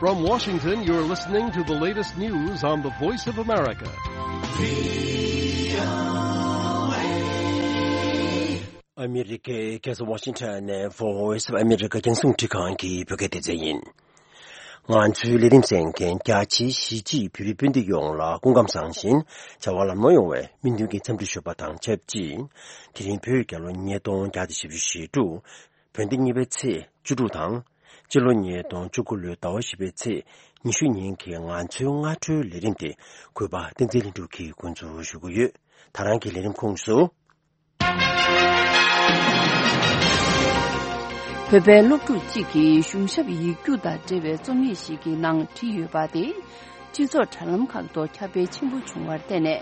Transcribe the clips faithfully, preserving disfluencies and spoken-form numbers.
From Washington, you're listening to the latest news on the Voice of America. ཨ་མི་རི་ཀའི་རྒྱལ་ས་ཝ་ཤིང་ཊོན་ནས་Voice of America རྒྱང་སྲིང་འཕྲིན་ཁང་གི་བོད་སྐད་སྡེ་ཚན་ཡིན། ང་ཚོའི་ལས་རིམ་གསན་མཁན་རྒྱ་ཆེའི་གཞིས་བྱེས་བོད་རིགས་སྤུན་ཟླ་ཡོངས་ལ་སྐུ་ཁམས་བཟང་ཞིང་བྱ་བ་ལམ་ལྷོང་ཡོང་བའི་སྨོན་འདུན་གྱི་འཚམས་འདྲི་ཞུ་བ་དང་ཆབས་ཅིག་དེ་རིང་བོད་རྒྱལ་ལོ་ཉིས་སྟོང་བརྒྱ་དང་བཞི་བཅུ་ཞེ་དྲུག་བོད་ཟླ་གཉིས་པའི་ཚེས་བཅུ་དྲུག་དང་། སྤྱི་ལོ་ཉིས་སྟོང་བཅུ་དགུ་ལོའི་ཟླ་བ་བཞི་པའི་ཚེས་ཉི་ཤུ་ཉིན་གྱི་ང་ཚོའི་སྔ་དྲོའི་ལས་རིམ་དེ་གུས་པ་བསྟན་འཛིན་ལྷུན་གྲུབ་ཀྱིས་འགོ་འཛུགས་ཞུ་གི་ཡོད། ད་རང་གི་ལས་རིམ་ཁོངས་སུ། བོད་པའི་སློབ་ཕྲུག་ཅིག་གིས་གཞུང་ཞབས་ཡིག་རྒྱུགས་དང་འབྲེལ་བའི་རྩོམ་ཡིག་ཞིག་གི་ནང་བྲིས་ཡོད་པ་དེ། སྤྱི་ཚོགས་དྲ་ལམ་ཁག་ཏུ་ཁྱབ་སྤེལ་ཆེན་པོ་བྱུང་བར་བརྟེན་ནས།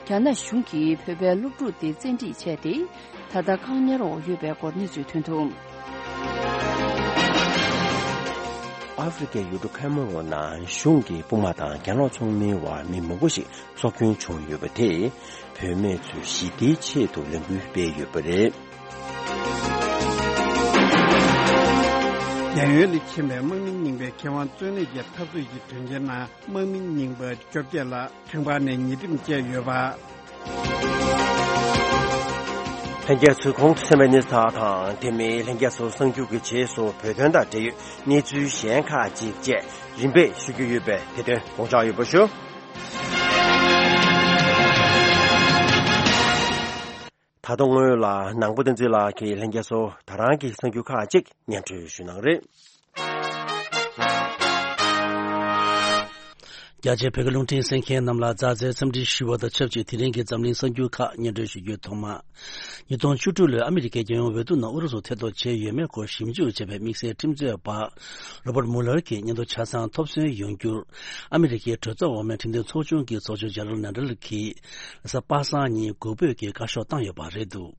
རྒྱ་ནག་གཞུང་གིས་བོད་པའི་སློབ་ཕྲུག་དེ་བཙན་ཁྲིད་བྱས་ཏེ། ད་ལྟ་བཀག་ཉར་འོག་ཡོད་པའི་སྐོར་གནས་ཚུལ་ཐོན་འདུག་ཨ་ཧྥེ་རི་ཀའི་ཡུལ་གྲུ་ཁེ་མ་རོན་ནང་གཞུང་གི་དཔུང་དམག་དང་གྱེན་ལོག་ཚོགས་མིའི་དབར་མི་མང་པོ་ཞིག་སྲོག་སྐྱོན་བྱུང་ཡོད་པ་དེས། བུད་མེད་ཚོའི་ཞི་བདེའི་ཆེད་དུ་ལས་འགུལ་སྤེལ་ཡོད་པ་རེད། རྒྱལ་ཡོངས་ནས་ཕྱིན་པའི་དམག་མི་རྙིང་པའི་མཁས་དབང་གཙོས་གནད་ཀྱི་འཐབ་རྩོད་ཀྱི་དོན་རྐྱེན་ནང་དམག་མི་རྙིང་པ་བཅོ་བརྒྱད་ལ་ཁང་པ་ནས་ཉེས་ཁྲིམས་བཅད་ཡོད་པ། ལྷན་རྒྱས་ཚོས་གོང་དུ་གསན་པའི་གནས་ཚུལ་དག་དང་དེ་མིན་ལྷན་རྒྱས་ཚོ་གསར་འགྱུར་གྱི་རྗེས་སུ་བོད་དོན་དང་འབྲེལ་ཡོད་གནས་ཚུལ་གཞན་ཁག་ཅིག་བཅས་རིམ་པས་ཞུ་རྒྱུ་ཡོད་པས་དེ་དོན་དགོངས་འཇགས་ཡོད་པ་ཞུ། ད་དུང་སྔོན་ལ་ནང་པ་བསྟན་འཛིན་ལགས་ཀྱིས་ལྷན་རྒྱས་ཚོ་ད་རང་གི་གསར་འགྱུར་ཁག་ཅིག་སྙན་སྒྲོན་ཞུ་གནང་རེད། རྒྱ་ཆེའི་བོད་ཀྱི་རླུང་འཕྲིན་གསན་མཁན་རྣམས་ལ་མཛའ་བརྩེའི་འཚམས་འདྲི་ཞུ་བ་དང་ཆབས་ཅིག་དེ་རིང་གི་འཛམ་གླིང་གསར་འགྱུར་ཁག་སྙན་སྒྲོན་ཞུ་རྒྱུའི་ཐོག་མ། ཉིས་སྟོང་བཅུ་དྲུག་ལོའི་ཨ་མི་རི་ཀའི་རྒྱལ་ཡོངས་འོས་བསྡུ་ནང་ཨུ་རུ་སུ་ཐེ་གཏོགས་བྱས་ཡོད་མེད་སྐོར་ཞིབ་འཇུག་བྱས་པའི་དམིགས་བསལ་ཁྲིམས་རྩོད་པ་རོ་བར་མུ་ལར་གྱི་སྙན་ཐོ་ཆ་ཚང་ཐོབ་སོན་ཡོང་རྒྱུར། ཨ་མི་རི་ཀའི་གྲོས་ཚོགས་འོག་མའི་ཁྲིམས་དོན་ཚོགས་ཆུང་གི་ཚོགས་གཙོ་ཇེ་རལ་ནེ་ཌལ་གྱིས། རེས་གཟའ་པ་སངས་ཉིན་འགུག་འབོད་ཀྱི་བཀའ་ཤོག་བཏང་ཡོད་པ་རེད་འདུག་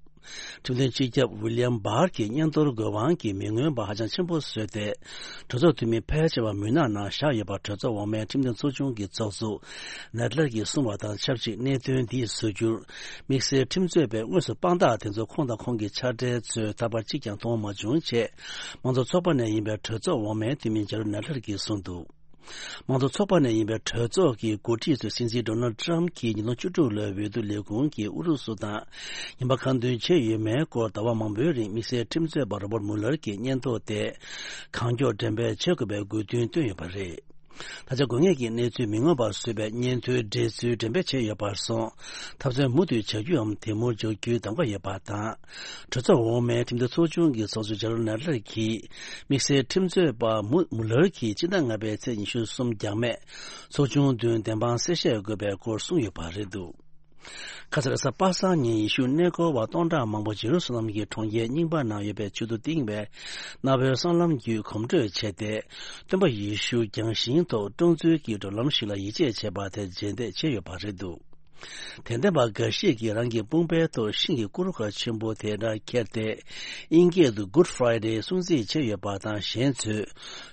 ཁྲིམས་དོན་སྤྱི་ཁྱབ་ཝི་ལི་ཡམ་བྷར་གྱི་སྙན་ཐོར་དགོས་དབང་གིས་མི་མངོན་པ་ཧ་ཅང་ཆེན་པོ་བཟོས་ཏེ། གྲོས་ཚོགས་འཐུས་མི་ཕལ་ཆེ་བ་མུན་ནག་ནང་བཞག་ཡོད་པ་གྲོས་ཚོགས་འོག་མའི་ཁྲིམས་དོན་ཚོགས་ཆུང་གི་ཚོགས་གཙོ་ནེ་ཌལ་གྱིས་གསུངས་པ་དང་ཆབས་ཅིག་གནད་དོན་འདི་བཟོ་རྒྱུར། དམིགས་བསལ་ཁྲིམས་རྩོད་པའི་དངོས་སུ་དཔང་རྟགས་དེ་ཚོ་ཁོང་དང་ཁོང་གི་ཕྱག་སྦྲེལ་ཚོས་ཐར་པ་གཅིག་ཀྱང་མཐོང་མ་བྱུང་ཅེས། དམངས་གཙོ་ཚོགས་པ་ནས་ཡིན་པའི་གྲོས་ཚོགས་འོག་མའི་འཐུས་མི་ཇེ་རལ་ནེ་ཌལ་གྱིས་གསུངས་འདུག་དམངས་གཙོ་ཚོགས་པ་ནས་ཡིན་པའི་གྲོས་ཚོགས་ཀྱི་འགོ་ཁྲིད་ཚོས་སྲིད་འཛིན་ཌོ་ནལ་ཌི་ཊརམ་ཕ་གྱིས་ཉིས་སྟོང་བཅུ་དྲུག་ལོའི་འོས་བསྡུ་ལས་ཁུངས་ཀྱིས་ཨུ་རུ་སུ་དང་ངན་པ་ཁ་འདོན་བྱས་ཡོད་མེད་སྐོར་ཟླ་བ་མང་པོའི་རིང་དམིགས་བསལ་ཁྲིམས་རྩོད་པ་རོ་བར་མུ་ལར་གྱི་སྙན་ཐོ་དེ་གང་མགྱོགས་འགྲེམས་སྤེལ་བྱེད་དགོས་པའི་དགོས་འདུན་བཏོན་ཡོད་པ་རེད། ད་ཆ་དགོས་ངེས་ཀྱི་གནས་ཚུལ་མི་མངོན་པར་བཟོས་པའི་སྙན་ཐོའི་འགྲེལ་ཚུལ་འགྲེམས་སྤེལ་བྱས་ཡོད་པར་སོང་། ཐབས་འཚོལ་མུ་མཐུད་བྱ་རྒྱུའམ་དེ་མུར་འཇོག་རྒྱུའི་གདམ་ག་ཡོད་པ་དང་། གྲོས་ཚོགས་འོག་མའི་ཁྲིམས་དོན་ཚོགས་ཆུང་གི་ཚོགས་གཙོ་ཇེ་རལ་ནེ་ཌལ་གྱིས། དམིགས་བསལ་ཁྲིམས་རྩོད་པ་མུ་མུ་ལར་གྱིས་སྤྱི་ཟླ་ལྔ་པའི་ཚེས་ཉི་ཤུ་གསུམ་འགྱངས་མེད། ཚོགས་ཆུང་མདུན་བདེན་དཔང་གསལ་བཤད་དགོས་པའི་སྐོར་གསུངས་ཡོད་པ་རེད་འདུག་ཁ་སང་རེས་གཟའ་པ་སངས་ཉིན་ཡེ་ཤུ་གནས་སྐོར་བ་སྟོང་ཕྲག་མང་པོ་ཇེ་རུ་སཱ་ལམ་གྱི་གྲོང་ཁྱེར་རྙིང་པ་ནང་ཡོད་པའི་མཆོད་རྟེན་བཏིང་བའི་གནའ་བོའི་སྲང་ལམ་བརྒྱུད་གོམ་བགྲོད་བྱས་ཏེ། སྟོན་པ་ཡེ་ཤུ་རྒྱང་ཤིང་ཐོག་བཀྲོངས་ཚུལ་གྱི་བགྲོད་ལམ་ཞིག་ལ་ཡིད་ཆེས་བྱས་པ་དེར་རྗེས་འདེད་བྱས་ཡོད་པ་རེད་འདུག་དད་ལྡན་པ་འགའ་ཞིག་གིས་རང་གི་དཔུང་པའི་ཐོག་ཤིང་གི་སྐུ་རུ་ཁ་ཆེན་པོ་དེ་འདྲ་ཁྱེར་ཏེ། དབྱིན་སྐད་དུ་Good Friday སྲུང་བརྩི་བྱས་ཡོད་པ་དང་། གཞན་ཚོས་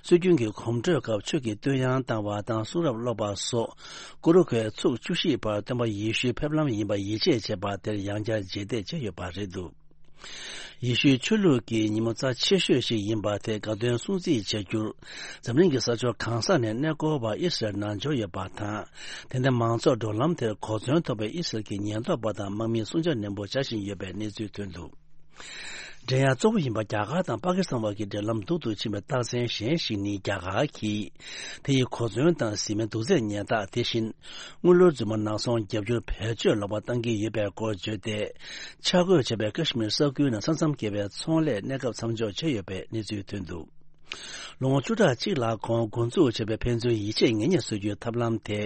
སྲོལ་རྒྱུན་གྱི་གོམ་བགྲོད་སྐབས་ཆོས་ཀྱི་བསྟོད་དབྱངས་བཏང་བ་དང་གསུང་རབ་ཀློག་པ་སོགས། སྐུ་རུ་ཁའི་ཚུགས་བཅུ་བཞི་བར་སྟོན་པ་ཡེ་ཤུའི་ཕེབས་ལམ་ཡིན་པ་ཡིད་ཆེས་བྱས་པ་དེར་ཡང་བསྐྱར་རྗེས་འདེད་བྱས་ཡོད་པ་རེད་འདུག་ཡེ་ཤུའི་ཆོས་ལུགས་ཀྱི་ཉིན་མོ་རྩ་ཆེ་ཤོས་ཤིག་ཡིན་པ་དེ་དགའ་སྟོན་སྲུང་བརྩི་བྱ་རྒྱུར། འཛམ་གླིང་གི་ས་ཕྱོགས་གང་ས་ནས་གནས་སྐོར་བ་ཨི་སི་རལ་ནང་འབྱོར་ཡོད་པ་དང་། དེ་ནས་མང་ཚོགས་འགྲོ་ལམ་དེར་གོ་མཚོན་ཐོབ་པའི་ཨི་སི་རལ་གྱི་ཉེན་རྟོག་པ་དང་དམག་མིས་སྲུང་བྱ་ནན་པོ་བྱ་བཞིན་ཡོད་པའི་གནས་ཚུལ་ཐོན་འདུག་འགྲན་ཡ་གཙོ་བོ་ཡིན་པ་རྒྱ་གར་དང་པ་ཀི་སི་ཐན་བར་གྱི་འབྲེལ་ལམ་སྡུག་ཏུ་ཕྱིན་པའི་རྟགས་མཚན་གཞན་ཞིག་ནི། རྒྱ་གར་གྱིས་དེ་ཡི་གོ་མཚོན་དང་བཟི་སྨན་དུག་རྫས་ཉེན་རྟགས། དེ་བཞིན་དངུལ་ལོར་རྫུན་མ་ནག་ཚོང་བརྒྱབ་རྒྱུར་བེད་སྤྱོད་ལོག་པ་བཏང་གི་ཡོད་པའི་སྐོར་བརྗོད་དེ། ཆ་བགོས་བྱས་པའི་ཀ་ཤི་མིར་ས་ཁུལ་ནང་ས་མཚམས་བརྒལ་བའི་ཚོང་ལས་གནས་སྐབས་མཚམས་འཇོག་བྱས་ཡོད་པའི་གནས་ཚུལ་ཐོན་འདུག་ལོ་ངོ་བཅུ་ཕྲག་གཅིག་ལ་གོང་འགོ་འཛུགས་བྱས་པའི་ཕན་ཚུན་ཡིད་ཆེས་ངེས་གཉིས་བཟོ་རྒྱུའི་ཐབས་ལམ་དེ།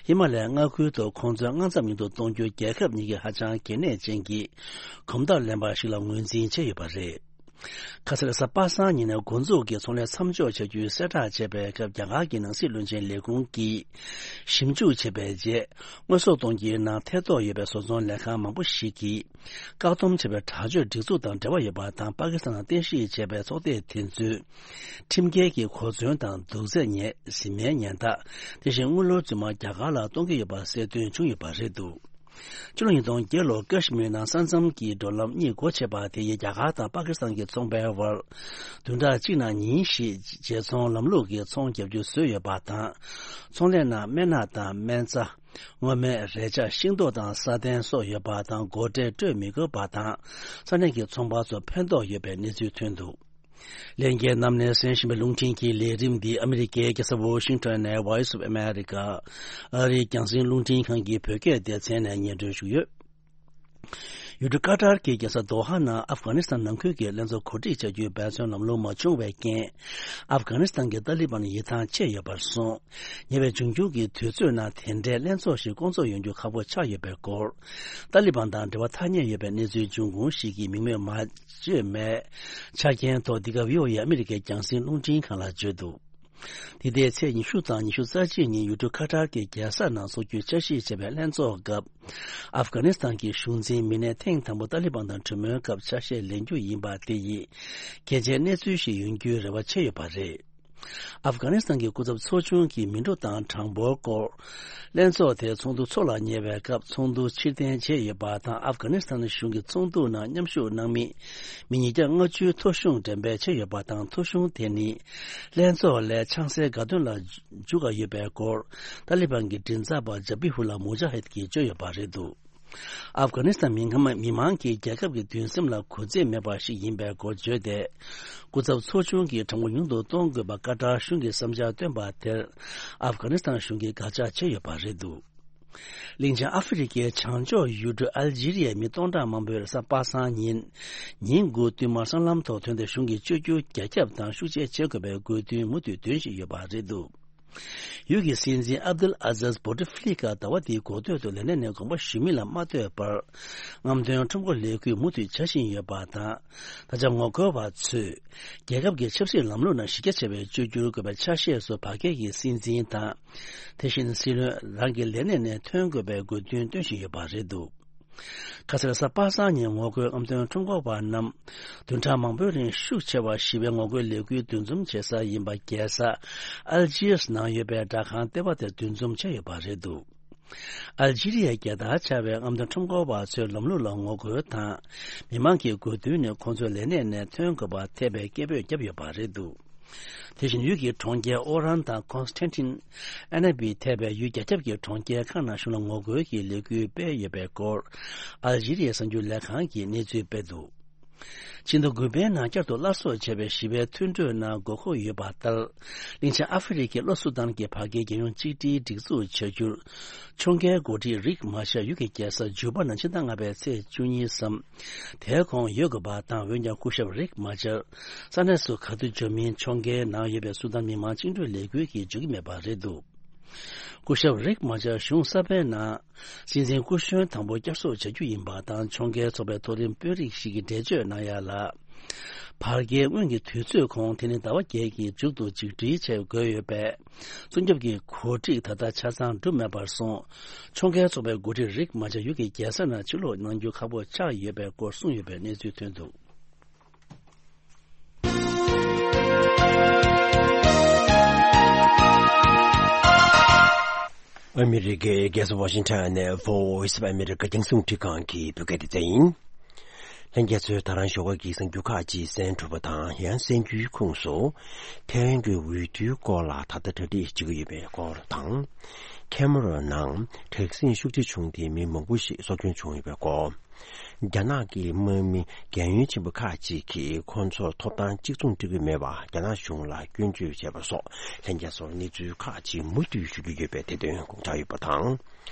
ཧི་མ་ལ་ཡའི་མངའ་ཁུལ་དུ་ཁོང་ཚོའི་མངའ་མཚམས་ཉུང་དུ་གཏོང་རྒྱུ་རྒྱལ་ཁབ་གཉིས་ཀྱི་ཧ་ཅང་གལ་གནད་ཅན་གྱི་གོམ་སྟབས་ལེན་པ་ཞིག་ལ་ངོས་འཛིན་བྱས་ཡོད་པ་རེད། ཁ་སང་རེས་གཟའ་པ་སངས་ཉིན་ནས་འགོ་འཛུགས་ཀྱིས་ཚོང་ལས་མཚམས་འཇོག་བྱ་རྒྱུའི་གསལ་བསྒྲགས་བྱས་པའི་སྐབས། རྒྱ་གར་གྱི་ནང་སྲིད་བློན་ཆེན་ལས་ཁུངས་ཀྱིས་ཞིབ་འཇུག་བྱས་པའི་རྗེས། དངོས་ཟོག་གཏོང་རྒྱུའི་ནང་ཐེ་གཏོགས་ཡོད་པའི་བཟོ་ཚོང་ལས་ཁང་མང་པོ་ཞིག་གིས། བཀག་སྡོམ་བྱས་པའི་དྲག་སྤྱོད་སྒྲིག་འཛུགས་དང་འབྲེལ་བ་ཡོད་པ་དང་། པ་ཀི་སི་ཐན་ནང་རྟེན་གཞི་བྱས་པའི་ཚོགས་སྡེ་དེ་ཚོས། ཁྲིམས་འགལ་གྱི་གོ་མཚོན་དང་དུག་རྫས་ཉེན། བཟི་སྨན་ཉེན་རྟགས། དེ་བཞིན་དངུལ་ལོར་རྫུན་མ་རྒྱ་གར་ལ་གཏོང་གི་ཡོད་པ་གསལ་སྟོན་བྱུང་ཡོད་པ་རེད་འདུག་ཕྱི་ལོ་ཉིས་སྟོང་བརྒྱད་ལོར་ཀ་ཤི་མིར་ནང་ས་མཚམས་ཀྱི་འགྲོ་ལམ་གཉིས་སྒོ་ཕྱེ་བ་དེ་ཡིས་རྒྱ་གར་དང་པ་ཀི་སི་ཐན་གྱི་ཚོང་པའི་དབར། བདུན་ཕྲག་གཅིག་ནང་ཉིན་བཞི་བརྗེ་ཚོང་ལམ་ལུགས་ཀྱི་ཚོང་བརྒྱབ་རྒྱུ་བཟོས་ཡོད་པ་དང་། ཚོང་ལས་ནང་སྨན་སྣ་དང་སྨན་རྩྭ། སྔོ་སྨན། རས་ཆ། ཤིང་ཏོག་དང་ས་གདན་སོགས་ཡོད་པ་དང་། སྒོ་ཁྲལ་སྤྲོད་མི་དགོས་པ་དང་། ས་གནས་ཀྱི་ཚོང་པ་ཚོར་ཕན་ཐོགས་ཡོད་པའི་གནས་ཚུལ་ཐོན་འདུག། ལྷན་རྒྱས་རྣམས་ནས་གསན་བཞིན་པའི་རླུང་འཕྲིན་གྱི་ལས་རིམ་འདི་ཨ་མི་རི་ཀའི་རྒྱལ་ས་ཝོ་ཤིང་ཊོན་ནས་Voice of America ཨ་རིའི་རྒྱང་སྲིང་རླུང་འཕྲིན་ཁང་གི་བོད་སྐད་སྡེ་ཚན་ནས་སྙན་སྒྲོན་ཞུས་ཡོད། ཡུལ་གྲུ་ཀ་ཏར་གྱི་རྒྱལ་ས་དོ་ཧ་ནང་ཨབ་གྷ་ནི་སི་ཐན་ནང་ཁུལ་གྱི་ལྷན་ཚོགས་གོ་སྒྲིག་བྱ་རྒྱུའི་འབད་བརྩོན་ལམ་ལྷོང་མ་བྱུང་བའི་རྐྱེན། ཨབ་གྷ་ནི་སི་ཐན་གྱི་ཏཱ་ལི་བན་ཡིད་ཐང་ཆད་ཡོད་པར་སོང་། ཉེ་བའི་འབྱུང་འགྱུར་གྱི་དུས་ཚོད་ནང་དེ་འདྲའི་ལྷན་ཚོགས་ཤིག་སྐོང་ཚོགས་ཡོང་རྒྱུ་ཁག་པོ་ཆགས་ཡོད་པའི་སྐོར། ཏཱ་ལི་བན་དང་འབྲེལ་བ་ཐག་ཉེ་ཡོད་པའི་གནས་ཚུལ་འབྱུང་ཁུངས་ཤིག་གིས་མིང་མེད་མ་བརྗོད་མེད་ཆ་རྐྱེན་ཐོག་འདི་ག་བྷི་ཨོ་ཨེ་ཨ་མི་རི་ཀའི་རྒྱང་སྲིང་རླུང་འཕྲིན་ཁང་ལ་བརྗོད་འདུག། འདི་ཟླའི་ཚེས་ཉི་ཤུ་དང་ཉི་ཤུ་རྩ་གཅིག་ཉིན་ཡུལ་གྲུ་ཁ་ཏར་གྱི་རྒྱལ་ས་ནང་འཚོགས་རྒྱུའི་འཆར་གཞི་བྱས་པའི་ལྷན་ཚོགས་སྐབས། ཨབ་གྷ་ནི་སི་ཐན་གྱི་གཞུང་འཛིན་མི་སྣས་ཐེངས་དང་པོ་ཏཱ་ལི་བན་དང་གྲོས་མོལ་སྐབས་ཆ་ཤས་ལེན་རྒྱུ་ཡིན་པ་དེ་ཡིས། གལ་ཆེའི་གནས་ཚུལ་ཞིག་ཡོང་རྒྱུའི་རེ་བ་བྱས་ཡོད་པ་རེད། ཨབ་གྷ་ནི་སི་ཐན་གྱི་སྐུ་ཚབ་ཚོགས་ཆུང་གིས་མི་འགྲོ་སྟངས་དྲང་པོའི་སྐོར། ལྷན་ཚོགས་དེ་ཚོགས་འདུ་འཚོགས་ལ་ཉེ་བའི་སྐབས་ཚོགས་འདུ་ཕྱིར་འཐེན་བྱས་ཡོད་པ་དང་། ཨབ་གྷ་ནི་སི་ཐན་གཞུང་གི་ཚོགས་འདུ་ནང་མཉམ་ཞུགས་གནང་མི་མི་ཉིས་བརྒྱ་ལྔ་བཅུའི་ཐོ་གཞུང་འགྲེམས་སྤེལ་བྱས་ཡོད་པ་དང་། ཐོ་གཞུང་དེ་ནི་ལྷན་ཚོགས་ལས་ཆང་སའི་དགའ་སྟོན་ལ་འཇུག་ག་ཡོད་པའི་སྐོར། ཏཱ་ལི་བན་གྱི་མགྲིན་ཚབ་པ་ཇ་བྷི་ཧུ་ལ་མུ་ཇ་ཧིད་ཀྱིས་བརྗོད་ཡོད་པ་རེད་འདུག། ཨབ་གྷ་ནི་སི་ཐན་མི་ཁམས་མི་མང་གིས་རྒྱལ་ཁབ་ཀྱི་འདུན་སེམས་ལ་གུས་བརྩི་མེད་པ་ཞིག་ཡིན་པའི་སྐོར་བརྗོད་དེ། སྐུ་ཚབ་ཚོགས་ཆུང་གིས་དྲང་པོ་ཉུང་དུ་གཏོང་དགོས་པ་ཀ་ཏར་གཞུང་གིས་བསམ་འཆར་བཏོན་པ་དེར། ཨབ་གྷ་ནི་སི་ཐན་གཞུང་གིས་དགག་བྱ་བྱས་ཡོད་པ་རེད་འདུག། གླིང་ཆེན་ཨ་ཧྥེ་རི་ཁའི་བྱང་ཕྱོགས་ཡུལ་གྲུ་ཨལ་ཇི་རི་ཡའི་མི་སྟོང་ཕྲག་མང་པོས་རེས་གཟའ་པ་སངས་ཉིན། ཉིན་དགུ་བསྟུད་མར་སྲང་ལམ་ཐོག་ཐོན་ཏེ་གཞུང་གིས་བཅོས་བསྒྱུར་རྒྱ་ཁྱབ་དང་ཤུགས་ཆེ་བྱེད་དགོས་པའི་དགོས་འདུན་མུ་མཐུད་འདོན་བཞིན་ཡོད་པ་རེད་འདུག། ཡུལ་གྱི་སྲིད་འཛིན་ཨབ་དུལ་ཨ་ཛཱས་བྷོ་ཏི་ཧྥི་ལི་ཀ་ཟླ་བ་འདིའི་འགོ་སྟོད་དུ་ལས་གནས་ནས་དགོངས་པ་ཞུ་མིན་ལ་མ་ལྟོས་པར། རྔམ་སྟོན་ཁྲོམ་སྐོར་ལས་འགུལ་མུ་མཐུད་བྱ་བཞིན་ཡོད་པ་དང་། ད་ཆ་ངོ་རྒོལ་བ་ཚོས། རྒྱལ་ཁབ་ཀྱི་ཆབ་སྲིད་ལམ་ལུགས་ནང་གཞི་རྒྱ་ཆེ་བའི་བཅོས་བསྒྱུར་དགོས་པའི་ཆ་ཤས་སུ་བར་བརྒལ་གྱི་སྲིད་འཛིན་དང་། དེ་བཞིན་སྲིད་བློན་རང་གི་ལས་གནས་ནས་ཐོན་དགོས་པའི་དགོས་འདུན་བཏོན་བཞིན་ཡོད་པ་རེད་འདུག། ཁ་སང་རེས་གཟའ་པ་སངས་ཉིན་ངོ་རྒོལ་རྔམ་སྟོན་ཁྲོམ་སྐོར་བ་རྣམས་བདུན་ཕྲག་མང་པོའི་རིང་ཤུགས་ཆེ་བ་ཞི་བའི་ངོ་རྒོལ་ལས་འགུལ་འདུ་འཛོམས་བྱེད་ས་ཡིན་པ། རྒྱལ་ས་ཨལ་ཇི་ཡར་ནང་ཡོད་པའི་སྦྲག་ཁང་ལྟེ་བ་དེར་འདུ་འཛོམས་བྱས་ཡོད་པ་རེད་འདུག། ཨལ་ཇི་རི་ཡའི་རྒྱལ་དར་འཕྱར་བའི་རྔམ་སྟོན་ཁྲོམ་སྐོར་བ་ཚོའི་ལམ་ལུགས་ལ་ངོ་རྒོལ་དང་། མི་མང་གི་དགོས་འདུན་ནི་ཁོང་ཚོའི་ལས་གནས་ནས་ཐོན་དགོས་པ་ཐེ་བའི་སྐད་འབོད་བརྒྱབ་ཡོད་པ་རེད་འདུག། དེ་བཞིན་ཡུལ་གྱི་གྲོང་ཁྱེར་ཨོ་རན་དང་ཀོན་སི་ཊན་ཊིན། ཨ་ན་བི་ཐེ་བའི་ཡུལ་རྒྱ་ཁྱབ་ཀྱི་གྲོང་ཁྱེར་ཁག་ནང་གཞུང་ལ་ངོ་རྒོལ་གྱི་ལས་འགུལ་སྤེལ་ཡོད་པའི་སྐོར། ཨལ་ཇི་རི་ཡའི་གསར་འགྱུར་ལས་ཁང་གིས་གནས་ཚུལ་སྤེལ་འདུག། ཕྱི་ཟླ་དགུ་པའི་ནང་བསྐྱར་དུ་སླར་གསོ་བྱས་པའི་ཞི་བའི་མཐུན་གྲོས་ནང་དགོས་མཁོ་ཡོད་པ་ལྟར། གླིང་ཆེན་ཨ་ཧྥེ་རི་ཁའི་ལྷོ་སུ་དཱན་གྱི་བར་བརྒལ་རྒྱལ་ཡོངས་གཅིག་སྒྲིལ་སྒྲིག་འཛུགས་བྱ་རྒྱུར། ཕྱོགས་འགལ་འགོ་ཁྲིད་རིག་མ་ཤར་ཡུལ་གྱི་རྒྱལ་ས་ཇུ་པ་ནང་ཕྱི་ཟླ་ལྔ་པའི་ཚེས་བཅུ་གཉིས་སམ། དེའི་གོང་ཡོད་དགོས་པ་དང་། འོན་ཀྱང་སྐུ་ཞབས་རིག་མ་ཤར་ས་གནས་སུ་ག་དུས་འབྱོར་མིན་ཕྱོགས་འགལ་ནང་ཡོད་པའི་སུ་དཱན་མི་དམངས་བཅིངས་འགྲོལ་ལས་འགུལ་གྱིས་འཇུག་གི་མེད་པ་རེད་འདུག། སྐུ་ཞབས་རིག་མ་ཤར་གཞུང་གསར་པའི་ནང་། སྲིད་འཛིན་སྐུ་གཞོན་དང་པོ་བསྐྱར་གསོ་བྱ་རྒྱུ་ཡིན་པ་དང་། ཕྱོགས་འགལ་ཚོགས་པའི་མཐོ་རིམ་དཔོན་རིགས་ཤིག་གིས་འགྲེལ་བརྗོད་གནང་ཡ་ལ། བར་བརྒལ་སྔོན་གྱི་དུས་ཚོད་གོང་དེ་ནི་ཟླ་བ་བརྒྱད་ཀྱི་མཇུག་ཏུ་ཆིག་སྒྲིལ་བྱེད་དགོས་ཡོད་པས། བཙོན་ཁྱབ་ཀྱི་གོ་སྒྲིག་ད་ལྟ་ཆ་ཚང་གྲུབ་མེད་པར་སོང་། ཕྱོགས་འགལ་ཚོགས་པའི་འགོ་ཁྲིད་རིག་མ་ཤར་ཡུལ་གྱི་རྒྱལ་ས་ནང་ཕྱིར་ལོག་གནང་རྒྱུ་ཁག་པོ་ཆགས་ཡོད་པའི་སྐོར་གསུངས་ཡོད་པའི་གནས་ཚུལ་ཐོན་འདུག། ཨ་མི་རི་ཀའི་རྒྱལ་ས་ཝ་ཤིང་ཊོན་ནས་Voice of America རྒྱང་སྲིང་རླུང་འཕྲིན་ཁང་གི་བོད་སྐད་སྡེ་ཚན་ཡིན། ལྷན་རྒྱས་ཚོས་ད་རང་ཞོགས་ཀ་གི་གསར་འགྱུར་ཁག་ཅིག་གསན་གྲུབ་པ་དང་། ཡང་གསར་འགྱུར་ཁུངས་སུ། ཐའེ་ཝན་གྱི་འོས་བསྡུའི་སྐོར་ལ་ད་ལྟ་གྲ་སྒྲིག་བྱེད་ཀྱི་ཡོད་པའི་སྐོར་དང་། ཁེ་མ་རོན་ནང་དྲག་ཟིང་ཤུགས་ཆེ་བྱུང་སྟེ་མི་མང་པོ་ཞིག་སྲོག་སྐྱོན་བྱུང་ཡོད་པའི་སྐོར། རྒྱ་ནག་གི་དམག་མི་རྒན་ཡོལ་ཕྱིན་པ་ཁག་ཅིག་གིས་ཁོང་ཚོར་ཐོབ་ཐང་གཅིག་མཚུངས་སྤྲད་ཀྱི་མེད་པར་རྒྱ་ནག་གཞུང་ལ་སྐྱོན་བརྗོད་བྱས་པ་སོགས། ལྷན་རྒྱས་ཚོར་གནས་ཚུལ་ཁག་ཅིག་མུ་མཐུད་ཞུ་རྒྱུ་ཡོད་པས་དེ་དོན་དགོངས་འཇགས་ཡོད་པ་དང་།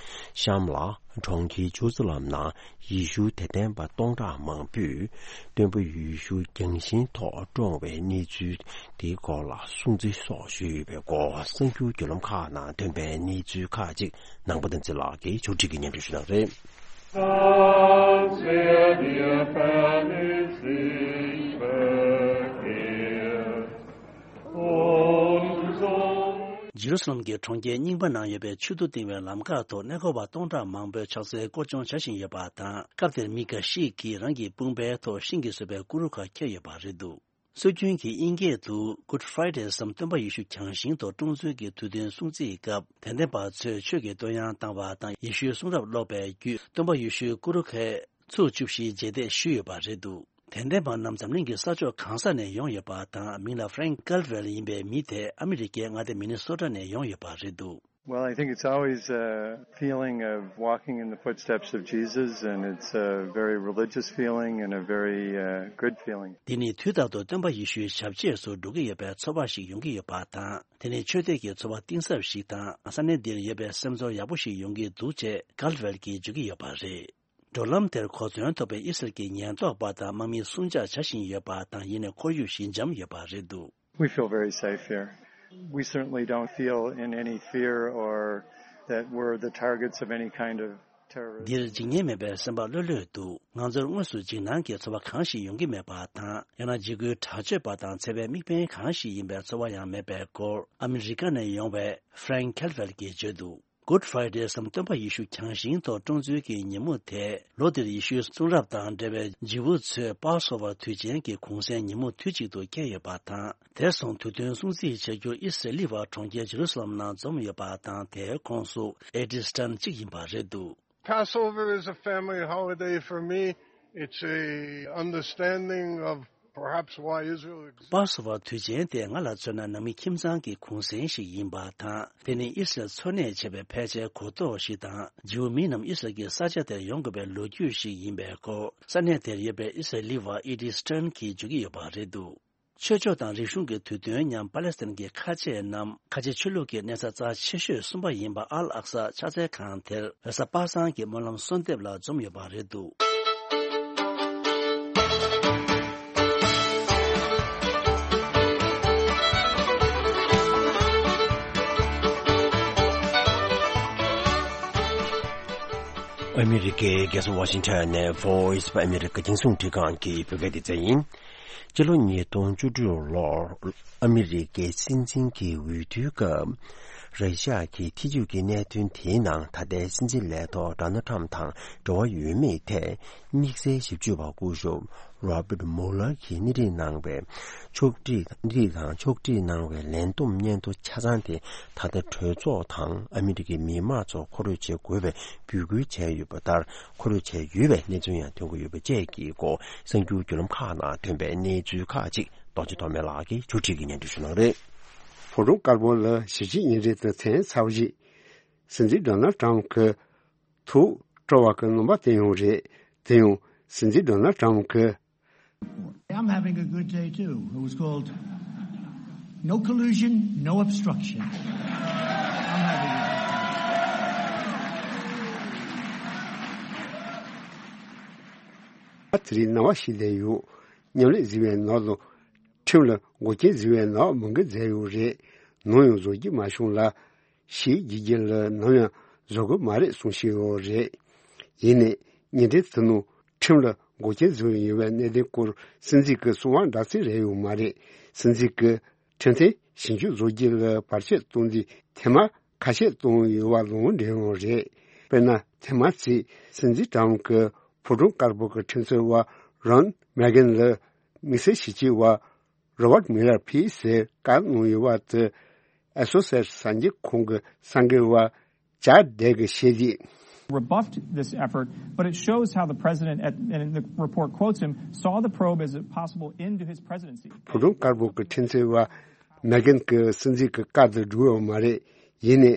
གཤམ་ལ། གྲོང་ཁྱེར་ཇུ་རུ་ཛ་ལམ་ནང་ཡེ་ཤུའི་དད་ལྡན་པ་སྟོང་ཕྲག་མང་པོས་སྟོན་པ་ཡེ་ཤུ་རྒྱང་ཤིང་ཐོག་བཀྲོངས་པའི་གནས་ཚུལ་དེའི་སྐོར་ལ་སྲུང་བརྩི་སོགས་ཞུས་ཡོད་པའི་སྐོར། གསར་འགྱུར་བརྒྱུད་ལམ་ཁག་ནང་ཐོན་པའི་གནས་ཚུལ་ཁག་ཅིག་ནང་པ་བསྟན་འཛིན་ལགས་ཀྱིས་ཕྱོགས་སྒྲིག་གིས་སྙན་སྒྲོན་ཞུ་གནང་རེད། ཇེ་རུ་སཱ་ལམ་གྱི་གྲོང་ཁྱེར་རྙིང་པ་ནང་ཡོད་པའི་མཆོད་དོ་བཏིང་བའི་ལམ་ཁ་ཐོག་གནས་སྐོར་བ་སྟོང་ཕྲག་མང་པོས་ཕྱག་འཚལ་སྐོར་སྦྱོང་བྱ་བཞིན་ཡོད་པ་དང་། སྐབས་དེར་མི་འགའ་ཞིག་གིས་རང་གི་དཔུང་པའི་ཐོག་ཤིང་གིས་བཟོས་པའི་ཀུ་རུ་ཁ་འཁྱེར་ཡོད་པ་རེད་འདུག། སྲོལ་རྒྱུན་གྱི་དབྱིན་སྐད་དུ་Good Friday སམ་སྟོན་པ་ཡེ་ཤུ་གྱང་ཞིང་ཐོག་སྲུང་བརྩིའི་དུས་སྟོན་སྲུང་བརྩིའི་སྐབས། དད་ལྡན་པ་ཚོས་ཆོས་ཀྱི་བསྟོད་དབྱངས་བཏང་བ་དང་། ཡེ་ཤུའི་གསུང་རབ་ཀློག་པའི་བརྒྱུད་སྟོན་པ་ཡེ་ཤུའི་སྐུ་རུ་ཁའི་ཚུགས་བཅུ་བཞིའི་རྗེས་འདེད་ཞུས་ཡོད་པ་རེད་འདུག་དད་ལྡན་པ་རྣམས་འཛམ་གླིང་གི་ས་ཕྱོགས་གང་ས་ནས་ཡོང་ཡོད་པ་དང་། མིང་ལ་Frank Caldwell ཡིན་པའི་མི་དེ་ཨ་མི་རི་ཀའི་མངའ་སྡེ་མི་ནི་སོ་ཊ་ནས་ཡོང་ཡོད་པ་རེད་འདུག Well, I think it's always a feeling of walking in the footsteps of Jesus, and it's a very religious feeling and a very uh, good feeling. འདི་ནི་དུས་རྟག་ཏུ་སྟོན་པ་ཡེ་ཤུའི་ཞབས་རྗེས་སུ་འགྲོ་གི་ཡོད་པའི་ཚོར་བ་ཞིག་ཡོང་གི་ཡོད་པ་དང་། དེ་ནི་ཆོས་དད་ཀྱི་ཚོར་བ་གཏིང་ཟབ་ཞིག་དང་། ས་གནས་འདིར་ཡོད་པའི་སེམས་ཚོར་ཡག་པོ་ཞིག་ཡོང་གི་འདུག་ཅེས་Caldwell གྱིས་བརྗོད་ཀྱི་ཡོད་པ་རེད། འགྲོ་ལམ་དེར་གོ་མཚོན་ཐོབ་པའི་ཨི་སི་རལ་གྱི་ཉེན་རྟོག་པ་དང་དམག་མིས་སྲུང་བྱ་བྱ་བཞིན་ཡོད་པ་དང་། ཡིན་ནའི་ཁོར་ཡུག་ཞི་འཇམ་ཡོད་པ་རེད་འདུག We feel very safe here. We certainly don't feel in any fear or that we're the targets of any kind of terrorism. འདིར་འཇིགས་ཉེན་མེད་པའི་སེམས་པ་ལྷོད་ལྷོད་འདུག་ང་ཚོར་དངོས་སུ་འཇིགས་སྣང་གི་ཚོར་བ་གང་ཞིག་ཡོང་གི་མེད་པ་དང་། ཡང་ན་འཇིགས་སྐུལ་དྲག་སྤྱོད་པ་དང་འཚེ་བའི་དམིགས་འབེན་གང་ཞིག་ཡིན་པའི་ཚོར་བ་ཡང་མེད་པའི་སྐོར་ཨ་མི་རི་ཀ་ནས་ཡོང་བའི་Frank Caldwell གྱིས་བརྗོད་འདུག Good Friday སམ་སྟོན་པ་ཡེ་ཤུ་གྱང་ཞིང་ཐོག་སྲུང་བརྩིའི་ཉིན་མོ་དེ། ལོ་འདིར་ཡེ་ཤུའི་གསུང་རབ་དང་འབྲེལ་བའི་ཇིའུ་ཚོའི་Passover དུས་ཆེན་གྱི་གུང་སེང་ཉིན་མོ་དུས་གཅིག་ཏུ་འཁེལ་ཡོད་པ་དང་། དེར་སོང་དུས་སྟོན་སྲུང་བརྩི་བྱ་རྒྱུར་ཨི་སི་རེལ་བ་གྲོང་ཁྱེར་ཇེ་རུ་སཱ་ལམ་ནང་འཛོམས་ཡོད་པ་དང་། དེའི་ཁོངས་སུ་Eddie Stern གཅིག་ཡིན་པ་རེད་འདུག Passover is a family holiday for me. It's a understanding of perhaps why Israel exists. Passover དུས་ཆེན་དེ་ང་ལ་མཚོན་ན་ནང་མི་ཁྱིམ་ཚང་གི་གུང་སེང་ཞིག་ཡིན་པ་དང་། དེ་ནི་ཨི་སི་རལ་འཚོ་གནས་བྱེད་པའི་ཕལ་ཆེར་གོ་རྟོགས་ཤིག་དང་། ཇིའུ་མི་རྣམས་ཨི་སི་རལ་གྱི་ས་ཆ་དེར་ཡོང་དགོས་པའི་ལོ་རྒྱུས་ཤིག་ཡིན་པའི་སྐོར་ས་གནས་དེར་ཡོད་པའི་ཨི་སི་རེལ་བ་Eddie Stern གྱིས་བརྗོད་ཀྱི་ཡོད་པ་རེད་འདུག་ཆོས་ཕྱོགས་དང་རིག་གཞུང་གི་དུས་སྟོན་མཉམ་པ་ལེ་སི་ཐན་གྱི་ཁ་ཆེ་རྣམས་ཁ་ཆེ་ཆོས་ལུགས་ཀྱི་གནས་ས་རྩ་ཆེ་ཤོས་གསུམ་པ་ཡིན་པ་ཨལ་ཨག་ས་ཕྱག་འཚལ་ཁང་དེར་རེས་གཟའ་པ་སངས་ཀྱི་སྨོན་ལམ་གསོལ་འདེབས་ལ་འཛོམས་ཡོད་པ་རེད་འདུག་ཨ་མི་རི་ཀའི་རྒྱལ་ས་ཝ་ཤིང་ཊོན་ནས་Voice of America རྒྱང་སྲིང་རླུང་འཕྲིན་ཁང་གི་བོད་སྐད་སྡེ་ཚན་ཡིན། སྤྱི་ལོ་ཉིས་སྟོང་བཅུ་དྲུག་ལོར་ཨ་མི་རི་ཀའི་སྲིད་འཛིན་གྱི་འོས་བསྡུའི་སྐབས། ར་ཤ་ཡ་གི་ཐེ་ཇུས་ཀྱི་གནད་དོན་དེའི་ནང་ད་ལྟའི་སྲིད་འཛིན་ལས་ཐོག་Donald Trump དང་འབྲེལ་བ་ཡོད་མེད་ཐད། དམིགས་བསལ་ཞིབ་དཔྱོད་པ་སྐུ་ཞབས་Robert Mueller གྱིས་སྣེ་ཁྲིད་གནང་བའི་ཕྱོགས་སྒྲིག་སྣེ་ཁྲིད་དང་ཕྱོགས་སྒྲིག་གནང་བའི་ལན་འདུམ་སྙན་ཐོ་ཆ་ཚང་དེ་ད་ལྟ་གྲོས་ཚོགས་དང་ཨ་མི་རི་ཀའི་མི་མང་ཚོར་མཁོ་སྤྲོད་བྱེད་དགོས་པའི་འབོད་སྐུལ་བྱས་ཡོད་པ་ལྟར། མཁོ་སྤྲོད་བྱས་ཡོད་པའི་གནས་ཚུལ་ཡང་ཐོན་གྱི་ཡོད་པ་བཅས་ཀྱི་སྐོར་གསར་འགྱུར་བརྒྱུད་ལམ་ཁག་ནང་ཐོན་པའི་གནས་ཚུལ་ཁག་ཅིག་རྡོ་རྗེ་ཐོགས་མེད་ལགས་ཀྱིས་ཕྱོགས་སྒྲིག་གིས་སྙན་སྒྲོན་ཞུ་གནང་རེད། ཕོ་བྲང་དཀར་པོ་ལ་གཞིས་བྱེས་གཉེན་འབྲེལ་དོན་ཚན་ཚར་བ་ཞིག་སྲིད་འཛིན་Donald Trump གི་ཐུགས་སྤྲོ་བ་གི་རྣམ་པ་བསྟན་ཡོད་རེད། དེ་ཡང་སྲིད་འཛིན་Donald Trump གི I'm having a good day too. It was called No Collusion, No Obstruction. I'm having a good day. ཨ་ཙི་རེ་སྣང་བ་ཞིག་སླེབས་ཡོད། མཉམ་ལས་བཟོས་པའི་ནང་ལ་ཁྲིམས་ལ་འགོག་རྐྱེན་བཟོས་པའི་ནང་མི་འགལ་མཛད་ཡོད་རེད། ནམ་ཡང་བཟོ་རྒྱུ་མ་བྱུང་ལ། ཞེས་རྒྱལ་རྒྱལ་ལ་ནམ་ཡང་བཟོ་དགོས་མ་རེད་གསུངས་བཞིན་ཡོད་རེད། ཡིན་ནའི་གཉེན་འབྲེལ་དེ་ནང་ཁྲིམས་ལ་འགོག་རྐྱེན་བཟོས་ཡོད་པའི་གནད་དོན་སྐོར་སྲིད་འཛིན་གྱི་གསང་བ་འདྲ་མཚུངས་རེད་ཡོད་མ་རེད། སྲིད་འཛིན་གྱི་ཁྲིམས་མཐུན་ཞིབ་འཇུག་བཟོ་རྒྱུ་ལ་བར་ཆད་གཏོང་རྒྱུའི་ཐེངས་མ་ཁ་ཤས་བཏང་ཡོད་པ་ལུང་འདྲེན་ཡོད་རེད། དཔེར་ན་ཐེངས་མ་གཅིག་སྲིད་འཛིན་ཊམ་གྱི་ཕོ་བྲང་དཀར་པོ་གི་ཁྲིམས་རྩོད་པ་རོན་མེ་གྷན་ལ་དམིགས་བསལ་ཞིབ་དཔྱོད་པ་Robert Mueller ཕུད་ཟེར་བཀའ་གནང་ཡོད་པ་དེ་Associated གསར་འགྱུར་ཁང་གི་གསར་འགོད་པ་ཅཱར་ཌེ་གིས་བཤད་དུས། Rebuffed this effort, but it shows how the president, at, and the report quotes him, saw the probe as a possible end to his presidency. ཕོ་བྲང་དཀར་པོ་གི་ཁྲིམས་རྩོད་པ་མེ་གྷན་གྱིས་སྲིད་འཛིན་གྱི་བཀའ་དེ་སྒྲུབ་ཡོད་མ་རེད། ཡིན་ནའི་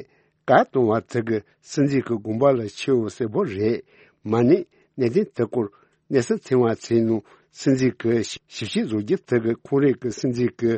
བཀའ་གཏོང་བ་དེ་གིས་སྲིད་འཛིན་གྱི་དགོངས་པ་ལ་ཁྱེར་ཡོད་གསལ་པོ་རེད། མ་ནི་གནད་དོན་དེ་སྐོར་གནས་ཚུལ་ཐོན་པ་ཚོའི་ནང་སྲིད་འཛིན་གྱི་ཞིབ་དཔྱད་བཟོ་རྒྱུ་དེ་གིས་ཁོང་རང་གི་སྲིད་འཛིན་གྱི་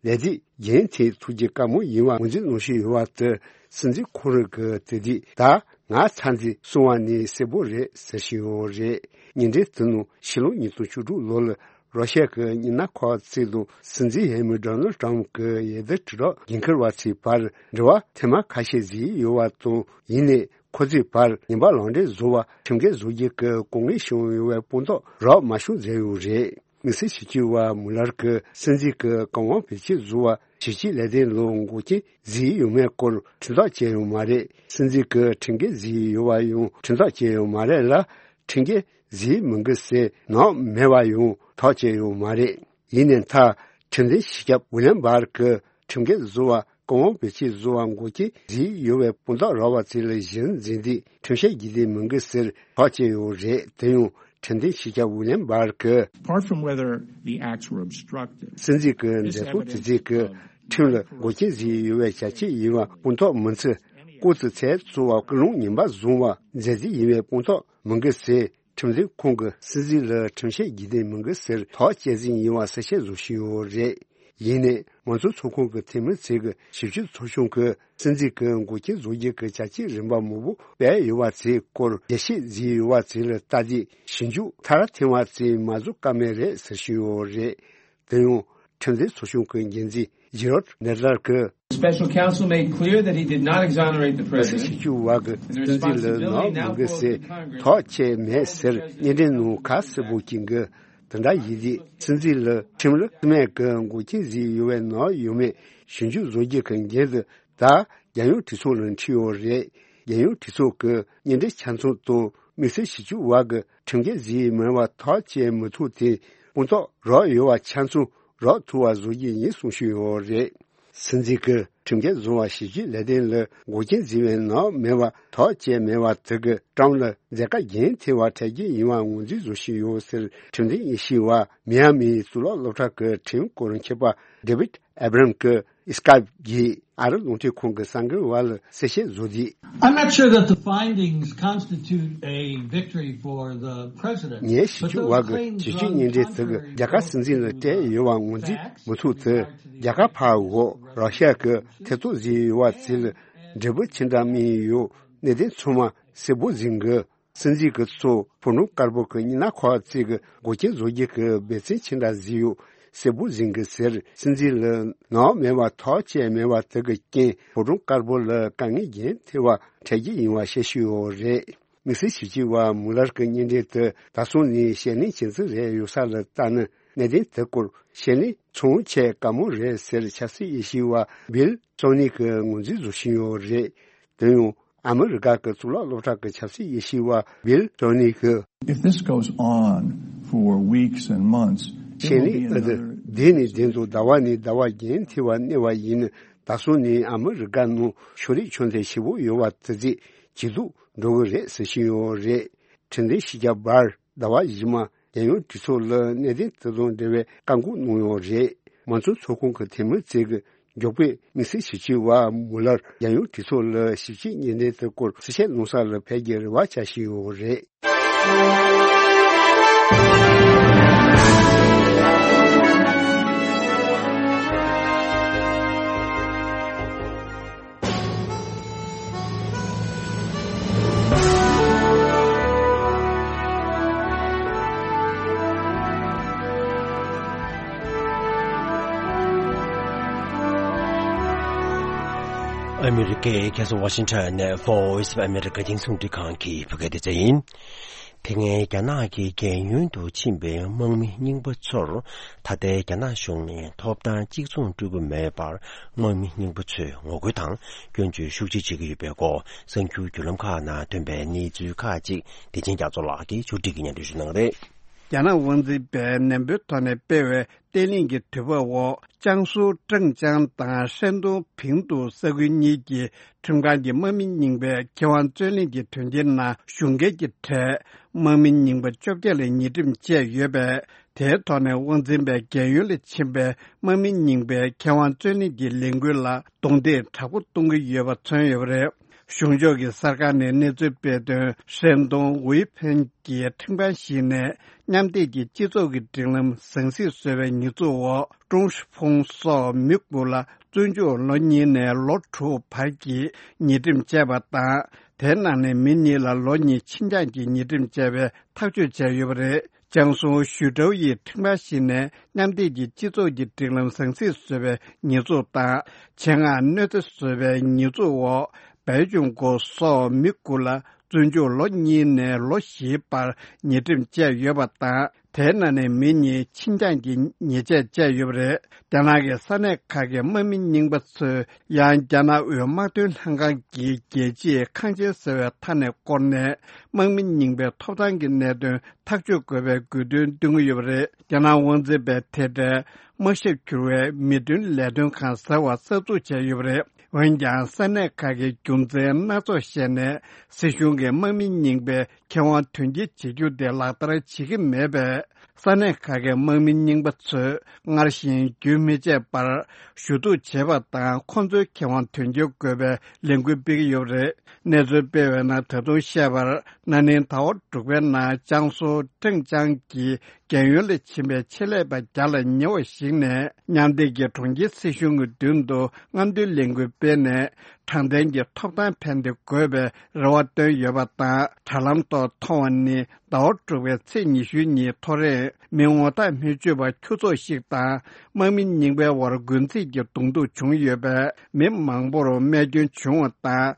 ལས་དུས་རྒྱུན་མཐུད་ཐུབ་རྒྱུ་དཀའ་མོ་ཡིན་པ་ངོས་འཛིན་གནང་བཞིན་ཡོད་པ་དེ་སྲིད་འཛིན་ཁོང་རང་གིས་དེ་དུས་ད་ང་ཚར་འདི་གསུང་བ་ནི་གསལ་པོ་རེད་ཟེར་བཞིན་ཡོད་རེད། གཉེན་འབྲེལ་དེ་ནང་ཕྱི་ལོ་ཉིས་སྟོང་བཅུ་དྲུག་ལོ་ལ་རོ་ཤ་གི་མི་སྣ་ཁག་ཅིག་དང་སྲིད་འཛིན་འོས་མི་Donald Trump གི་འོས་བསྡུ་དྲིལ་བསྒྲགས་འགན་འཁུར་བ་ཚོའི་བར་འབྲེལ་བ་ཐེངས་མ་ཁ་ཤས་བཟོས་ཡོད་པ་དང་། ཡིན་ནའི་ཁོ་ཚོའི་བར་ཉེས་པ་ལག་འབྲེལ་བཟོ་བ་ཁྲིམས་འགལ་བཟོ་རྒྱུ་གི་གོ་གནས་བྱུང་ཡོད་པའི་དཔང་རྟགས་རག་མ་བྱུང་ཟེར་ཡོད་རེད། དམིགས་བསལ་ཞིབ་དཔྱོད་པ་མུ་ལར་གྱིས་སྲིད་འཛིན་གྱི་བཀའ་དབང་བེད་སྤྱོད་བཟོ་བ་ཞིབ་དཔྱད་ལས་དོན་ལ་འགོག་རྐྱེན་བཟོས་ཡོད་མེད་སྐོར་ཁྲིམས་ཐག་བཅད་ཡོད་མ་རེད། སྲིད་འཛིན་གྱིས་ཁྲིམས་འགལ་བཟོས་ཡོད་པ་ཡང་ཁྲིམས་ཐག་བཅད་ཡོད་མ་རེད་ལ། ཁྲིམས་འགལ་བཟོས་མི་འགི་ཟེར་ནག་མེད་པ་ཡང་ཐག་བཅད་ཡོད་མ་རེད། ཡིན་ནའི་མཐར་ཁྲིམས་ལྡན་སྤྱི་ཁྱབ་ཝི་ལིམ་བར་གྱིས་ཁྲིམས་འགལ་བཟོ་བ་ཀོང་བོ་བེ་ཆི་བཟོ་བ་འགོག་རྐྱེན་བཟོས་ཡོད་པའི་དཔང་རྟགས་རག་པ་དེ་ལ་གཞི་འཛིན་ཏེ་ཁྲིམས་བཤེར་བགྱིས་ཏེ་མི་འགི་ཟེར་ཐག་བཅད་ཡོད་རེད། དེ་ཡང་ཁྲིམས་ལྡན་སྤྱི་ཁྱབ་ཝི་ལིམ་བར་གྱིས། Apart from whether the acts were obstructive, སྲིད་འཛིན་གྱི་མཛད་ཚོགས་དེ་ཚོས་ཀྱི་ཁྲིམས་ལ་འགོག་རྐྱེན་བཟོས་ཡོད་པའི་བྱ་སྤྱོད་ཡིན་པ་དཔང་རྟགས་མིན་ཚེ། སྐུ་ཚེ་ཚད་གཙོ་བ་སྐུལ་སློང་ངན་པ་བཟུང་བ་མཛད་རྗེས་ཡིན་པའི་དཔང་རྟགས་མི་འགི་ཟེར། ཁྲིམས་འཛིན་ཁོང་གིས་སྲིད་འཛིན་ལ་ཁྲིམས་བཤེར་བགྱིས་ཏེ་མི་འགི་ཟེར་ཐག་བཅད་ཟིན་ཡིན་པ་གསལ་བཤད་བཟོ་བཞིན་ཡོད་རེད། ཡིན་ནའི་མང་གཙོ་ཚོགས་ཁོངས་ཀྱི་འཐུས་མི་ཚོས་ཀྱི་ཞིབ་དཔྱོད་ཚོགས་ཆུང་གིས་སྲིད་འཛིན་གྱི་འགོག་རྐྱེན་བཟོ་རྒྱུ་གི་བྱ་སྤྱོད་རིམ་པ་མང་པོ་སྤེལ་ཡོད་པ་དེའི་སྐོར་རྒྱས་བཤད་བཟོས་ཡོད་པ་དེ་ལ་ལྟ་སྟེ་ཞིབ་འཇུག་མཐར་ཐེངས་པ་དེ་མ་བཟོ་ཀ་མེད་རེད་ཟེར་བཞིན་ཡོད་རེད། དེ་ཡང་ཁྲིམས་འཛིན་ཚོགས་ཆུང་གི་འགན་འཛིན་ཇི་རོད་ནེ་ལར་གྱིས། Special counsel made clear that he did not exonerate the president. སྲིད་ཞིབ་དཔྱོད་པ་གིས་སྲིད་འཛིན་ལ་ནག་མི་འགི་ཟེར་ཐག་བཅད་མེད་ཟེར་སྙན་འགྲེལ་ནང་ཁ་གསལ་པོ་བྱེད་གི། དེ་འདྲ་ཡིན་དུས་སྲིད་འཛིན་ལ་ཁྲིམས་ལུགས་མེད་ཀྱི་འགོག་རྐྱེན་བཟོས་ཡོད་པའི་ནག་ཡོད་མེད་ཞིབ་འཇུག་བཟོ་རྒྱུ་གི་འགན་དེ་ད་རྒྱལ་ཡོངས་གྲོས་ཚོགས་ལ་འཁྲི་ཡོད་རེད། རྒྱལ་ཡོངས་གྲོས་ཚོགས་ཀྱི་སྙན་འགྲེལ་ཆ་ཚང་དང་དམིགས་བསལ་ཞིབ་དཔྱོད་པ་གིས་ཁྲིམས་འགལ་བཟོས་མེད་པ་ཐག་བཅད་མི་ཐུབ་དེ་དཔང་རྟགས་རག་ཡོད་པ་ཆ་ཚང་རག་ཐུབ་པ་བཟོ་རྒྱུ་ཡིན་གསུང་བཞིན་ཡོད་རེད། སྲིད་འཛིན་གྱིས་ཁྲིམས་འགལ་བཟོ་བ་ཞིབ་དཔྱོད་ལས་དོན་ལ་འགོག་རྐྱེན་བཟོས་པའི་ནག་མེད་པ་ཐག་བཅད་མེད་པ་དེ་གིས་ཀྲམ་ལ་མཛད་དཀའ་རྒྱུན་མཐུད་པ་འཕྲད་རྒྱུ་ཡིན་པ་ངོས་འཛིན་བཟོ་བཞིན་ཡོད་ཟེར། ཁྲིམས་ལྡན་དབྱེ་ཞིབ་པ་མི་ཡ་མིའི་གཙུག་ལག་སློབ་གྲྭ་གི་ཁྲིམས་སྐོར་མཁས་པ་ཌེ་བིད་ཨེབ་རམ་གྱིས་སི་ཀའིབ་བརྒྱུད་ཨ་རི་རླུང་འཕྲིན་ཁང་གི་གསར་འགོད་པ་ལ་གསལ་བཤད་བཟོས་ཏེ། I'm not sure that the findings constitute a victory for the president. ངས་ཞིབ་དཔྱོད་པ་གི་ཞིབ་དཔྱོད་སྙན་འགྲེལ་དེ་གིས་རྒྱ་གར་སྲིད་འཛིན་ལ་སྤྲད་ཡོད་པ་ངོས་འཛིན་མི་ཐུབ་དེ། རྒྱ་གར་ཕར་འོག་ར་ཤ་གི་ཐེ་གཏོགས་བཟོས་ཡོད་པ་དེ་ལ་འབྲས་བུ་ཅི་འདྲ་སྨིན་ཡོད་གནད་དོན་ཚང་མ་གསལ་པོ་ཟིན་གི། སྲིད་འཛིན་གྱི་ཚོ་ཕོ་བྲང་དཀར་པོ་གི་སྙིང་ནག་ཁག་ཅིག་གི་འགོག་རྐྱེན་བཟོ་རྒྱུ་གི་འབད་བརྩོན་ཅི་འདྲ་བཟོས་ཡོད་གསལ་པོ་ཟིན་གི་ཟེར། སྲིད་འཛིན་ལ་ནག་མེད་པ་ཐག་བཅད་མེད་པ་དེ་གི་རྐྱེན་ཕོ་བྲང་དཀར་པོ་ལ་དཀའ་ངལ་རྒྱུན་མཐུད་པ་འཕྲད་རྒྱུ་ཡིན་པ་བཤད་ཤོས་ཡོད་རེད། དམིགས་བསལ་ཞིབ་དཔྱོད་པ་མུ་ལར་གྱི་སྙན་འགྲེལ་དེ་ད་སོང་ནས་ཞལ་ལེན་བྱེད་རྩིས་རེད། ཡོད་ས་ལ་ལྟ་ན་གནད་དོན་དེ་སྐོར་ཞལ་ལེན་ཚོང་ཆེས་དཀའ་མོ་རེད་ཟེར། ཆབ་སྲིད་དབྱེ་ཞིབ་པ་བིལ་ཙོ་ནི་གིས་ངོས་འཛིན་བཟོ་བཞིན་ཡོད་རེད། དེ་ཡང་ཨ་མི་རི་ཀ་གི་གཙུག་ལག་སློབ་གྲྭ་གི་ཆབ་སྲིད་དབྱེ་ཞིབ་པ་བིལ་ཙོ་ནི་གིས། If this goes on for weeks and months, it will be another ཞལ་ལེན་འདི་ནི་བདེན་དུ་ཟླ་བ་ནས་ཟླ་བ་རྒྱུན་མཐུད་པ་གནས་པ་ཡིན་ན། ད་སོང་ནས་ཨ་མི་རི་ཀ་ནང་ཤོ་རིག་ཆོས་དད་ཞེ་པོ་ཡོད་པ་དེ་ཚོས་ཇེ་སྡུག་འགྲོ་གི་རེད་ཟེར་བཞིན་ཡོད་རེད། ཁྲིམས་ལྡན་ཞི་རྒྱ་བར་ཟླ་བ་རྗེས་མ་རྒྱལ་ཡོངས་གྲོས་ཚོགས་ལ་གནད་དོན་དེ་དང་འབྲེལ་བའི་བཀའ་འགུག་གནང་ཡོད་རེད། མང་གཙོ་ཚོགས་ཁོངས་ཀྱི་འཐུས་མི་ཚོས་ཀྱི་མགྱོགས་པོས་དམིགས་བསལ་ཞིབ་དཔྱོད་པ་མུ་ལར་རྒྱལ་ཡོངས་གྲོས་ཚོགས་ལ་ཞིབ་དཔྱོད་སྙན་འགྲེལ་དེ་སྐོར་གསལ་བཤད་གནང་ས་ལ་ཕེབས་རྒྱུའི་རེ་བ་བྱ་བཞིན་ཡོད་རེད། ཨ་མི་རི་ཀའི་རྒྱལ་ས་ཝ་ཤིང་ཊོན་ནས་Voice of America རྒྱང་སྲིང་རླུང་འཕྲིན་ཁང་གི་བོད་སྐད་སྡེ་ཚན་ཡིན། དེ་སྔའི་རྒྱ་ནག་གི་རྒན་ཡོལ་དུ་ཕྱིན་པའི་དམག་མི་རྙིང་པ་ཚོར་ད་ལྟའི་རྒྱ་ནག་གཞུང་ནས་ཐོབ་ཐང་གཅིག་མཚུངས་སྤྲོད་ཀྱི་མེད་པར་དམག་མི་རྙིང་པ་ཚོས་ངོ་རྒོལ་དང་སྐྱོན་བརྗོད་ཤུགས་ཆེ་བྱེད་ཀྱི་ཡོད་པའི་སྐོར་གསར་འགྱུར་བརྒྱུད་ལམ་ཁག་ནང་ཐོན་པའི་གནས་ཚུལ་ཁག་ཅིག་བདེ་ཆེན་རྒྱ་མཚོ་ལགས་ཀྱིས་ཕྱོགས་སྒྲིག་གིས་སྙན་སྒྲོན་ཞུ་གནང་གི་རེད། རྒྱ་ནག་དབང་འཛིན་པས་ནན་པོའི་ཐོག་ནས་སྤེལ་བའི་བརྟན་ལྷིང་གི་དུས་བབ་འོག་ཅང་སུའུ་ཀྲང་ཅང་དང་ཧྲན་ཏུང་ཕིང་ཏུའུ་ས་ཁུལ་གཉིས་ཀྱི་ཁྲིམས་ཁང་གི་དམག་མི་རྙིང་པས་མཁས་དབང་རྩོད་གླེང་གི་དོན་རྐྱེན་ནང་ཞུགས་མཁན་གྱི་གྲས་དམག་མི་རྙིང་པ་བཅོ་བརྒྱད་ལ་ཉེས་ཁྲིམས་བཅད་ཡོད་པས། དེའི་ཐོག་ནས་དབང་འཛིན་པས་རྒན་ཡོལ་ལ་ཕྱིན་པའི་དམག་མི་རྙིང་པའི་མཁས་དབང་རྩོད་གླེང་གི་ལས་འགུལ་ལ་རྡུང་རྡེག་དྲག་པོ་གཏོང་གི་ཡོད་པ་མཚོན་ཡོད་པ་རེད། གཞུང་ཕྱོགས་ཀྱི་གསར་ཁང་ནས་གནས་ཚུལ་སྤེལ་དོན། ཧྲན་ཏུང་ཝུའེ་ཕེན་གྱི་ཁྲིམས་ཁང་ཞིག་ནས་མཉམ་སྡེབ་ཀྱི་སྤྱི་ཚོགས་ཀྱི་སྒྲིག་ལམ་ཟང་ཟིང་བཟོས་པའི་ཉེས་འཛུགས་འོག་ཀྲུང་ཧྲི་ཕུང་སོགས་མི་དགུ་ལ་བཙོན་འཇུག་ལོ་གཉིས་ནས་ལོ་དྲུག་བར་གྱི་ཉེས་ཁྲིམས་བཅད་པ་དང་། དེའི་ནང་ནས་མི་གཉིས་ལ་ལོ་གཉིས་ཁྱིམ་རྐྱང་གི་ཉེས་ཁྲིམས་བཅད་པའི་ཐག་གཅོད་བྱས་ཡོད་པ་རེད། ཅང་སུའུ་ཞུ་ཀྲོའུ་ཡི་ཁྲིམས་ཁང་ཞིག་ནས་མཉམ་སྡེབ་ཀྱི་སྤྱི་ཚོགས་ཀྱི་སྒྲིག་ལམ་ཟང་ཟིང་བཟོས་པའི་ཉེས་འཛུགས་དང་། ཆེད་མངགས་གནོད་འཚེ་བཟོས་པའི་ཉེས་འཛུགས་འོག་བའི་ཅུང་གོ་སོགས་མི་དགུ་ལ་བཙོན་འཇུག་ལོ་གཉིས་ནས་ལོ་བཞིའི་བར་ཉེས་ཁྲིམས་བཅད་ཡོད་པ་དང་། དེའི་ནང་ནས་མི་གཉིས་ཁྱི་རྐྱང་གི་ཉེས་ཆད་བཅད་ཡོད་པ་རེད། རྒྱ་ནག་གི་ས་གནས་ཁག་གི་དམག་མི་རྙིང་པ་ཚོས་ཡང་རྒྱ་ནག་དབུས་དམག་དོན་ལྷན་ཁང་གི་རྒྱལ་སྤྱིའི་ཁང་ཆེན་ཟེར་བའི་མཐའ་ནས་བསྐོར་ནས། དམག་མི་རྙིང་པའི་ཐོབ་ཐང་གི་གནད་དོན་ཐག་གཅོད་དགོས་པའི་དགོས་འདུན་འདོན་གྱི་ཡོད་པ་རེད། རྒྱ་ནག་དབང་འཛིན་པས་དེ་འདྲའི་དམག་ཞབས་བསྒྱུར་བའི་མི་དོན་ལས་དོན་ཁང་ཟེར་བ་གསར་འཛུགས་བྱས་ཡོད་པ་རེད། འོན་ཀྱང་། ས་གནས་ཁག་གིས་རྒྱུ་མཚན་སྣ་ཚོགས་བཤད་ནས། སྲིད་གཞུང་གིས་དམག་མི་རྙིང་པའི་ཁེ་དབང་དོན་འཁྱོལ་བྱེད་རྒྱུ་དེ་ལག་བསྟར་བྱེད་ཀྱི་མེད་པས། ས་གནས་ཁག་གི་དམག་མི་རྙིང་པ་ཚོས་སྔར་བཞིན་རྒྱུན་མི་ཆད་པར་ཞུ་གཏུག་བྱེད་པ་དང་། ཁོང་ཚོའི་ཁེ་དབང་དོན་འཁྱོལ་དགོས་པའི་ལས་འགུལ་སྤེལ་གྱི་ཡོད་པ་རེད། གནས་ཚུལ་སྤེལ་བའི་ནང་ད་དུང་བཤད་པར། ན་ནིང་ཟླ་བ་དྲུག་པའི་ནང་ཅང་སུའུ་ཀྲེང་ཅང་གི་རྒན་ཡོལ་ལ་ཕྱིན་པའི་ཆེད་ལས་པ་བརྒྱ་ལ་ཉེ་བ་ཞིག་ནས། མཉམ་འབྲེལ་གྱི་གྲོང་ཁྱེར་སྲིད་གཞུང་གི་མདུན་དུ་རྔམ་སྟོན་ལས་འགུལ་སྤེལ་ནས། དྲང་བདེན་གྱི་ཐོབ་ཐང་ཕན་བདེ་དགོས་པའི་རེ་བ་བཏོན་ཡོད་པ་དང་། དྲ་ལམ་ཐོག་མཐོང་བ་ནི། ཟླ་བ་དྲུག་པའི་ཚེས་ཉི་ཤུ་ཉིན་ཐོ་རངས་མི་ངོ་རྟགས་མི་ཆོད་པ་ཁྱུ་ཚོགས་ཤིག་དང་། དམག་མི་རྙིང་པའི་དབར་རྒོལ་འཛིང་གི་གདོང་ཐུག་བྱུང་ཡོད་པས། མི་མང་པོར་རྨས་སྐྱོན་བྱུང་བ་དང་།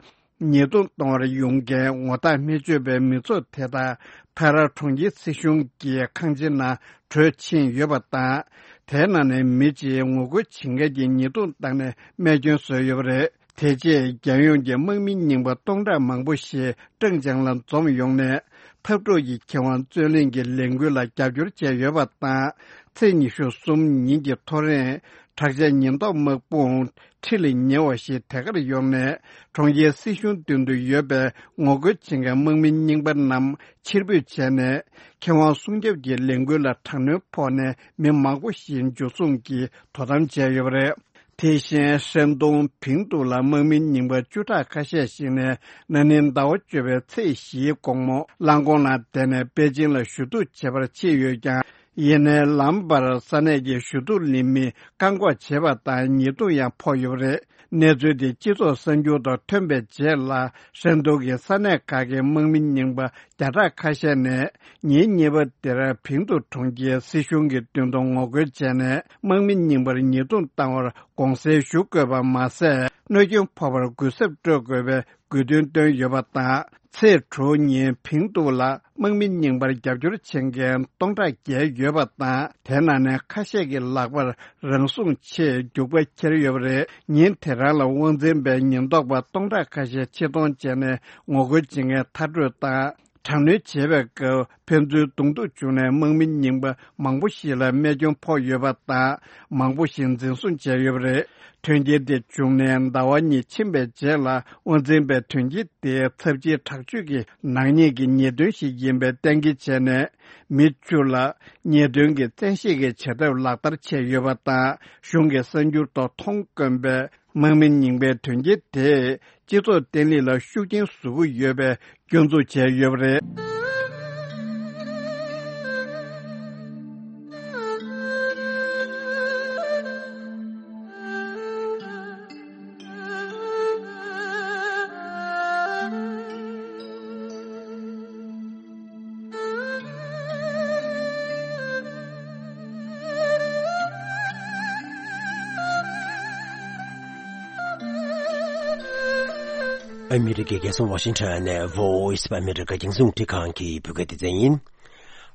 ཉེས་རྡུང་གཏོང་བར་ཡོང་མཁན་ངོ་རྟགས་མི་ཆོད་པའི་མི་ཚོགས་དེ་དག་ཐ་ར་གྲོང་ཁྱེར་སྲིད་གཞུང་གི་ཁང་ཆེན་ནང་བྲོས་ཕྱིན་ཡོད་པ་དང་། དེའི་ནང་ནས་མི་གཅིག་ངོ་རྒོལ་བྱེད་མཁན་གྱི་ཉེས་རྡུང་བཏང་ནས་རྨས་སྐྱོན་བཟོས་ཡོད་པ་རེད། དེ་རྗེས་རྒྱལ་ཡོངས་ཀྱི་དམག་མི་རྙིང་པ་སྟོང་ཕྲག་མང་པོ་ཞིག་ཀྲེང་ཅང་ལ་འཛོམས་ཡོང་ནས། འཐབ་གྲོགས་ཀྱི་ཁེ་དབང་རྩོད་ལེན་གྱི་ལས་འགུལ་ལ་རྒྱབ་སྐྱོར་བྱས་ཡོད་པ་དང་། ཚེས་ཉི་ཤུ་གསུམ་ཉིན་གྱི་ཐོ་རངས་དྲག་ཆས་ཉེན་རྟོག་དམག་དཔུང་ཁྲི་ལ་ཉེ་བ་ཞིག་དེ་གར་ཡོང་ནས། གྲོང་ཁྱེར་སྲིད་གཞུང་མདུན་དུ་ཡོད་པའི་ངོ་རྒོལ་བྱེད་མཁན་དམག་མི་རྙིང་པ་རྣམས་ཕྱིར་འབུད་བྱས་ནས། ཁེ་དབང་སྲུང་སྐྱོབ་ཀྱི་ལས་འགུལ་ལ་དྲག་གནོན་ཕོག་ནས། མི་མང་པོ་ཞིག་འཇུ་བཟུང་གིས་དོ་དམ་བྱས་ཡོད་པ་རེད། དེ་བཞིན། ཧྲན་ཏུང་ཕིང་ཏུའུ་ལ་དམག་མི་རྙིང་པ་བཅུ་ཕྲག་ཁ་ཤས་ཤིག་ནས། ན་ནིང་ཟླ་བ་བཅུ་པའི་ཚེས་བཞིའི་དགོང་མོ། རླངས་འཁོར་ནང་བསྡད་ནས་པེ་ཅིང་ལ་ཞུ་གཏུག་བྱེད་པར་ཕྱིན་ཡོད་ཀྱང་། ཡིན་ནའི་ལམ་བར་ས་གནས་ཀྱི་ཞུ་གཏུག་ལེན་མི་བཀག་འགོག་བྱས་པ་དང་། ཉེས་རྡུང་ཡང་ཕོག་ཡོད་པ་རེད། གནས་ཚུལ་དེ་སྤྱི་ཚོགས་གསར་འགྱུར་ཐོག་ཐོན་པའི་རྗེས་ལ། ཧྲན་ཏུང་གི་ས་གནས་ཁག་གི་དམག་མི་རྙིང་པ་བརྒྱ་ཕྲག་ཁ་ཤས་ནས། ཉིན་གཉིས་པ་དེར་ཕིང་ཏུའུ་གྲོང་ཁྱེར་སྲིད་གཞུང་གི་མདུན་དུ་ངོ་རྒོལ་བྱས་ནས། དམག་མི་རྙིང་པར་ཉེས་རྡུང་བཏང་བར་དགོངས་སེལ་ཞུ་དགོས་པ་མ་ཟད། གནོད་སྐྱོན་ཕོག་པར་གུས་ཞབས་སྤྲོད་དགོས་པའི་དགོས་འདུན་བཏོན་ཡོད་པ་དང་། ཚེས་དྲུག་ཉིན་ཕིང་ཏུའུ་ལ་དམག་མི་རྙིང་པར་རྒྱབ་སྐྱོར་བྱེད་མཁན་སྟོང་ཕྲག་བརྒལ་ཡོད་པ་དང་། དེ་ནང་ནས་ཁ་ཤས་ཀྱི་ལག་པར་རང་སྲུང་ཆེད་རྒྱུག་པ་འཁྱེར་ཡོད་པ་རེད། ཉིན་དེ་རང་ལ་དབང་འཛིན་པའི་ཉེན་རྟོག་པ་སྟོང་ཕྲག་ཁ་ཤས་ཆེད་གཏོང་བྱས་ནས་ངོ་རྒོལ་བྱེད་མཁན་མཐར་སྐྲོད་དང་། དྲག་གནོན་བྱེད་པའི་སྐབས་ཕན་ཚུན་གདོང་ཐུག་བྱུང་ནས། དམག་མི་རྙིང་པ་མང་པོ་ཞིག་ལ་རྨས་སྐྱོན་ཕོག་ཡོད་པ་དང་། མང་པོ་ཞིག་འཛིན་བཟུང་བྱས་ཡོད་པ་རེད། དོན་རྐྱེན་དེ་བྱུང་ནས་ཟླ་བ་གཉིས་ཕྱིན་པའི་རྗེས་ལ། དབང་འཛིན་པས་དོན་རྐྱེན་དེ་ཚབས་ཆེའི་དྲག་སྤྱོད་ཀྱི་ནག་ཉེས་ཀྱི་ཉེས་དོན་ཞིག་ཡིན་པའི་གཏན་འཁེལ་བྱས་ནས། མི་བཅུ་ལ་ཉེས་དོན་གྱི་བཙན་ཤེད་ཀྱི་བྱེད་ཐབས་ལག་བསྟར་བྱས་ཡོད་པ་དང་། གཞུང་གི་གསར་འགྱུར་ཐོག་མཐོང་དཀོན་པའི་དམག་མི་རྙིང་པའི་དོན་རྐྱེན་དེས་སྤྱི་ཚོགས་བརྟན་ལྷིང་ལ་ཤུགས་རྐྱེན་བཟོ་གི་ཡོད་པའི་སྐྱོན་འཛུགས་བྱས་ཡོད་པ་རེད། ཨ་མི་རི་ཀའི་རྒྱལ་ས་ཝ་ཤིང་ཊོན་ནས་Voice of America རྒྱང་སྲིང་རླུང་འཕྲིན་ཁང་གི་བོད་སྐད་སྡེ་ཚན་ཡིན།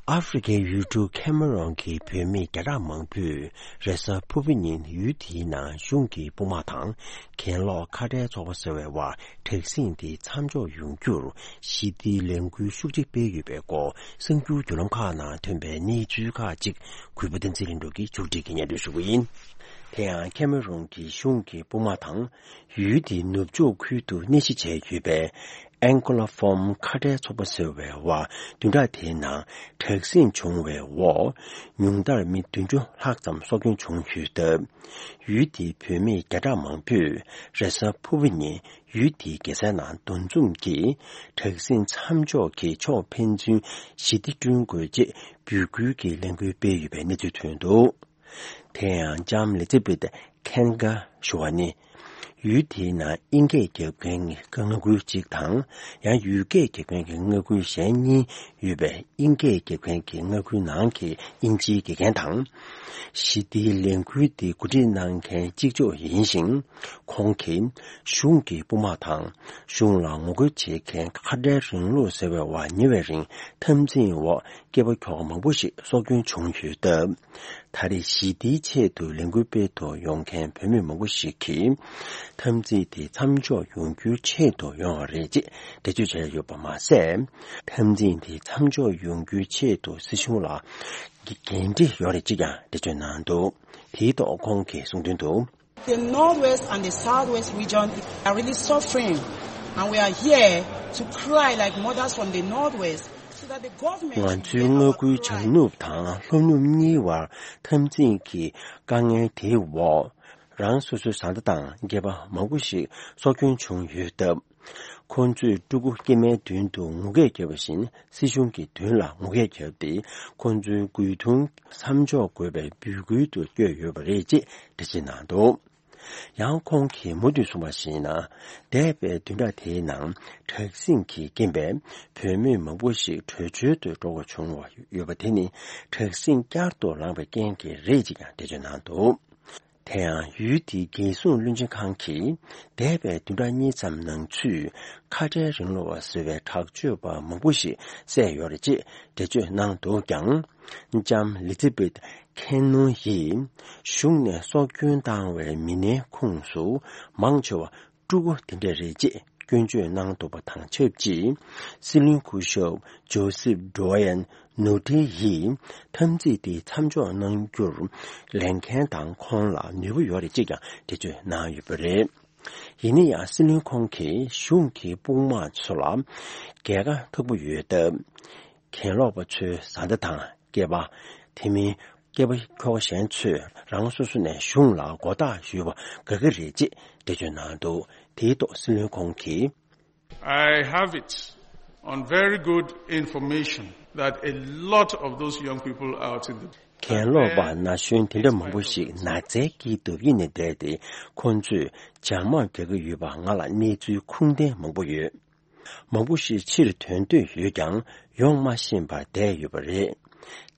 ཨ་ཧྥེ་རི་ཁའི་ཡུལ་གྲུ་ཁེ་མ་རོན་གྱི་བོད་མི་བརྒྱ་ཕྲག་མང་པོས་རེས་གཟའ་ཕུར་བུ་ཉིན་ཡུལ་དེའི་ནང་གཞུང་གི་དཔུང་དམག་དང་གྱེན་ལོག་ཁ་བྲལ་ཚོགས་པ་ཟེར་བའི་དབར་དྲག་ཟིང་དེ་མཚམས་འཇོག་ཡོང་རྒྱུར་ཞི་བདེའི་ལས་འགུལ་ཤུགས་ཆེ་སྤེལ་ཡོད་པའི་སྐོར་གསར་འགྱུར་བརྒྱུད་ལམ་ཁག་ནང་ཐོན་པའི་གནས་ཚུལ་ཁག་ཅིག་གུས་པ་བསྟན་འཛིན་ལྷུན་གྲུབ་ཀྱིས་མཇུག་སྒྲིལ་གྱིས་སྙན་སྒྲོན་ཞུ་གི་ཡིན། དེ་ཡང་ཁེ་མ་རོན་གྱི་གཞུང་གི་དཔུང་དམག་དང་ཡུལ་དེའི་ནུབ་ཕྱོགས་ཁུལ་དུ་གནས་གཞི་བྱས་ཡོད་པའི་ཨན་ཀོ་ལ་ཧྥོམ་ཁ་བྲལ་ཚོགས་པ་ཟེར་བའི་དབར་བདུན་ཕྲག་དེའི་ནང་དྲག་ཟིང་བྱུང་བའི་འོག་ཉུང་མཐར་མི་བདུན་ཅུ་ལྷག་ཙམ་སྲོག་སྐྱོན་བྱུང་ཡོད་སྟབས། ཡུལ་དེའི་བོད་མི་བརྒྱ་ཕྲག་མང་པོས་རེས་གཟའ་ཕུར་བུ་ཉིན་ཡུལ་དེའི་རྒྱལ་སའི་ནང་འདུ་འཛོམས་ཀྱིས་དྲག་ཟིང་མཚམས་འཇོག་གིས་ཕྱོགས་ཕན་ཚུན་ཞི་བདེ་བསྐྲུན་དགོས་ཅེས་འབོད་སྐུལ་གྱི་ལས་འགུལ་སྤེལ་ཡོད་པའི་གནས་ཚུལ་ཐོན་འདུག་དེ་ཡང་ལྕམ་ལི་ཛི་བེད་ཁན་གྷ་ཞུ་བ་ནི། ཡུལ་དེའི་ནང་དབྱིན་སྐད་རྒྱབ་མཁན་གྱི་མངའ་ཁུལ་གཅིག་དང་། ཡང་ཡུལ་སྐད་རྒྱབ་མཁན་གྱི་མངའ་ཁུལ་གཞན་གཉིས་ཡོད་པའི་དབྱིན་སྐད་རྒྱབ་མཁན་གྱི་མངའ་ཁུལ་ནང་གི་དབྱིན་ཇིའི་དགེ་རྒན་དང་། ཞི་བདེའི་ལས་འགུལ་འདི་གོ་སྒྲིག་གནང་མཁན་གཅིག་ལྕོགས་ཡིན་ཞིང་། ཁོང་གིས་གཞུང་གི་དཔུང་དམག་དང་། གཞུང་ལ་ངོ་རྒོལ་བྱེད་མཁན་ཁ་བྲལ་རིང་ལུགས་ཟེར་བའི་བར་ཉེ་བའི་རིང་འཐབ་འཛིང་འོག་སྐྱེས་པ་ཁྱོ་ག་མང་པོ་ཞིག་སྲོག་སྐྱོན་བྱུང་ཡོད་སྟབས། ད་རེས་ཞི་བདེའི་ཆེད་དུ་ལས་འགུལ་སྤེལ་དུ་ཡོང་མཁན་བོད་མི་མང་པོ་ཞིག་གིས། འཐབ་འཛིང་དེ་མཚམས་འཇོག་ཡོང་རྒྱུའི་ཆེད་དུ་ཡོང་བ་རེད་ཅེས་འགྲེལ་བརྗོད་བྱས་ཡོད་པ་མ་ཟད། འཐབ་འཛིང་དེ་མཚམས་འཇོག་ཡོང་རྒྱུའི་ཆེད་དུ་སྲིད་གཞུང་ལ་འགན་འཁྲི་ཡོད་རེད་ཅེས་ཀྱང་འགྲེལ་བརྗོད་གནང་འདུག་དེའི་ཐོག་ཁོང་གིས་གསུངས་དོན་དུ། The Northwest and the Southwest region are really suffering, and we are here to cry like mothers from the Northwest, so that the government ང་ཚོའི་མངའ་ཁུལ་བྱང་ནུབ་དང་ལྷོ་ནུབ་གཉིས་བར་འཐབ་འཛིང་གི་དཀའ་ངལ་དེའི་འོག་རང་སོ་སོའི་བཟའ་ཟླ་དང་སྐྱེས་པ་མང་པོ་ཞིག་སྲོག་སྐྱོན་བྱུང་ཡོད་སྟབས། ཁོང་ཚོས་ཕྲུ་གུ་སྐྱེས་མའི་མདུན་དུ་ངུ་སྐད་བརྒྱབ་པ་བཞིན་སྲིད་གཞུང་གི་མདུན་ལ་ངུ་སྐད་བརྒྱབ་སྟེ། ཁོང་ཚོའི་རྒོལ་རྡུང་མཚམས་འཇོག་དགོས་པའི་འབོད་སྐུལ་དུ་བསྐྱོད་ཡོད་པ་རེད་ཅེས་འགྲེལ་བརྗོད་གནང་འདུག་ཡང་ཁོང་གིས་མུ་མཐུད་གསུངས་པར་གཞིགས་ན། འདས་པའི་བདུན་ཕྲག་དེའི་ནང་དྲག་ཟིང་གི་རྐྱེན་པས་བོད་མི་མང་པོ་ཞིག་བྲོས་བྱོལ་དུ་འགྲོ་དགོས་བྱུང་བ་ཡོད་པ་དེ་ནི་དྲག་ཟིང་བསྐྱར་དུ་ལངས་པའི་རྐྱེན་གྱིས་རེད་ཅེས་ཀྱང་འགྲེལ་བརྗོད་གནང་འདུག་དེ་ཡང་ཡུལ་དེའི་རྒྱལ་སྲུང་བློན་ཆེན་ཁང་གིས་འདས་པའི་བདུན་ཕྲག་གཉིས་ཙམ་ནང་ཚུད་ཁ་བྲལ་རིང་ལུགས་པ་ཟེར་བའི་དྲག་སྤྱོད་པ་མང་པོ་ཞིག་བསད་ཡོད་རེད་ཅེས་འགྲེལ་བརྗོད་གནང་འདུག་ཀྱང་། ལྕམ་ལི་ཛི་བེད་ཁེན་ནོན་ཡིས་གཞུང་ནས་སྲོག་སྐྱོན་བཏང་བའི་མི་སྣའི་ཁོངས་སུ་མང་ཆེ་བ་ཕྲུ་གུ་དེ་འདྲ་རེད་ཅེས་སྐྱོན་བརྗོད་གནང་འདུག་པ་དང་ཆབས་ཅིག་སྲིད་བློན་སྐུ་ཞབས་ཇོ་སེབ་ཌོ་ཡན་ནོ་ཏི་ཡིས་འཐབ་འཛིང་དེ་མཚམས་འཇོག་གནང་རྒྱུར་ལས་འགན་དང་ཁོང་ལ་ནུས་པ་ཡོད་རེད་ཅེས་ཀྱང་འགྲེལ་བརྗོད་གནང་ཡོད་པ་རེད། ཡིན་ན་ཡང་སྲིད་བློན་ཁོང་གིས་གཞུང་གི་དཔུང་དམག་ཚོ་ལ་རྒྱལ་ཁ་ཐོབ་ཀྱི་ཡོད་སྟབས། གྱེན་ལོག་པ་ཚོའི་བཟའ་ཟླ་དང་སྐྱེས་པ། དེ་མིན་སྐྱེས་པ་ཁྱོ་ག་གཞན་ཚོས་རང་སོ་སོ་ནས་གཞུང་ལ་མགོ་བཏགས་ཞུས་པ་དགའ་གི་རེད་ཅེས་འགྲེལ་བརྗོད་གནང་འདུག་དེའི་ཐོག་སྲིད་བློན་ཁོང་གིས། I have it on very good information that a lot of those young people out in the གྱེན་ལོག་པ་ན་གཞོན་དེ་འདྲ་མང་པོ་ཞིག་ནགས་ཚལ་དཀྱིལ་དུ་གཡུགས་ནས་བསྡད་དེ། ཁོང་ཚོས་བྱང་དམག་རྒྱག་གི་ཡོད་པ་ང་ལ་གནས་ཚུལ་ཁུངས་ལྡན་མང་པོ་ཡོད། མང་པོ་ཞིག་ཕྱིར་ཐོན་འདོད་ཡོད་ཀྱང་ཡོང་མ་ཤེས་པར་བསྡད་ཡོད་པ་རེད།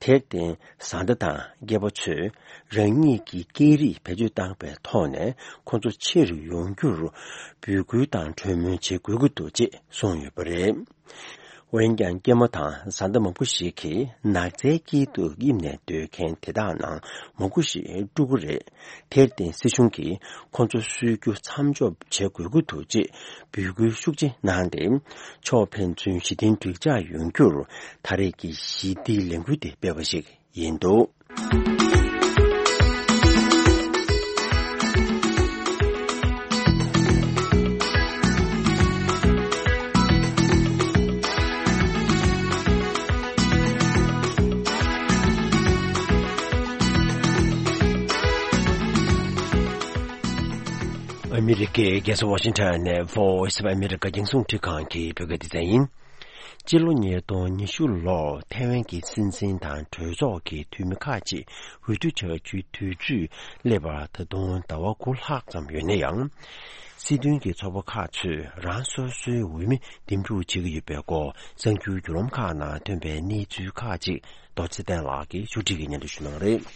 དེར་བརྟེན་བཟའ་ཟླ་དང་སྐྱེས་པ་ཚོས་རང་ཉིད་ཀྱི་སྐད་རིགས་བེད་སྤྱོད་བཏང་པའི་ཐོག་ནས་ཁོང་ཚོ་ཕྱིར་ཡོང་རྒྱུར་འབོད་སྐུལ་དང་གྲོས་མོལ་བྱེད་དགོས་ཀྱི་འདུག་ཅེས་གསུངས་ཡོད་པ་རེད། འོན་ཀྱང་སྐྱེས་མ་དང་བཟའ་ཟླ་མང་པོ་ཞིག་གིས་ནགས་ཚལ་དཀྱིལ་དུ་གཡུགས་ནས་སྡོད་མཁན་དེ་དག་ནང་མང་པོ་ཞིག་ཕྲུ་གུ་རེད། དེར་བརྟེན་སྲིད་གཞུང་གིས་ཁོང་ཚོ་གསོད་རྒྱུ་མཚམས་འཇོག་བྱེད་དགོས་ཀྱི་འདུག་ཅེས་འབོད་སྐུལ་ཤུགས་ཆེ་གནང་སྟེ། ཕྱོགས་ཕན་ཚུན་ཞི་མཐུན་འགྲིག་འཇགས་ཡོང་རྒྱུར་ད་རེས་ཀྱི་ཞི་བདེའི་ལས་འགུལ་དེ་སྤེལ་བ་ཞིག་ཡིན་འདུག་ཨ་མི་རི་ཀའི་རྒྱལ་ས་ཝ་ཤིང་ཊོན་ནས་Voice of America རྒྱང་སྲིང་རླུང་འཕྲིན་ཁང་གི་བོད་སྐད་སྡེ་ཚན་ཡིན། སྤྱི་ལོ་ཉིས་སྟོང་ཉི་ཤུ་ལོར་ཐའེ་ཝན་གྱི་སྲིད་འཛིན་དང་གྲོས་ཚོགས་ཀྱི་འཐུས་མི་ཁག་ཅིག་འོས་བསྡུ་བྱ་རྒྱུའི་དུས་ཚོད་སླེབས་པར་ད་དུང་ཟླ་བ་དགུ་ལྷག་ཙམ་ཡོད་ན་ཡང་། སྲིད་དོན་གྱི་ཚོགས་པ་ཁག་ཚོས་རང་སོ་སོའི་འོས་མི་འདེམས་སྒྲུག་བྱེད་ཀྱི་ཡོད་པའི་སྐོར་གསར་འགྱུར་བརྒྱུད་ལམ་ཁག་ནང་ཐོན་པའི་གནས་ཚུལ་ཁག་ཅིག་རྡོ་རྗེ་བསྟན་ལགས་ཀྱིས་ཕྱོགས་སྒྲིག་གིས་སྙན་སྒྲོན་ཞུ་གནང་རེད།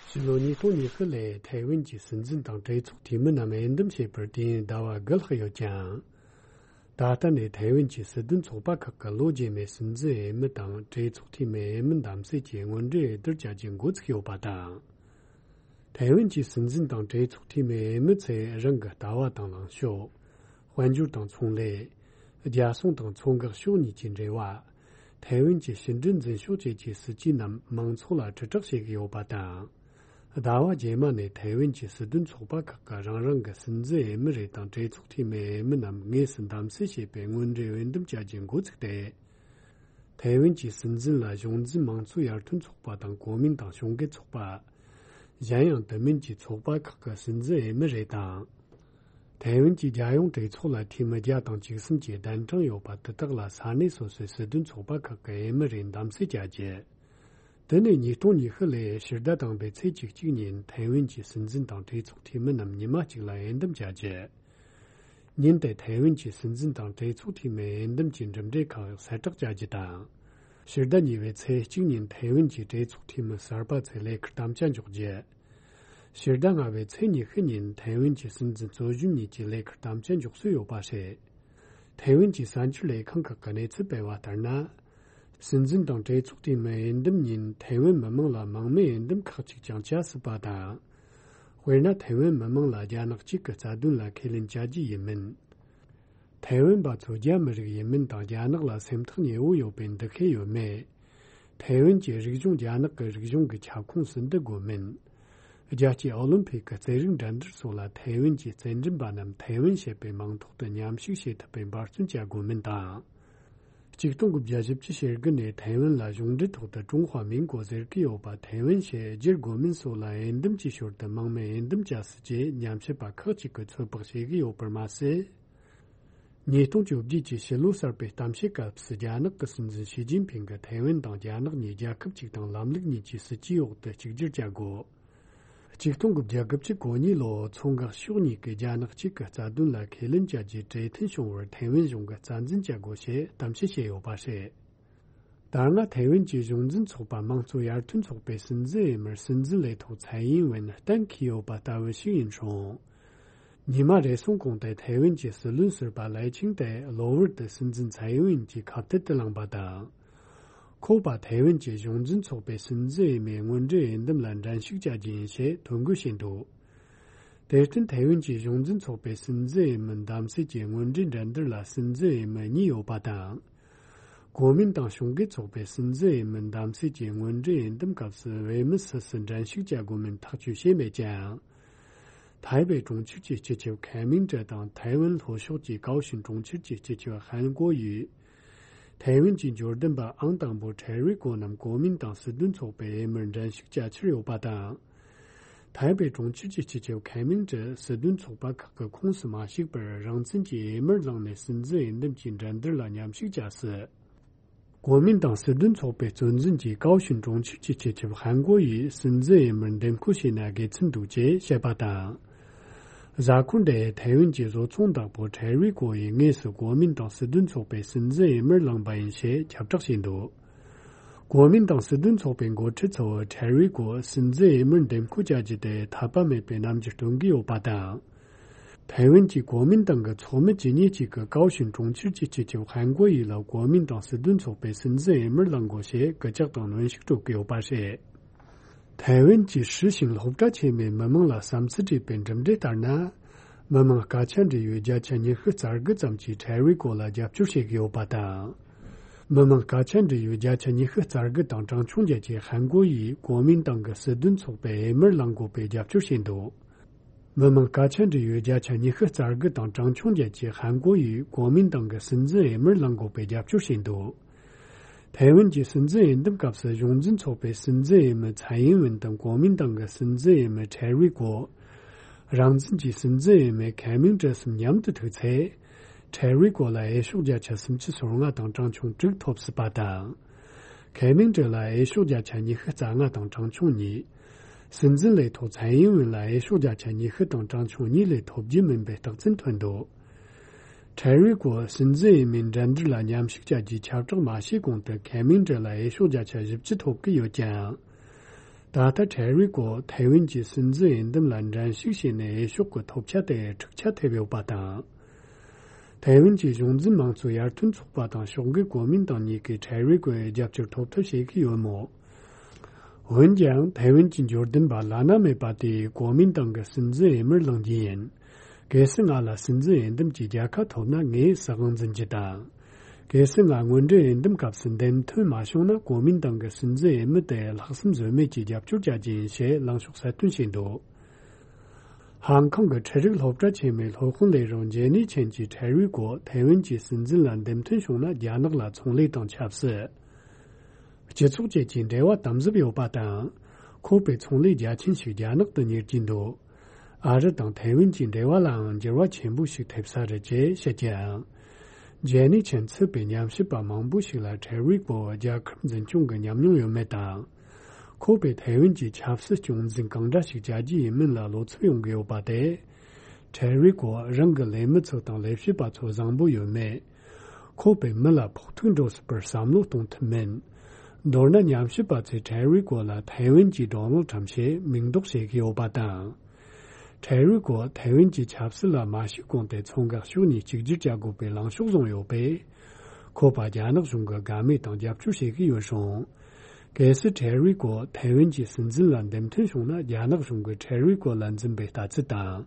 ཕྱི་ལོ་ཉིས་སྟོང་ཉི་ཤུ་ལོའི་ཐའེ་ཝན་གྱི་སྲིད་འཛིན་དང་གྲོས་ཚོགས་འཐུས་མི་རྣམས་འོས་འདེམས་བྱས་པར་དུས་ཡུན་ཟླ་བ་དགུ་ལྷག་ཡོད་ཀྱང་། ད་ལྟ་ནས་ཐའེ་ཝན་གྱི་སྲིད་དོན་ཚོགས་པ་ཁག་གི་ལོ་རྗེས་མའི་སྲིད་འཛིན་འོས་མི་དང་གྲོས་ཚོགས་འཐུས་མི་འོས་མི་གདམ་གསེས་ཀྱི་དངོས་འབྲེལ་འོས་བསྡུར་བྱ་རྒྱུ་འགོ་ཚུགས་ཡོད་པ་དང་། ཐའེ་ཝན་གྱི་སྲིད་འཛིན་དང་གྲོས་ཚོགས་འཐུས་མི་འོས་མི་ཚོས་རང་གི་ལྟ་བ་དང་ལངས་ཕྱོགས། དཔལ་འབྱོར་དང་ཚོང་ལས། རྒྱལ་སྲུང་དང་མཚོ་འགག་ཕྱོགས་གཉིས་ཀྱི་འབྲེལ་བ། ཐའེ་ཝན་གྱི་ཕྱི་འབྲེལ་འཛིན་ཕྱོགས་བཅས་ཀྱི་སྲིད་ཇུས་རྣམས་མང་ཚོགས་ལ་དྲིལ་བསྒྲགས་བྱེད་ཀྱི་ཡོད་པ་དང་། ཟླ་བ་རྗེས་མ་ནས་ཐའེ་ཝན་གྱི་སྲིད་དོན་ཚོགས་པ་ཁག་གིས་རང་རང་གི་སྲིད་འཛིན་འོས་མི་རེ་དང་གྲོས་ཚོགས་འཐུས་མི་འོས་མི་རྣམས་དངོས་སུ་གདམ་གསེས་བྱས་པའི་དངོས་འབྲེལ་འོས་འདེམས་བྱ་རྒྱུ་འགོ་ཚུགས་ཏེ། ཐའེ་ཝན་གྱི་སྲིད་འཛིན་ལ་གཞུང་འཛིན་དམངས་གཙོའི་ཡར་ཐོན་ཚོགས་པ་དང་གོ་མིན་ཏང་གཞུང་སྒེར་ཚོགས་པ། གཞན་ཡང་དེ་མིན་གྱི་ཚོགས་པ་ཁག་གི་སྲིད་འཛིན་འོས་མི་རེ་དང་། ཐའེ་ཝན་གྱི་རྒྱལ་ཡོངས་གྲོས་ཚོགས་ལ་འཐུས་མི་བརྒྱ་དང་བཅུ་གསུམ་གྱི་གདན་གྲངས་ཡོད་པ་དེ་དག་ལ་ས་གནས་སོ་སོའི་སྲིད་དོན་ཚོགས་པ་ཁག་གི་འོས་མི་རེ་གདམ་གསེས་བྱ་རྒྱུ། དེ་ནས་ཉིས་སྟོང་ཉི་ཤུ་ལོའི་ཕྱི་ཟླ་དང་པོའི་ཚེས་བཅུ་གཅིག་ཉིན་ཐའེ་ཝན་གྱི་སྲིད་འཛིན་དང་གྲོས་ཚོགས་འཐུས་མི་རྣམས་ཉི་མ་གཅིག་ལ་འོས་འདེམས་བྱ་རྒྱུ། ཉིན་དེ་ཐའེ་ཝན་གྱི་སྲིད་འཛིན་དང་གྲོས་ཚོགས་འཐུས་མི་འོས་འདེམས་ཀྱི་གྲུབ་འབྲས་ཁག་གསལ་བསྒྲགས་བྱ་རྒྱུ་དང་། ཕྱི་ཟླ་གཉིས་པའི་ཚེས་གཅིག་ཉིན་ཐའེ་ཝན་གྱི་གྲོས་ཚོགས་འཐུས་མི་གསར་པ་ཚོས་ལས་ཁུར་དམ་བཅའ་འཇོག་རྒྱུ། ཕྱི་ཟླ་ལྔ་པའི་ཚེས་ཉི་ཤུ་ཉིན་ཐའེ་ཝན་གྱི་སྲིད་འཛིན་གཙོ་གཞོན་གཉིས་ཀྱི་ལས་ཁུར་དམ་བཅའ་འཇོག་སྲོལ་ཡོད་པ་རེད། ཐའེ་ཝན་གྱི་གསར་འགྱུར་ལས་ཁང་ཁག་གི་གནས་ཚུལ་སྤེལ་བ་ལྟར་ན། སྲིད་འཛིན་དང་གྲོས་ཚོགས་འཐུས་མི་འོས་འདེམས་ཉིན་ཐའེ་ཝན་མི་མང་ལ་མང་མོས་འོས་འདེམས་ཁག་ཅིག་ཀྱང་བྱ་སྲིད་པ་དང་། དཔེར་ན་ཐའེ་ཝན་མི་མང་ལ་རྒྱ་ནག་གཅིག་གི་རྩ་དོན་ལ་ཁས་ལེན་བྱ་རྒྱུ་ཡིན་མིན། ཐའེ་ཝན་པ་ཚོ་རྒྱ་མི་རིགས་ཡིན་མིན་དང་རྒྱ་ནག་ལ་སེམས་ཐག་ཉེ་བོ་ཡོད་པའི་འདུ་ཤེས་ཡོད་མེད། ཐའེ་ཝན་གྱི་རིག་གཞུང་རྒྱ་ནག་གི་རིག་གཞུང་གི་ཁྱབ་ཁོངས་སུ་འདུ་དགོས་མིན། རྒྱལ་སྤྱིའི་ཨོ་ལིམ་ཕིག་གི་རྩེད་རིགས་འགྲན་བསྡུར་སོགས་ལ་ཐའེ་ཝན་གྱི་རྩེད་འགྲན་པ་རྣམས་ཐའེ་ཝན་ཞེས་པའི་མིང་ཐོག་ཏུ་མཉམ་ཞུགས་བྱེད་ཐུབ་པའི་འབད་བརྩོན་བྱ་དགོས་མིན་དང་། ཆིག་སྟོང་དགུ་བརྒྱ་བཞི་བཅུ་ཞེ་དགུ་ནས་ཐའེ་ཝན་ལ་གཞུང་འབྲེལ་ཐོག་ཏུ་ཀྲུང་ཧྭ་མིང་གོ་ཟེར་གྱི་ཡོད་པ་ཐའེ་ཝན་ཞེས་བསྒྱུར་དགོས་མིན་སོགས་ལ་འོས་འདེམས་ཀྱི་ཞོར་དུ་མང་མོས་འོས་འདེམས་བྱ་སྲིད་ཅེས་ཉམས་ཞིབ་པ་ཁག་ཅིག་གིས་ཚོད་དཔག་བྱེད་ཀྱི་ཡོད་པར་མ་ཟད། ཉིས་སྟོང་བཅོ་བརྒྱད་ཀྱི་ཕྱི་ལོ་གསར་པའི་གཏམ་བཤད་སྐབས་སུ་རྒྱ་ནག་གི་སྲིད་འཛིན་ཞི་ཅིན་ཕིང་གིས་ཐའེ་ཝན་དང་རྒྱ་ནག་གཉིས་རྒྱལ་ཁབ་གཅིག་དང་ལམ་ལུགས་གཉིས་ཀྱི་སྲིད་ཇུས་འོག་ཏུ་གཅིག་གྱུར་བྱ་དགོས། ཆིག་སྟོང་དགུ་བརྒྱ་གོ་གཉིས་ལོར་མཚོ་འགག་ཕྱོགས་གཉིས་ཀྱིས་རྒྱ་ནག་གཅིག་གི་རྩ་དོན་ལ་ཁས་ལེན་བྱ་རྒྱུའི་གྲོས་མཐུན་བྱུང་བར་ཐའེ་ཝན་གཞུང་གིས་རྩ་འཛིན་བྱ་དགོས་ཞེས་གཏམ་བཤད་བྱས་ཡོད་པ་རེད། ད་སྔ་ཐའེ་ཝན་གྱི་གཞུང་འཛིན་ཚོགས་པ་དམངས་གཙོ་ཡར་ཐོན་ཚོགས་པའི་སྲིད་འཛིན་འོས་མིར་སྲིད་འཛིན་ལས་ཐོག་ཚའེ་ཡིན་ཝེན་གཏན་འཁེལ་ཡོད་པ་ལྟ་བུ་ཞིག་ཡིན་རུང་། ཉི་མ་རེ་ཟུང་གོང་དུ་ཐའེ་ཝན་གྱི་སྲིད་བློན་ཟུར་པ་ལའེ་ཆིང་ཏེ་གློ་བུར་དུ་སྲིད་འཛིན་ཚའེ་ཡིན་ཝེན་གྱི་ཁ་གཏད་དུ་ལངས་པ་དང་། ཁོ་པ་ཐའེ་ཝན་གྱི་གཞུང་འཛིན་ཚོགས་པའི་སྲིད་འཛིན་འོས་མིའི་དངོས་འབྲེལ་འོས་འདེམས་ལ་འགྲན་ཞུགས་བྱ་རྒྱུ་ཡིན་ཞེས་ཐོ་འགོད་བྱས་འདུག་དེར་བརྟེན་ཐའེ་ཝན་གྱི་གཞུང་འཛིན་ཚོགས་པའི་སྲིད་འཛིན་འོས་མི་བདམས་སྲིད་ཀྱི་དངོས་འབྲེལ་འགྲན་བསྡུར་ལ་སྲིད་འཛིན་འོས་མི་གཉིས་ཡོད་པ་དང་། གོ་མིན་ཏང་གཞུང་སྒེར་ཚོགས་པའི་སྲིད་འཛིན་འོས་མི་བདམས་སྲིད་ཀྱི་དངོས་འབྲེལ་འོས་འདེམས་སྐབས་སུ་འོས་མི་སུ་སུ་འགྲན་ཞུགས་བྱ་དགོས་མིན་ཐག་གཅོད་བྱས་མེད་ཀྱང་། ཐའེ་པེ་གྲོང་ཁྱེར་གྱི་སྤྱི་ཁྱབ་ཁེ་མིང་ཀྲི་དང་ཐའེ་ཝན་ལྷོ་ཕྱོགས་ཀྱི་ཀའོ་ཤིན་གྲོང་ཁྱེར་གྱི་སྤྱི་ཁྱབ་ཧན་གོ་ཡུས། ཐའེ་ཝན་གྱི་འབྱོར་ལྡན་པ་ཨང་དང་པོ་ཁྲེ་རི་ཀོ་རྣམས་གོ་མིན་ཏང་སྲིད་དོན་ཚོགས་པའི་འོས་མིར་འགྲན་ཞུགས་བྱ་འཆར་ཡོད་པ་དང་། ཐའེ་པེ་གྲོང་ཁྱེར་གྱི་སྤྱི་ཁྱབ་ཁེ་མིང་ཀྲི་སྲིད་དོན་ཚོགས་པ་ཁག་གི་ཁོངས་སུ་མ་ཞུགས་པར་རང་བཙན་གྱི་འོས་མིར་ལངས་ནས་སྲིད་འཛིན་འོས་འདེམས་ཀྱི་འགྲན་བསྡུར་ལ་མཉམ་ཞུགས་བྱ་སྲིད། གོ་མིན་ཏང་སྲིད་དོན་ཚོགས་པའི་གཙོ་འཛིན་གྱིས་ཀའོ་ཤིན་གྲོང་ཁྱེར་གྱི་སྤྱི་ཁྱབ་ཧན་གོ་ཡིས་སྲིད་འཛིན་འོས་མིར་འདེམས་བསྐོ་བྱས་ན་དགེ་མཚན་འདུག་ཅེས་བཤད་པ་དང་། གཟའ་འཁོར་འདིའི་ཐའེ་ཝན་གྱི་བཟོ་ཚོང་བདག་པོ་ཁྲེ་རི་ཀོ་ཡིས་དངོས་སུ་གོ་མིན་ཏང་སྲིད་དོན་ཚོགས་པའི་སྲིད་འཛིན་འོས་མིར་ལངས་པ་ཡིན་ཞེས་ཁྱབ་བསྒྲགས་བྱས་འདུག་གོ་མིན་ཏང་སྲིད་དོན་ཚོགས་པའི་འགོ་ཁྲིད་ཚོས་ཁྲེ་རི་ཀོ་སྲིད་འཛིན་འོས་མིར་འདེམས་བསྐོ་བྱ་རྒྱུ་དེ་འཐད་པ་མེད་པའི་རྣམ་འགྱུར་སྟོན་གྱི་ཡོད་པ་དང་། ཐའེ་ཝན་གྱི་གོ་མིན་ཏང་གི་ཚོགས་མི་ཇི་ནི་གཅིག་གིས་ཀའོ་ཤིན་གྲོང་ཁྱེར་གྱི་སྤྱི་ཁྱབ་ཧན་གོ་ཡི་ལ་གོ་མིན་ཏང་སྲིད་དོན་ཚོགས་པའི་སྲིད་འཛིན་འོས་མིར་ལངས་དགོས་ཞེས་སྐུལ་ལྕག་དང་གནོན་ཤུགས་སྤྲོད་ཀྱི་ཡོད་པ་རེད། ཐའེ་ཝན་གྱི་ཧྲི་ཞིང་སློབ་གྲྭ་ཆེན་མོའི་མི་མང་ལ་བསམ་ཚུལ་དྲིས་པའི་གྲུབ་འབྲས་ལྟར་ན། མི་མང་སྐད་ཆ་འདྲི་ཡུལ་བརྒྱ་ཆ་ཉི་ཤུ་རྩ་དགུ་ཙམ་གྱིས་ཁྲེ་རི་ཀོ་ལ་རྒྱབ་སྐྱོར་བྱེད་ཀྱི་ཡོད་པ་དང་། མི་མང་སྐད་ཆ་འདྲི་ཡུལ་བརྒྱ་ཆ་ཉི་ཤུ་རྩ་དགུ་དང་གྲངས་ཆུང་བརྒྱད་ཀྱིས་ཧན་གོ་ཡིས་གོ་མིན་ཏང་གི་སྲིད་དོན་ཚོགས་པའི་འོས་མིར་ལངས་དགོས་པའི་རྒྱབ་སྐྱོར་བྱས་འདུག་མི་མང་སྐད་ཆ་འདྲི་ཡུལ་བརྒྱ་ཆ་ཉི་ཤུ་རྩ་དགུ་དང་གྲངས་ཆུང་བརྒྱད་ཀྱིས་ཧན་གོ་ཡིས་གོ་མིན་ཏང་གི་སྲིད་འཛིན་འོས་མིར་ལངས་དགོས་པའི་རྒྱབ་སྐྱོར་བྱས་འདུག་ཐའེ་ཝན་གྱི་སྲིད་འཛིན་འོས་འདེམས་སྐབས་སུ་གཞུང་འཛིན་ཚོགས་པའི་སྲིད་འཛིན་འོས་མི་ཚའེ་ཡིན་ཝེན་དང་གོ་མིན་ཏང་གི་སྲིད་འཛིན་འོས་མི་ཁྲེ་རི་ཀོ། རང་བཙན་གྱི་སྲིད་འཛིན་འོས་མི་ཁེ་མིང་ཀྲི་གསུམ་མཉམ་དུ་ཐུག་ཚེ། ཁྲེ་རི་ཀོ་ལ་འོས་ཤོག་བརྒྱ་ཆ་སུམ་ཅུ་སོ་ལྔ་དང་གྲངས་ཆུང་དྲུག་ཐོབ་སྲིད་པ་དང་། ཁེ་མིང་ཀྲི་ལ་འོས་ཤོག་བརྒྱ་ཆ་ཉི་ཤུ་རྩ་ལྔ་དང་གྲངས་ཆུང་གཉིས། སྲིད་འཛིན་ལས་ཐོག་ཚའེ་ཡིན་ཝེན་ལ་འོས་ཤོག་བརྒྱ་ཆ་ཉི་ཤུ་དང་གྲངས་ཆུང་གཉིས་ལས་ཐོབ་རྒྱུ་མིན་པའི་རྟགས་མཚན་ཐོན་འདུག་ཁྲེ་རི་ཀོ་སྲིད་འཛིན་འོས་མིའི་འགྲན་བསྡུར་ལ་མཉམ་ཞུགས་བྱ་རྒྱུའི་ཁྱབ་བསྒྲགས་མ་བྱས་གོང་དུ་ཁེ་མིང་ཀྲི་ལ་འོས་ཤོག་བརྒྱ་ཆ་བཞི་བཅུ་ཐོབ་ཀྱི་ཡོད་ཀྱང་། ད་ལྟ་ཁྲེ་རི་ཀོ་ཐའེ་ཝན་གྱི་སྲིད་འཛིན་འོས་འདེམས་ལ་འགྲན་ཞུགས་བྱས་ནས་འོས་ཤོག་གི་ཐོབ་ཆ་དེ་འཁྲུག་ཆ་ཐེབས་ཡོད་པ་དང་། ཐའེ་ཝན་གྱི་གཞུང་འཛིན་མང་གཙོ་ཡར་ཐོན་ཚོགས་པ་དང་ཕྱོགས་འགལ་གོ་མིན་ཏང་གཉིས་ཀས་ཁྲེ་རི་ཀོའི་རྒྱབ་སྐྱོར་ཐོབ་ཐབས་བྱེད་ཀྱི་ཡོད་མོད། འོན་ཀྱང་ཐའེ་ཝན་གྱི་འབྱོར་ལྡན་པ་བླ་ན་མེད་པ་དེས་གོ་མིན་ཏང་གི་སྲིད་འཛིན་འོས་མིར་ལངས་རྒྱུ་ཡིན། གལ་སྲིད་ང་ལ་སྲིད་འཛིན་འོས་འདེམས་ཀྱི་རྒྱལ་ཁ་ཐོབ་ན་ངས་སྲིད་དབང་འཛིན་རྒྱུ་དང་། གལ་སྲིད་ང་དངོས་འབྲེལ་འོས་འདེམས་སྐབས་སུ་འདེམས་ཐོན་མ་བྱུང་ན་གོ་མིན་ཏང་གི་སྲིད་འཛིན་འོས་མི་དེ་ལྷག་བསམ་ཟོལ་མེད་ཀྱིས་རྒྱབ་སྐྱོར་བྱ་རྒྱུ་ཡིན་ཞེས་ལངས་ཕྱོགས་གསལ་སྟོན་བྱས་འདུག་ཧང་ཀོང་གི་འཕྲུལ་རིག་སློབ་གྲྭ་ཆེན་མོའི་སློབ་དཔོན་ལས་རོགས་ཇེ་ནི་ཆན་གྱིས་ཁྲེ་རི་ཀོ་ཐའེ་ཝན་གྱི་སྲིད་འཛིན་ལ་འདེམས་ཐོན་བྱུང་ན་རྒྱ་ནག་ལ་ཚོང་ལས་དང་ཆབ་སྲིད། སྤྱི་ཚོགས་བཅས་ཀྱི་འབྲེལ་བ་དམ་ཟབ་ཡོད་པ་དང་། ཁོ་པའི་ཚོང་ལས་རྒྱ་ཆེན་ཞིག་རྒྱ་ནག་ཏུ་གཉེར་གྱིན་འདུག་ཨ་རི་དང་ཐའེ་ཝན་གྱི་འབྲེལ་བ་ལའང་འགྱུར་བ་ཆེན་པོ་ཞིག་ཐེབས་ས་རེད་ཅེས་བཤད་ཀྱང་། ཇེ་ནི་ཆན་ཚུད་པའི་ཉམས་ཞིབ་པ་མང་པོ་ཞིག་ལ་ཁྲེ་རི་ཀོ་རྒྱལ་ཁབ་འཛིན་སྐྱོང་གི་ཉམས་མྱོང་ཡོད་མེད་དང་། ཁོ་པའི་ཐའེ་ཝན་གྱི་ཆབ་སྲིད་སྐྱོང་འཛིན་གང་འདྲ་ཞིག་བྱ་རྒྱུ་ཡིན་མིན་ལ་བློ་འཚབ་ཡོང་གི་ཡོད་པ་དེ། ཐེ་རི་ཀོ་རང་གི་ལས་མི་ཚོ་དང་ལས་བྱེད་པ་ཚོ་བཟང་པོ་ཡོད་མེད། ཁོ་པའི་མི་ལ་ཕོག་ཐུག་འགྲོ་སྲིད་པར་བསམ་བློ་གཏོང་ཐུབ་མིན། མདོར་ན་ཉམས་ཞིབ་པ་ཚོས་ཐེ་རི་ཀོ་ལ་ཐའེ་ཝན་གྱི་ཌོ་ནལ་ཁྲམ་ཞེས་མིང་འདོགས་བྱེད་ཀྱི་ཡོད་པ་དང་། ཐེ་རི་ཀོ་ཐའེ་ཝན་གྱི་ཆབ་སྲིད་ལ་མ་ཞུགས་གོང་དེ་མཚོ་འགག་ཕྱོགས་གཉིས་གཅིག་གྱུར་བྱ་དགོས་པའི་ལངས་ཕྱོགས་བཟུང་ཡོད་པས། ཁོ་པ་རྒྱ་ནག་གཞུང་གི་དགའ་མོས་དང་རྒྱབ་སྐྱོར་བྱེད་ཀྱི་ཡོད་རུང་། གལ་སྲིད་ཐེ་རི་ཀོ་ཐའེ་ཝན་གྱི་སྲིད་འཛིན་ལ་འདེམས་ཐོན་བྱུང་ན། རྒྱ་ནག་གཞུང་གིས་ཐེ་རི་ཀོ་ལ་འཛིན་པའི་ལྟ་ཚུལ་དང་།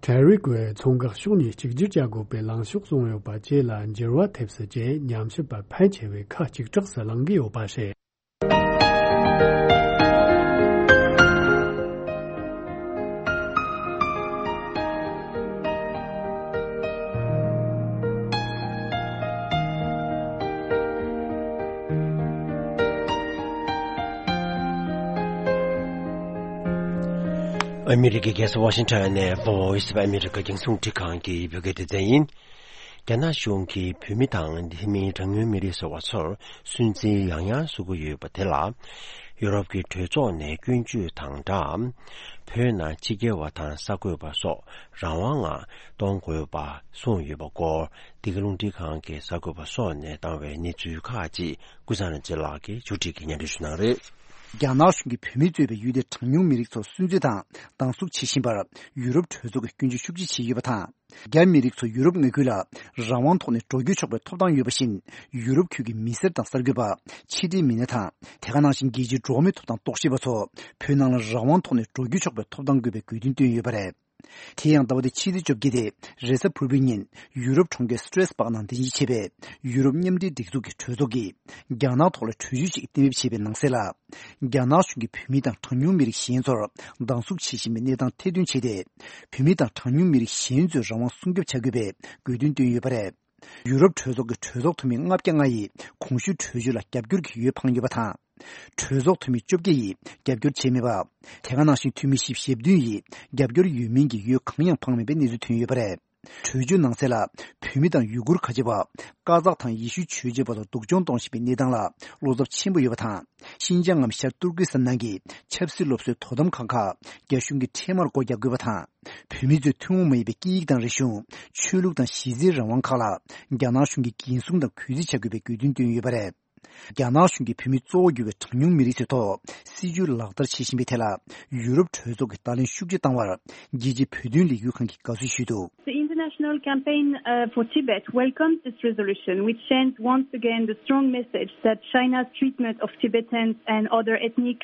ཐེ་རི་ཀོས་མཚོ་འགག་ཕྱོགས་གཉིས་གཅིག་གྱུར་བྱ་དགོས་པའི་ལངས་ཕྱོགས་བཟུང་ཡོད་པ་བཅས་ལ་འགྱུར་བ་ཐེབས་སྲིད་ཅེས་ཉམས་ཞིབ་པ་ཕལ་ཆེ་བས་ཁ་གཅིག་གྲགས་སུ་གླེང་གི་ཡོད་པ་རེད། ཨ་མི་རི་ཀའི་རྒྱལ་ས་ཝ་ཤིང་ཊོན་ནས་Voice of America རྒྱང་སྲིང་རླུང་འཕྲིན་ཁང་གི་བོད་སྐད་སྡེ་ཚན་ཡིན། རྒྱ་ནག་གཞུང་གིས་བོད་མི་དང་དེ་མིན་གྲངས་ཉུང་མི་རིགས་ཟེར་བ་ཚོར་སུན་གཙེར་ཡང་ཡང་བཟོ་གི་ཡོད་པ་དེ་ལ། ཡུ་རོབ་ཀྱི་གྲོས་ཚོགས་ནས་སྐྱོན་བརྗོད་དང་སྦྲགས། བོད་ནང་ཕྱི་རྒྱལ་བ་དང་གསར་འགོད་པ་སོགས་རང་དབང་ངང་གཏོང་དགོས་པ་གསུངས་ཡོད་པ་སྐོར། འདི་ག་རླུང་འཕྲིན་ཁང་གི་གསར་འགོད་པ་སོགས་ནས་བཏང་བའི་གནས་ཚུལ་ཁག་ཅིག་ཀུན་བཟང་རིན་ཆེན་ལགས་ཀྱིས་མཇུག་སྒྲིལ་གྱིས་སྙན་སྒྲོན་ཞུ་གནང་རེད། རྒྱ་ནག་གཞུང་གིས་བོད་མིས་གཙོས་པའི་ཡུལ་དེའི་གྲངས་ཉུང་མི་རིགས་ཚོར་སུན་གཙེར་དང་སྡང་ཟུག་བྱེད་བཞིན་པར་ཡུ་རོབ་གྲོས་ཚོགས་ཀྱིས་སྐྱོན་བརྗོད་ཤུགས་ཆེ་བྱས་ཡོད་པ་དང་། རྒྱ་མི་རིགས་ཚོ་ཡུ་རོབ་མངའ་ཁུལ་ལ་རང་དབང་ཐོག་ནས་འགྲོ་སྐྱོད་ཆོག་པའི་ཐོབ་ཐང་ཡོད་པ་བཞིན། ཡུ་རོབ་ཁུལ་གྱི་མི་སེར་དང་གསར་འགོད་པ། ཕྱི་འབྲེལ་མི་སྣ་དང་། དེ་ག་ནང་བཞིན་རྒྱལ་སྤྱིའི་འགྲོ་བ་མིའི་ཐོབ་ཐང་རྟོག་ཞིབ་པ་ཚོ་བོད་ནང་ལ་རང་དབང་ཐོག་ནས་འགྲོ་སྐྱོད་ཆོག་པའི་ཐོབ་ཐང་དགོས་པའི་དགོས་འདུན་བཏོན་ཡོད་པ་རེད། དེ་ཡང་ཟླ་བ་འདིའི་ཕྱི་ཚེས་བཅོ་བརྒྱད་སྟེ། རེས་གཟའ་ཕུར་བུའི་ཉིན། ཡུ་རོབ་གྲོང་ཁྱེར་སི་ཏྲེས་སྦག་ནང་རྟེན་གཞི་བྱས་པའི་ཡུ་རོབ་མཉམ་འབྲེལ་སྒྲིག་འཛུགས་ཀྱི་གྲོས་ཚོགས་ཀྱིས། རྒྱ་ནག་ཐོག་ལ་གྲོས་ཆོད་ཅིག་གཏན་འབེབས་བྱས་པའི་ནང་གསལ་ལ། རྒྱ་ནག་གཞུང་གིས་བོད་མི་དང་གྲངས་ཉུང་མི་རིགས་གཞན་ཚོར་སྡང་ཟུག་བྱེད་བཞིན་པའི་གནས་སྟངས་ཐེར་འདོན་བྱས་ཏེ། བོད་མི་དང་གྲངས་ཉུང་མི་རིགས་གཞན་ཚོའི་རང་དབང་སྲུང་སྐྱོབ་བྱ་དགོས་པའི་དགོས་འདུན་བཏོན་ཡོད་པ་རེད། ཡུ་རོབ་གྲོས་ཚོགས་ཀྱི་གྲོས་ཚོགས་འཐུས་མི་ལྔ་བརྒྱ་ལྔ་ཡིས་གོང་ཞུས་གྲོས་ཆོད་ལ་རྒྱབ་སྐྱོར་གྱི་འོས་འཕངས་ཡོད་པ་དང་། གྲོས་ཚོགས་འཐུས་མི་བཅོ་བརྒྱད་ཡིས་རྒྱབ་སྐྱོར་བྱས་མེད་པ། དེ་ག་ནང་བཞིན་འཐུས་མི་བཞི་བཅུ་ཞེ་བདུན་ཡིས་རྒྱབ་སྐྱོར་ཡོད་མིན་གྱི་འོས་གང་ཡང་འཕངས་མེད་པའི་གནས་ཚུལ་ཐོན་ཡོད་པ་རེད། གྲོས་ཆོད་ནང་གསལ་ལ། བོད་མི་དང་ཡུ་གུར་ཁ་ཆེ་བ། ཀ་ཛག་དང་ཡེ་ཤུའི་ཆོས་བྱེད་པ་ཚོ་སྡུག་སྦྱོང་གཏོང་བཞིན་པའི་གནས་སྟངས་ལ་བློ་འཚབ་ཆེན་པོ་ཡོད་པ་དང་། ཤིན་ཅང་ངམ་ཤར་ཏུར་ཀི་སི་ཐན་ནང་གི་ཆབ་སྲིད་སློབ་གསོའི་དོ་དམ་ཁང་ཁག་རྒྱ་གཞུང་གིས་འཕྲལ་མར་སྒོ་རྒྱག་དགོས་པ་དང་། བོད་མི་ཚོའི་ཐུན་མོང་མ་ཡིན་པའི་སྐད་ཡིག་དང་རིག་གཞུང་། ཆོས་ལུགས་དང་གཞི་རྩའི་རང་དབང་ཁག་ལ་རྒྱ་ནག་གཞུང་གིས་འགན་སྲུང་དང་གུས་བརྩི་བྱ་དགོས་པའི་དགོས་འདུན་བཏོན་ཡོད་པ་རེད། རྒྱ་ནག་གཞུང་གིས་བོད་མི་གཙོ་བོ་གྱུར་བའི་གྲངས་ཉུང་མི་རིགས་ཚོའི་ཐོག་སྲིད་ཇུས་ལག་བསྟར་བྱེད་བཞིན་པའི་ཐད་ལ། ཡུ་རོབ་གྲོས་ཚོགས་ཀྱིས་བརྡ་ལན་ཤུགས་ཆེ་བཏང་བར། རྒྱལ་སྤྱིའི་བོད་དོན་ལས་འགུལ་ཁང་གིས་དགའ་བསུ་ཞུས་འདུག The International Campaign uh, for Tibet welcomes this resolution, which sends once again the strong message that China's treatment of Tibetans and other ethnic,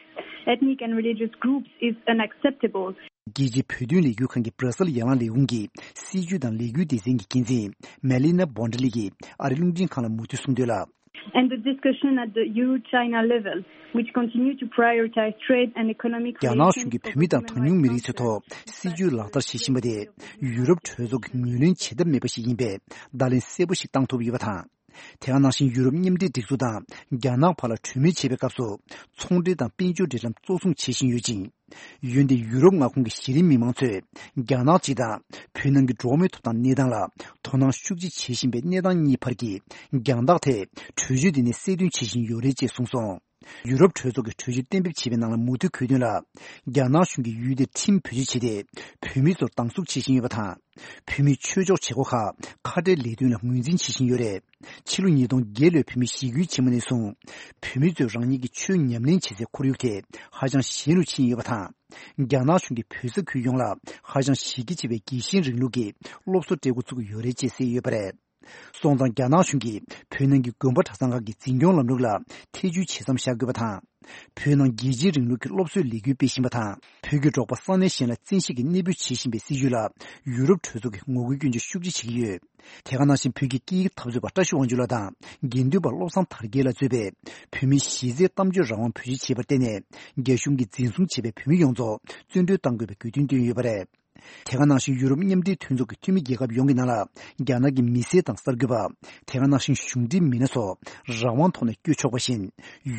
ethnic and religious groups is unacceptable. རྒྱལ་སྤྱིའི་བོད་དོན་ལས་འགུལ་ཁང་གི་སྦྲ་སེལ་ཡར་ལངས་ལས་ཁུངས་ཀྱི་སྲིད་ཇུས་དང་ལས་འགུལ་སྡེ་ཚན་གྱི་འགན་འཛིན་མེ་ལི་ན་བོན་ཌི་ལི་ཡིས་ཨ་རིའི་རླུང་འཕྲིན་ཁང་ལ་མུ་མཐུད་གསུངས་དོན་ལ། And the discussion at the E U-China level, which continue to prioritize trade and economic རྒྱ་ནག་གཞུང་གིས་བོད་མི་དང་གྲངས་ཉུང་མི་རིགས་ཚོའི་ཐོག་སྲིད་ཇུས་ལག་བསྟར་བྱེད་བཞིན་པ་དེ་ཡུ་རོབ་གྲོས་ཚོགས་ཀྱིས་ངོས་ལེན་བྱེད་ཐབས་མེད་པ་ཞིག་ཡིན་པའི་བརྡ་ལན་གསལ་པོ་ཞིག་བཏང་ཐུབ་ཡོད་པ་དང་། དེ་ག་ནང་བཞིན་ཡུ་རོབ་མཉམ་འབྲེལ་སྒྲིག་འཛུགས་དང་རྒྱ་ནག་བར་ལ་གྲོས་མོལ་བྱེད་པའི་སྐབས་སུ་ཚོང་འབྲེལ་དང་དཔལ་འབྱོར་འབྲེལ་ལམ་གཙོ་བཟུང་བྱེད་བཞིན་ཡོད་ཅིང་། འོན་ཏེ་ཡུ་རོབ་མངའ་ཁོངས་ཀྱི་གཞི་རིམ་མི་མང་ཚོས་རྒྱ་ནག་སྤྱི་དང་བོད་ནང་གི་འགྲོ་བ་མིའི་ཐོབ་ཐང་གནས་སྟངས་ལ་དོ་སྣང་ཤུགས་ཆེ་བྱེད་བཞིན་པའི་གནས་སྟངས་གཉིས་བར་གྱི་རྒྱང་ཐག་དེ་གྲོས་ཆོད་འདི་ནས་གསལ་སྟོན་བྱེད་བཞིན་ཡོད་རེད་ཅེས་གསུངས་སོང་། ཡུ་རོབ་གྲོས་ཚོགས་ཀྱི་གྲོས་ཆོད་གཏན་འབེབས་བྱས་པའི་ནང་ལ་མུ་མཐུད་འཁོད་དོན་ལ། རྒྱ་ནག་གཞུང་གིས་ཡུལ་དེར་ཁྲིམས་བེད་སྤྱོད་བྱས་ཏེ། བོད་མི་ཚོར་སྡང་ཟུག་བྱེད་བཞིན་ཡོད་པ་དང་། བོད་མིའི་ཆོས་ཕྱོགས་བྱེད་སྒོ་ཁག་ཁ་བྲལ་ལས་དོན་ལ་ངོས་འཛིན་བྱེད་བཞིན་ཡོད་རེད། ཕྱི་ལོ་ཉིས་སྟོང་བརྒྱད་ལོའི་བོད་མིའི་ཞི་རྒོལ་ཆེན་མོ་ནས་བཟུང་། བོད་མི་ཚོས་རང་ཉིད་ཀྱི་ཆོས་ཉམས་ལེན་བྱེད་སའི་ཁོར་ཡུག་དེ་ཧ་ཅང་ཞན་རུ་ཕྱིན་ཡོད་པ་དང་། རྒྱ་ནག་གཞུང་གིས་བོད་ས་ཁུལ་ཡོངས་ལ་ཧ་ཅང་གཞི་རྒྱ་ཆེ་བའི་རྒྱལ་ཞེན་རིང་ལུགས་ཀྱི་སློབ་གསོ་སྤྲད་འགོ་བཙུགས་ཡོད་རེད་ཅེས་གསལ་ཡོད་པ་རེད། སོང་ཙང་རྒྱ་ནག་གཞུང་གིས་བོད་ནང་གི་དགོན་པ་གྲྭ་ཚང་ཁག་གི་འཛིན་སྐྱོང་ལམ་ལུགས་ལ་ཐེ་བྱུས་བྱེད་མཚམས་བཞག་དགོས་པ་དང་། བོད་ནང་རྒྱལ་གཅེས་རིང་ལུགས་ཀྱི་སློབ་གསོའི་ལས་འགུལ་སྤེལ་བཞིན་པ་དང་། བོད་ཀྱི་འབྲོག་པ་ས་གནས་གཞན་ལ་བཙན་ཤེད་ཀྱིས་གནས་སྤོས་བྱེད་བཞིན་པའི་སྲིད་བྱུས་ལ་ཡུ་རོབ་གྲོས་ཚོགས་ཀྱིས་ངོ་རྒོལ་སྐྱོན་བརྗོད་ཤུགས་ཆེ་བྱེད་ཀྱི་ཡོད། དེ་ག་ནང་བཞིན་བོད་ཀྱི་སྐད་ཡིག་འཐབ་རྩོད་པ་བཀྲ་ཤིས་དབང་ཕྱུག་ལགས་དང་དགེ་འདུན་པ་བློ་བཟང་དར་རྒྱས་ལ་གཙོས་པའི་བོད་མིའི་གཞི་རྩའི་གཏམ་བརྗོད་རང་དབང་བེད་སྤྱོད་བྱས་པར་བརྟེན་ནས། རྒྱ་གཞུང་གིས་འཛིན་བཟུང་བྱས་པའི་བོད་མི་ཡོངས་རྫོགས་བཙོན་གྲོལ་གཏང་དགོས་པའི་དགོས་འདུན་བཏོན་ཡོད་པ་རེད། དེ་ག་ནང་བཞིན་ཡུ་རོབ་མཉམ་འབྲེལ་མཐུན་ཚོགས་ཀྱི་འཐུས་མི་རྒྱལ་ཁབ་ཡོངས་ཀྱི་ནང་ལ་རྒྱ་ནག་གི་མི་སེར་དང་གསར་འགོད་པ། དེ་ག་ནང་བཞིན་གཞུང་འབྲེལ་མི་སྣ་སོགས་རང་དབང་ཐོག་ནས་བསྐྱོད་ཆོག་པ་བཞིན།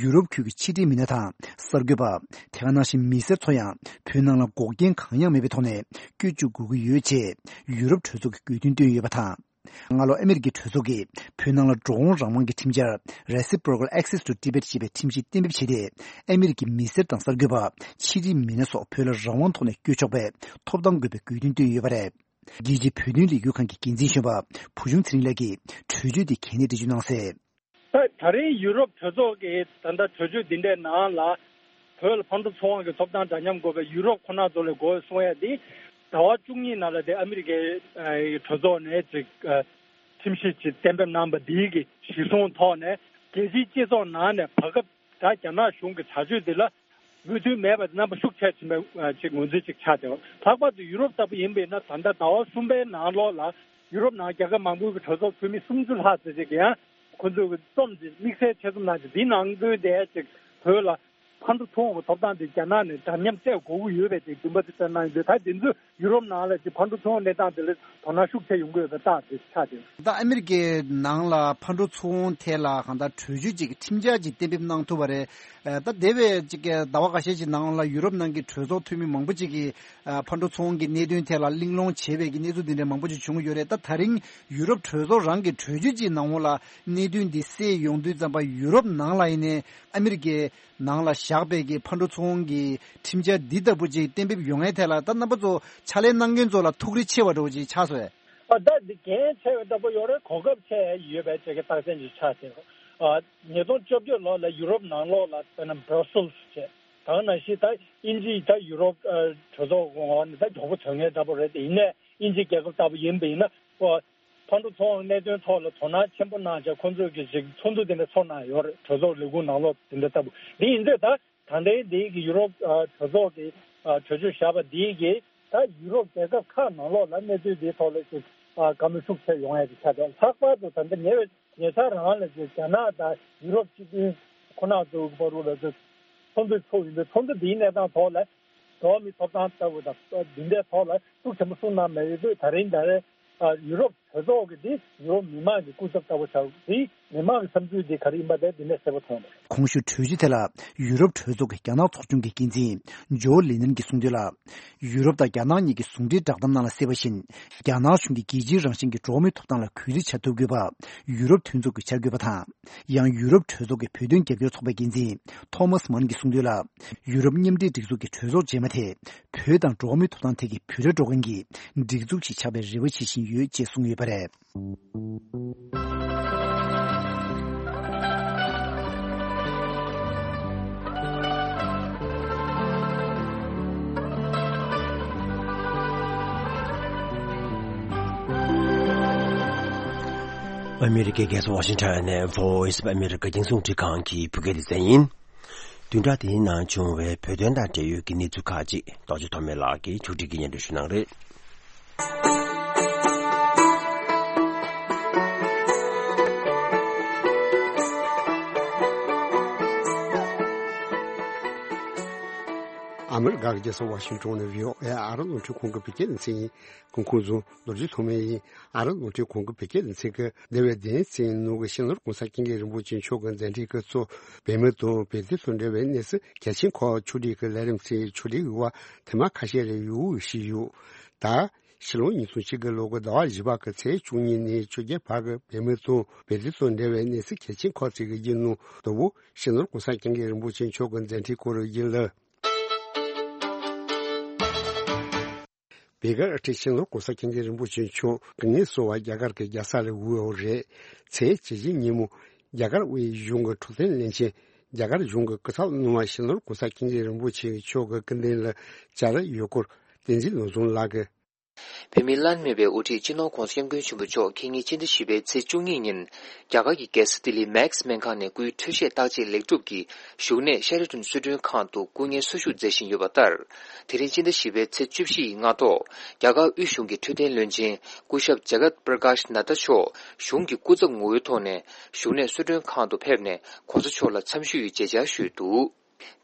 ཡུ་རོབ་ཁུལ་གྱི་ཕྱི་འབྲེལ་མི་སྣ་དང་གསར་འགོད་པ། དེ་ག་ནང་བཞིན་མི་སེར་ཚོ་ཡང་བོད་ནང་ལ་འགོག་རྐྱེན་གང་ཡང་མེད་པའི་ཐོག་ནས་བསྐྱོད་བཅུག་དགོས་ཀྱི་ཡོད་ཅེས་ཡུ་རོབ་གྲོས་ཚོགས་ཀྱིས་དགོས་འདུན་བཏོན་ཡོད་པ་དང་། སྔ་ལོ་ཨ་མེ་རི་ཀའི་གྲོས་ཚོགས་ཀྱིས་བོད་ནང་ལ་འགྲོ་འོང་རང་དབང་གི་ཁྲིམས་འཆར་Reciprocal Access to Tibet ཞེས་པའི་ཁྲིམས་གཞི་གཏན་འབེབས་བྱས་ཏེ། ཨ་མེ་རི་ཀའི་མི་སེར་དང་གསར་འགོད་པ། ཕྱི་འབྲེལ་མི་སྣ་སོགས་བོད་ལ་རང་དབང་ཐོག་ནས་བསྐྱོད་ཆོག་པའི་ཐོབ་ཐང་དགོས་པའི་དགོས་འདུན་བཏོན་ཡོད་པ་རེད། རྒྱལ་སྤྱིའི་བོད་དོན་ལས་འགུལ་ཁང་གི་འགན་འཛིན་གཞོན་པ་བུ་ཆུང་ཚེ་རིང་ལགས་ཀྱིས་གྲོས་ཆོད་དེ་གལ་གནད་འགྲེལ་བརྗོད་གནང་གསལ། ད་ད་རིང་ཡུ་རོབ་གྲོས་ཚོགས་ཀྱིས་ད་ལྟ་གྲོས་ཆོད་འདི་འདྲའི་ནང་ལ་བོད་ལ་ཕར་འགྲོ་ཚུར་འོང་གི་ཐོབ་ཐང་འདྲ་མཉམ་དགོས་པའི་ཡུ་རོབ་ཁོ་ན་ཚོ་ལ་དགོས་གསུང་ཡ་འདི་ཟླ་བ་བཅུ་གཉིས་ནང་ལ་དེ་ཨ་མི་རི་ཀའི་ཨ་གྲོས་ཚོགས་ནས་ཅིག་ཨ་ཁྲིམས་གཞི་ཅིག་གཏན་འབེབས་གནང་པ་འདི་གི་གཞི་བཟུང་ཐོག་ནས་རྒྱལ་སྤྱིའི་སྤྱི་ཚོགས་ནང་ནས་བར་སྐབས་ད་རྒྱ་ནག་གཞུང་གི་བྱ་སྤྱོད་འདི་ལ་མོས་མཐུན་མེད་པ་རྣམ་པ་ཤུགས་ཆེ་ཕྱིན་པའི་ཨ་ཅིག་ངོས་འཛིན་ཅིག་ཆགས་བསྡད་པ། ལྷག་པར་དུ་ཡུ་རོབ་ལྟ་བུ་ཡིན་པ་ཡིན་ན་ད་ལྟ་ཟླ་བ་གསུམ་པའི་ནང་ལོགས་ལ་ཡུ་རོབ་ནང་རྒྱལ་ཁབ་མང་པོའི་གྲོས་ཚོགས་འཐུས་མི་སུམ་ཅུ་ལྷག་ཙམ་ཅིག་གིས་ཡང་ཁོ་ཚོའི་རྩོམ་ཅིག་དམིགས་བསལ་ཆེད་རྩོམ་གནང་ཅིག་འདིའི་ནང་དོན་དེ་ཅིག་བོད་ལ་ཕར་འགྲོ་ཚུར་འོང་གི་ཐོབ་ཐང་དེ་རྒྱ་ནག་ནས་འདྲ་མཉམ་སྤྲད་དགོས་ཀྱི་ཡོད་པའི་ཅིག་འདུན་པ་དེ་བཏོན་གནང་ཡོད་འདུག་ད་དེ་ཚོས་ཡུ་རོབ་ནང་ལ་ཅིག་ཕར་འགྲོ་ཚུར་འོང་གནས་སྟངས་དེ་ལ་དོ་སྣང་ཤུགས་ཆེ་ཡོང་གི་ཡོད་པའི་རྟགས་དེ་ཆགས་བསྡད་ཡོད། ད་ཨ་མི་རི་ཀའི་ནང་ལ་ཕར་འགྲོ་ཚུར་འོང་ཐད་ལ་གང་ལྟར་གྲོས་ཆོད་ཅིག་ཁྲིམས་འཆར་ཅིག་གཏན་འབེབས་གནང་ཐུབ་པ་རེད། ཨ་ད་འདས་པའི་ཅིག་གི་ཟླ་བ་འགའ་ཤས་ཅིག་ནང་ལ་ཡུ་རོབ་ནང་གི་གྲོས་ཚོགས་འཐུས་མི་མང་པོ་ཅིག་གིས་ཨ་ཕར་འགྲོ་ཚུར་འོང་གི་གནད་དོན་ཐད་ལ་གླེང་སློང་བྱས་པའི་གི་གནས་ཚུལ་འདི་འདྲ་མང་པོ་ཅིག་བྱུང་གི་ཡོད་རེད། ད་ད་རིང་ཡུ་རོབ་གྲོས་ཚོགས་རང་གི་གྲོས་ཆོད་ཅིག་ནང་ལ་གནད་དོན་འདི་གསལ་ཡོང་དུས་ཙམ་པ་ཡུ་རོབ་ནང་ལ་ཡིན་ནའི་ཨ་མི་རི་ཀའི་ནང་ལ་བཞག་པའི་གི་ཕར་འགྲོ་ཚུར་འོང་གི་ཁྲིམས་འཆར་འདི་ལྟ་བུ་ཅིག་གཏན་འབེབས་ཡོང་ཡའི་ཐད་ལ་ད་རྣམ་པ་ཚོ་ཕྱག་ལས་གནང་མཁན་ཚོ་ལ་ཐུགས་རེ་ཆེ་བ་འདྲ་བོ་ཅིག་ཆགས་སོང་ངས། ཨ་ད་འདི་འགན་ཆེ་བའི་ལྟ་བུ་ཡོད་རེད། གོ་སྐབས་ཆེ་ཡོད་པའི་ཅིག་གི་རྟགས་མཚན་ཅིག་ཆགས་བསྡད་ཡོད། ཨ་ཉིས་སྟོང་བཅོ་བརྒྱད་ལོ་ལ་ཡུ་རོབ་ནང་ལོགས་ལ་དཔེར་ན་Brussels་བྱས་ད་ག་ནང་བཞིན་ད་དབྱིན་ཇི་ད་ཡུ་རོབ་ཨ་གྲོས་ཚོགས་ངོས་ནས་ད་མགྱོགས་པོ་ཐོན་མཁན་འདྲ་པོ་རེད། དེ་ཡིན་ནའི་དབྱིན་ཇི་རྒྱལ་ཁབ་ལྟ་བུ་ཡིན་པ་ཡིན་ན་ཨ་ཕར་འགྲོ་ཚུར་འོང་གནད་དོན་ཐོག་ལ་དོ་སྣང་ཆེན་པོ་གནང་བྱས་ཁོང་ཚོས་ཀྱི་ཅིག་ཚོགས་འདུ་དེ་འདྲ་ཚོགས་གནང་ཡོད་རེད། གྲོས་ཚོགས་ལས་ཁུངས་ནང་ལོགས་དེ་འདྲ་ལྟ་བུ། དེ་ཡིན་དུས་ད་ད་ལྟའི་འདི་གི་ཡུ་རོབ་ཨ་གྲོས་ཚོགས་ཀྱི་ཨ་གྲོས་ཆོད་བཞག་པ་འདི་གིས་ད་ཡུ་རོབ་རྒྱལ་ཁབ་ཁག་ནང་ལོགས་ལ་གནས་ཚུལ་འདིའི་ཐོག་ལ་ཅིག་ཨ་བཀའ་མོལ་ཤུགས་ཆེ་ཡོང་ཡ་ཅིག་ཆགས་འདུག་ལྷག་པར་དུ་ད་ལྟ་ཉེ་བའི་ཉེ་ཆར་རང་ལ་ཅིག་རྒྱ་ནག་དང་ཡུ་རོབ་སྤྱི་མཐུན་ཁོ་ན་ཚོའི་བར་དུ་ལ་ཅིག་ཚོགས་འདུ་ཚོགས་ཡིན་དུས་ཚོགས་འདུ་འདིའི་གནས་སྟངས་ཐོག་ལ་འགྲོ་བ་མིའི་ཐོབ་ཐང་ལྟ་བུ་དང་འདི་འདྲའི་ཐོག་ལ་ཤུགས་ཆེན་པོ་གསུངས་གནང་མེད་ཡོད་དུས་ད་རིང་ད་རེས་ཨ་ཡུ་རོབ་གྲོས་ཚོགས་ཀྱི་འདི་ཡུ་རོབ་མི་མང་གི་སྐུ་ཚབ་ལྟ་བུ་ཆགས་འདི་མི་མང་གི་བསམ་ཚུལ་འདི་ག་རེ་ཡིན་པ་དེ་འདི་ནས་གསལ་པོ་མཐོང་འདུག་གོང་ཞུས་གྲོས་ཆོད་དེ་ལ་ཡུ་རོབ་གྲོས་ཚོགས་ཀྱི་རྒྱ་ནག་ཚོགས་ཆུང་གི་འགན་འཛིན་ཇོ་ལི་ནན་གྱིས་གསུངས་དོན་ལ། ཡུ་རོབ་དང་རྒྱ་ནག་གཉིས་ཀྱི་ཟུང་འབྲེལ་བསྒྲགས་གཏམ་ནང་ལ་གསལ་བ་བཞིན། རྒྱ་ནག་གཞུང་གིས་རྒྱལ་སྤྱིའི་རང་བཞིན་གྱི་འགྲོ་བ་མིའི་ཐོབ་ཐང་ལ་གུས་བརྩི་བྱ་ཐུབ་དགོས་པ་ཡུ་རོབ་མཐུན་ཚོགས་ཀྱིས་བྱ་དགོས་པ་དང་། ཡང་ཡུ་རོབ་གྲོས་ཚོགས་ཀྱི་བོད་དོན་རྒྱབ་སྐྱོར་ཚོགས་པའི་འགན་འཛིན་ཐོ་མཱས་མཱན་གྱིས་གསུངས་དོན་ལ། ཡུ་རོབ་མཉམ་འབྲེལ་སྒྲིག་འཛུགས་ཀྱི་གྲོས་ཚོགས་རྗེས་མ་དེ། བོད་དང་འགྲོ་བ་མིའི་ཐོབ་ཐང་ཐད་ཀྱི་བོད་དོན་སྒྲོག་མཁན་གྱི་སྒྲིག་འཛུགས་ཤིག་ཆགས་པའི་རེ་བ་བྱེད་བཞིན་ཡོད་ཅེས་གསུངས་ཡོད་པ་རེད། ཨ་མི་རི་ཀའི་རྒྱལ་ས་ཝ་ཤིང་ཊོན་ནས་Voice of America་རྒྱང་སྲིང་རླུང་འཕྲིན་ཁང་གི་བོད་སྐད་སྡེ་ཚན་ཡིན། བདུན་ཕྲག་འདིའི་ནང་བྱུང་བའི་བོད་དོན་དང་འབྲེལ་ཡོད་ཀྱི་གནས་ཚུལ་ཁག་ཅིག་རྡོ་རྗེ་ཐོགས་མེད་ལགས་ཀྱིས་ཕྱོགས་སྒྲིག་གིས་སྙན་སྒྲོན་ཞུ་གནང་རེད། ཨ་མི་རི་ཀ་གི་རྒྱལ་ས་ཝ་ཤིང་ཊོན་ནས་བྷི་ཨོ་ཨེ་ཨ་རི་རླུང་འཕྲིན་ཁང་གི་བོད་སྐད་སྡེ་ཚན་ཡིན། སྐུ་ཁམས་བཟང་། རྡོ་རྗེ་ཐོགས་མེད་ཡིན། ཨ་རི་རླུང་འཕྲིན་ཁང་གི་བོད་སྐད་སྡེ་ཚན་གྱིས་འདས་པའི་བདུན་ཕྲག་ནང་གི་ཕྱི་ནང་གོང་ས་སྐྱབས་མགོན་རིན་པོ་ཆེ་མཆོག་གི་མཛད་འཕྲིན་སྐབས་སུ་བོད་མི་དང་བོད་དོན་དང་འབྲེལ་བའི་གནས་ཚུལ་གལ་ཆེན་ཁག་ཕྱོགས་སྒྲིག་གི་ལས་རིམ་ཚོའི་ཕྱོགས་སྒྲིག་གི་བར་ཐེངས་མ་ཁ་ཤས་རེ་ཡོང་བཞིན་ཡོད། ད་ཕྱི་ལོ་ཉིས་སྟོང་གཅིག་གི་ལོ་གི་ཟླ་བ་བཞི་པ་གི་ཚེས་བཅུ་གཉིས་ནས་བཅོ་བརྒྱད་བར་གྱི་བོད་མི་དང་བོད་དོན་དང་འབྲེལ་བའི་གནས་ཚུལ་གལ་ཆེན་ཁག་ཅིག་གི་རྒྱུན་ནང་དང་པོ་ཕྱི་ནང་གོང་ས་སྐྱབས་མགོན་རིན་པོ་ཆེ་མཆོག་གི་མཛད་འཕྲིན་སྐོར་རེ་ཡིན་ལ། བོད་སྒར་ཨ་རིའི་སྤྱི་ནོར་༸གོང་ས་༸སྐྱབས་མགོན་རིན་པོ་ཆེ་མཆོག་སྐུ་ངལ་གསོ་བར་རྒྱ་གར་གྱི་རྒྱལ་ས་ལ་བཞུགས་ཡོད་རེད། ཚེས་བཅུ་བཞི་ཉིན་མོ་རྒྱ་གར་དབུས་གཞུང་གི་འཕྲོད་བསྟེན་བློན་ཆེན། རྒྱ་གར་གཞུང་གི་སྐུ་ཚབ་སློབ་མ་སྤྱི་ནོར་༸གོང་ས་༸སྐྱབས་མགོན་རིན་པོ་ཆེ་མཆོག་གི་སྐུ་མདུན་ལ་བཅར་ཡོད་སྐོར་བསྟན་འཛིན་ནོར་བཟང་ལགས་ཀྱིས། བོད་མིའི་བླ་ན་མེད་པའི་དབུ་ཁྲིད་སྤྱི་ནོར་༸གོང་ས་༸སྐྱབས་མགོན་ཆེན་པོ་མཆོག་ཁ་ཉིན་ཕྱི་ཟླ་བཞི་པའི་ཚེས་བཅུ་གཉིས་ཉིན། རྒྱ་གར་གྱི་རྒྱལ་ས་ལྡི་ལི་མེག་སྨན་ཁང་ནས་སྐུའི་འཕྲོད་བཞེས་བརྟག་དཔྱད་ལེགས་གྲུབ་ཀྱིས་བཞུགས་གནས་ཤ་ར་ཏན་གསོལ་མགྲོན་ཁང་དུ་སྐུ་ངལ་གསོ་བཞུགས་མཛད་བཞིན་ཡོད་པ་ལྟར། དེ་རིང་ཕྱི་ཟླ་བཞི་པའི་ཚེས་བཅུ་བཞི་ཡི་སྔ་དྲོ། རྒྱ་གར་དབུས་གཞུང་གི་འཕྲོད་བསྟེན་བློན་ཆེན་སྐུ་ཞབས་ཇ་གཏ་པྲ་ཀཱཤ་ནད་ཏཱ་མཆོག་གཞུང་གི་སྐུ་ཚབ་ངོ་བོའི་ཐོག་ནས་བཞུགས་གནས་གསོལ་མགྲོན་ཁང་དུ་ཕེབས་ནས་༸གོང་ས་མཆོག་ལ་འཚམས་ཞུ་ཡི་མཇལ་བཅར་ཞུས་འདུག་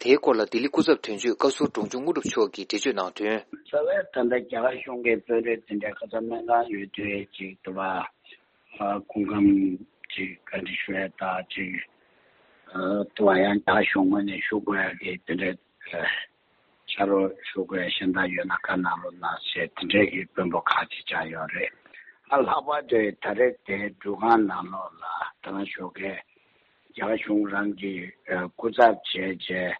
དེའི་སྐོར་ལ་ལྡི་ལི་སྐུ་ཚབ་དོན་གཅོད་བཀའ་ཟུར་འབྲོང་ཆུང་དངོས་གྲུབ་མཆོག་གིས་འགྲེལ་བརྗོད་གནང་དོན། རྩ་བའི་ད་ལྟ་རྒྱ་གར་གཞུང་གི་དཔོན་རིགས་དེ་འདྲའི་ཁ་སང་སྨན་ཁང་ཡོད་དུས་ཅིག་ཏུ་བ་སྐུ་ཁམས་ཅིག་བཀའ་འདྲི་ཞུ་ཡ་ད་ཅིག་ཏུ་བ་ཡང་རྒྱ་གཞུང་ངོས་ནས་ཞུ་དགོས་ཡ་གི་དེ་འདྲའི་ཕྱག་རོགས་ཞུ་དགོས་ཡ་གཞན་དག་ཡོད་ན་བཀའ་གནང་རོགས་གནང་ཞེས་དེ་འདྲའི་གི་དཔོན་པོ་ཁག་ཅིག་བཅར་ཡོད་རེད། ཨ་ལྷག་པར་དུ་ད་རེས་དེ་འགྲུལ་ཁང་ནང་ལོགས་ལ་ད་ང་ཞོགས་ཀས། རྒྱ་གར་གཞུང་རང་གི་སྐུ་ཚབ་བྱས་རྗེས་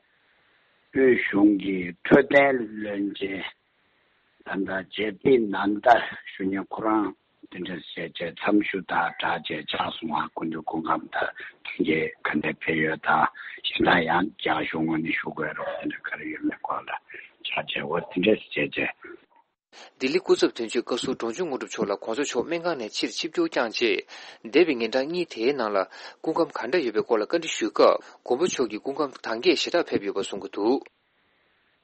དབུས་གཞུང་གི་འཕྲོད་བསྟེན་བློན་ཆེན་ ད་ལྟ་རྗེ་བདེ་ནན་ད་ཞུ་མཁན་ཁོ་རང་དེ་འདྲ་བྱས་བྱས་འཚམས་ཞུ་དང་སྦྲགས་བྱས་ཕྱག་སོང་བ། སྐུ་མདུན་སྐུ་ཁམས་དང་ཐུགས་རྗེ་ག་འདྲ་ཕེབས་ཡོད་དང་གཞན་དག་ཡང་རྒྱ་གཞུང་ངོས་ནས་ཞུ་དགོས་རོགས་དེ་འདྲ་ག་རེ་ཡོད་མེད་སྐོར་ལ་ཕྱག་བྱས་འོ་དེ་འདྲ་བྱས་བྱས། ལྡི་ལི་སྐུ་ཚབ་དོན་གཅོད་བཀའ་ཟུར་འབྲོང་ཆུང་དངོས་གྲུབ་མཆོག་ལ་༸གོང་ས་མཆོག་སྨན་ཁང་ནས་ཕྱིར་ཆིབས་བསྒྱུར་བསྐྱངས་རྗེས། འདས་པའི་ཉིན་གྲངས་གཉིས་དེའི་ནང་ལ་སྐུ་ཁམས་ག་འདྲ་ཡོད་པའི་སྐོར་ལ་བཀའ་འདྲི་ཞུས་སྐབས། མགོན་པོ་མཆོག་གི་སྐུ་ཁམས་དྭངས་སྐྱེད་ཞེ་དྲག་ཕེབས་ཡོད་པ་གསུང་གི་འདུག་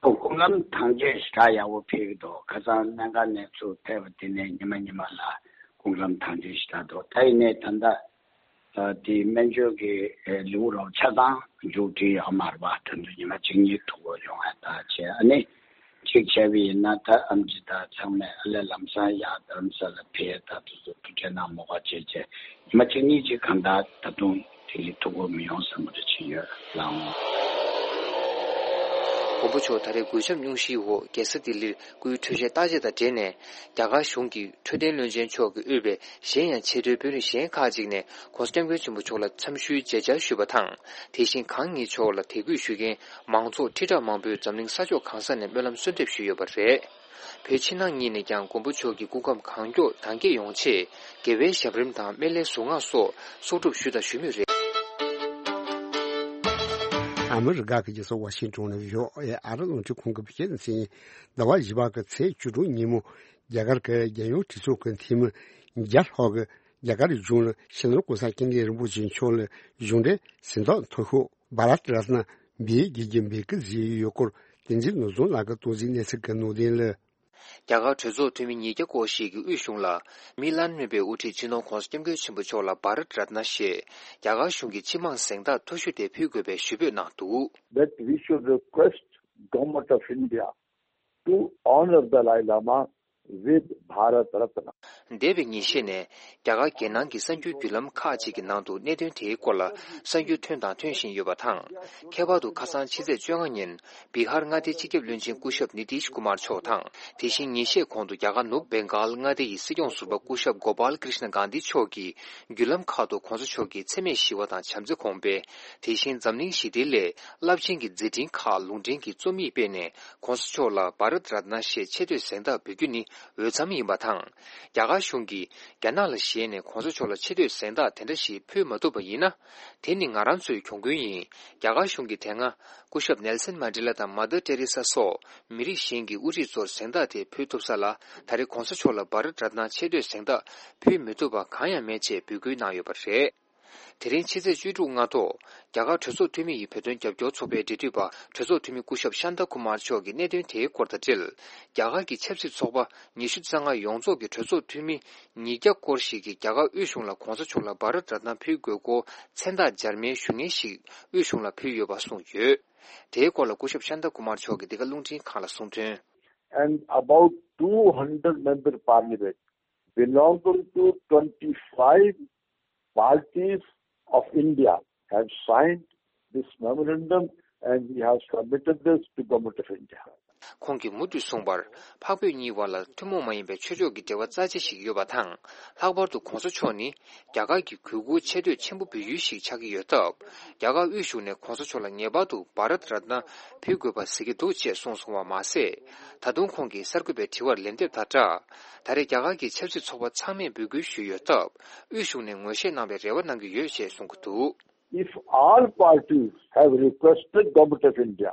སྐུ་ཁམས་དྭངས་སྐྱེད་ཞེ་དྲག་ཡག་པོ་ཕེབས་ཀྱི་འདུག་ཁ་སང་སྨན་ཁང་ནས་ཚུར་ཕེབས་པ་དེ་ནས་ཉི་མ་ཉི་མ་ལ་སྐུ་ཁམས་དྭངས་སྐྱེད་ཞེ་དྲག་འདུག་ད་ཡིན་ནའི་ད་ལྟ་དེའི་སྨན་བཅོས་ཀྱི་ལེའུ་རོབ་ཆ་ཚང་མཇུག་སྒྲིལ་ཡོད་མ་རེད་པ། ད་དུང་ཉི་མ་གཅིག་གཉིས་ཐུག་དགོས་ཡོང་ཡ་ད་བྱས། ཨ་ནི་གཅིག་བྱས་པ་ཡིན་ན་ད་ཨེམ་ཆི་དང་ཚང་མས་ཨ་ལས་ལམ་སང་ཡར་རྡ་རམ་ས་ལ་ཕེབས། ད་དུ་ཚོ་ཐུག་འཕྲད་གནང་མོ་ག་བྱས་བྱས། ཉི་མ་གཅིག་གཉིས་ཅིག་གང་ལྟར་ད་དུང་ལྡི་ལི་ཐུག་དགོས་མི་ཡོང་བསམ་པ་འདྲ་ཅིག་ཡོད་ལགས། མགོན་པོ་མཆོག་ད་རེས་གུས་ཞབས་སྙུང་གཞིའི་འོག་རྒྱལ་ས་ལྡི་ལིར་སྐུའི་འཕྲོད་བཞེས་བརྟག་དཔྱད་དང་འབྲེལ་ནས། རྒྱ་གར་གཞུང་གི་འཕྲོད་བསྟེན་བློན་ཆེན་མཆོག་གིས་དབུས་པའི་གཞན་ཡང་ཆེས་མཐོའི་དཔོན་རིགས་གཞན་ཁག་ཅིག་ནས་༸གོང་ས་༸སྐྱབས་མགོན་ཆེན་པོ་མཆོག་ལ་འཚམས་ཞུའི་མཇལ་བཅར་ཞུས་པ་དང་། དེ་བཞིན་གང་ཉིད་མཆོག་ལ་དད་གུས་ཞུ་མཁན་མང་ཚོགས་ཁྲི་ཕྲག་མང་པོས་འཛམ་གླིང་ས་ཕྱོགས་གང་ས་ནས་སྨོན་ལམ་གསོལ་འདེབས་ཞུས་ཡོད་པ་རེད། བོད་ཕྱི་ནང་གཉིས་ནས་ཀྱང་མགོན་པོ་མཆོག་གི་སྐུ་ཁམས་གང་མགྱོགས་དྭངས་སྐྱེད་ཡོང་ཆེད། དགེ་བའི་ཞབས་རིམ་དང་སྨན་བླའི་གཟུངས་སྔགས་སོགས་གསོག་སྒྲུབ་ཞུས་དང་ཞུ་མུས་རེད། ཨ་མི་རི་ཀ་གི་རྒྱལ་ས་ཝ་ཤིང་ཊོན་ནས་ཡོད་ཨེ་ཨ་རི་རླུང་འཕྲིན་ཁང་གི་བོད་སྐད་སྡེ་ཚན། ཟླ་བ་བཞི་པ་གི་ཚེས་བཅུ་དྲུག་ཉིན་མོ། རྒྱ་གར་གྱི་རྒྱལ་ཡོངས་གྲོས་ཚོགས་ཀྱི་འཐུས་མི་བརྒྱ་ལྷག་གིས་རྒྱ་གར་གཞུང་ལ་སྤྱི་ནོར་༸གོང་ས་༸སྐྱབས་མགོན་རིན་པོ་ཆེ་མཆོག་ལ་གཞུང་འབྲེལ་གཟེངས་རྟགས་མཐོ་ཤོས་བྷ་རཏ་རཏྣ་འབུལ་དགོས་ཀྱི་འབོད་སྐུལ་བཟོས་ཡོད་སྐོར། བསྟན་འཛིན་ནོར་བཟང་ལགས་ཀྱིས་གཏོང་ཟིན་གནས་ཚུལ་གྱི་ནང་དོན་ལ། རྒྱ་གར་གྲོས་ཚོགས་འཐུས་མི་ཉིས་བརྒྱ་སྐོར་ཞིག་གིས་དབུས་གཞུང་ལ་མི་ལན་སྨད་པའི་དབུ་ཁྲིད་སྤྱི་ནོར་༸གོང་ས་༸སྐྱབས་མགོན་ཆེན་པོ་མཆོག་ལ་བྷ་རཏ་རཏྣ་ཞེས་རྒྱ་གར་གཞུང་གི་སྤྱི་དམངས་གཟེངས་རྟགས་མཐོ་ཤོས་དེ་ཕུལ་དགོས་པའི་ཞུ་འབོད་གནང་འདུག That we should request Government of India to honor Dalai Lama with Bharat Ratna. འདས་པའི་ཉིན་ཤས་ནས་རྒྱ་གར་རྒྱལ་ནང་གི་གསར་འགྱུར་བརྒྱུད་ལམ་ཁག་ཅིག་གི་ནང་དུ་གནད་དོན་དེའི་སྐོར་ལ་གསར་འགྱུར་ཐོན་དང་ཐོན་བཞིན་ཡོད་པ་དང་། ཁྱད་པར་དུ་ཁ་སང་ཕྱི་ཚེས་བཅོ་ལྔ་ཉིན། བི་ཧར་མངའ་སྡེའི་སྤྱི་ཁྱབ་བློན་ཆེན་སྐུ་ཞབས་ནི་ཏིཤ་ཀུ་མར་མཆོག་དང་། དེ་བཞིན་ཉིན་ཤས་གོང་དུ་རྒྱ་གར་ནུབ་བེང་གཱལ་མངའ་སྡེ་ཡི་སྲིད་སྐྱོང་ཟུར་པ་སྐུ་ཞབས་གོ་པཱལ་ཀྲིཤ་ན་གྷན་དྷི་མཆོག་གིས་བརྒྱུད་ལམ་ཁག་ཏུ་༸གོང་ས་མཆོག་གི་འཚེ་མེད་ཞི་བ་དང་བྱམས་བརྩེ་གོང་སྤེལ། དེ་བཞིན་འཛམ་གླིང་ཞི་བདེའི་སླད་རླབས་ཆེན་གྱི་མཛད་འཕྲིན་ཁག་ལུང་འདྲེན་གྱི་རྩོམ་ཡིག་སྤེལ་ནས། ༸གོང་ས་མཆོག་ལ་བྷ་རཏ་རཏྣ་ཞེས་ཆེ་བསྟོད་གཟེངས་རྟགས་འབུལ་རྒྱུ་ནི་འོས་འཚམ་ཡིན་པ་དང་། རྒྱ་གར་གཞུང་གིས་རྒྱ་ནག་ལ་ཞེད་ནས་༸གོང་ས་མཆོག་ལ་ཆེ་བསྟོད་གཟེངས་རྟགས་དེ་འདྲ་ཞིག་ཕུལ་མ་ཐུབ་པ་ཡིན་ན། དེ་ནི་ང་རང་ཚོའི་གྱོང་གུན་ཡིན། རྒྱ་གར་གཞུང་གིས་དེ་སྔ་སྐུ་ཞབས་ནེལ་སན་མན་ཌེ་ལ་དང་མ་དར་ཏེ་རེ་ས་སོགས་མི་རིགས་གཞན་གྱི་དབུ་ཁྲིད་ཚོར་གཟེངས་རྟགས་དེ་ཕུལ་ཐུབ་ས་ལ། ད་རེས་༸གོང་ས་མཆོག་ལ་བྷ་རཏ་རཏྣ་ཆེ་བསྟོད་གཟེངས་རྟགས་ཕུལ་མི་ཐུབ་པ་གང་ཡང་མེད་ཅེས་འབོད་སྐུལ་གནང་ཡོད་པ་རེད། དེ་རིང་ཕྱི་ཚེས་བཅུ་དྲུག་སྔ་དྲོ། རྒྱ་གར་གྲོས་ཚོགས་འཐུས་མི་ཡི་བོད་དོན་རྒྱབ་སྐྱོར་ཚོགས་པའི་འབྲེལ་མཐུད་པ་གྲོས་ཚོགས་འཐུས་མི་སྐུ་ཞབས་ཤཱན་ཏ་ཀུ་མར་མཆོག་གིས་གནད་དོན་དེའི་སྐོར་དང་འབྲེལ། རྒྱ་གར་གྱི་ཆབ་སྲིད་ཚོགས་པ་ཉི་ཤུ་རྩ་ལྔ་ཡོངས་རྫོགས་ཀྱི་གྲོས་ཚོགས་འཐུས་མི་ཉིས་བརྒྱ་སྐོར་ཞིག་གིས་རྒྱ་གར་དབུས་གཞུང་ལ་༸གོང་ས་མཆོག་ལ་བྷ་རཏ་རཏྣ་ཕུལ་དགོས་སྐོར་མཚན་རྟགས་འབྱར་མའི་ཞུ་སྙན་ཞིག་དབུས་གཞུང་ལ་ཕུལ་ཡོད་པ་གསུངས་ཡོད། དེའི་སྐོར་ལ་སྐུ་ཞབས་ཤཱན་ཏ་ཀུ་མར་མཆོག་གིས་འདི་ག་རླུང་འཕྲིན་ཁང་ལ་གསུངས་དོན། And about two hundred member parliament belonging to twenty-five parties of India have signed this memorandum and we have submitted this to Government of India. ཁོང་གིས་མུ་མཐུད་གསུངས་པར། འཕགས་བོད་གཉིས་བར་ལ་ཐུན་མོང་མ་ཡིན་པའི་ཆོས་ཕྱོགས་ཀྱི་འབྲེལ་བ་རྩ་ཆེ་ཞིག་ཡོད་པ་དང་། ལྷག་པར་དུ་༸གོང་ས་མཆོག་ནི་རྒྱ་གར་གྱི་གུས་བཀུར་ཆེ་བསྟོད་ཆེན་པོ་འབུལ་ཡུལ་ཞིག་ཆགས་ཀྱི་ཡོད་སྟབས། རྒྱ་གར་དབུས་གཞུང་ནས་༸གོང་ས་མཆོག་ལ་ངེས་པར་དུ་བྷ་རཏ་རཏྣ་ཕུལ་དགོས་པ་གཟིགས་ཀྱི་འདུག་ཅེས་གསུངས་སོང་བ་མ་ཟད། ད་དུང་ཁོང་གིས་གསར་འགོད་པའི་དྲི་བར་ལན་འདེབས་དང་སྦྲགས། ད་རེས་རྒྱ་གར་གྱི་ཆབ་སྲིད་ཚོགས་པ་ཚང་མས་འབོད་སྐུལ་ཞུས་ཡོད་སྟབས། དབུས་གཞུང་ནས་ངོས་བཞེས་གནང་བའི་རེ་བ་གནང་གི་ཡོད་ཅེས་གསུང་གི་འདུག If all parties have requested Government of India,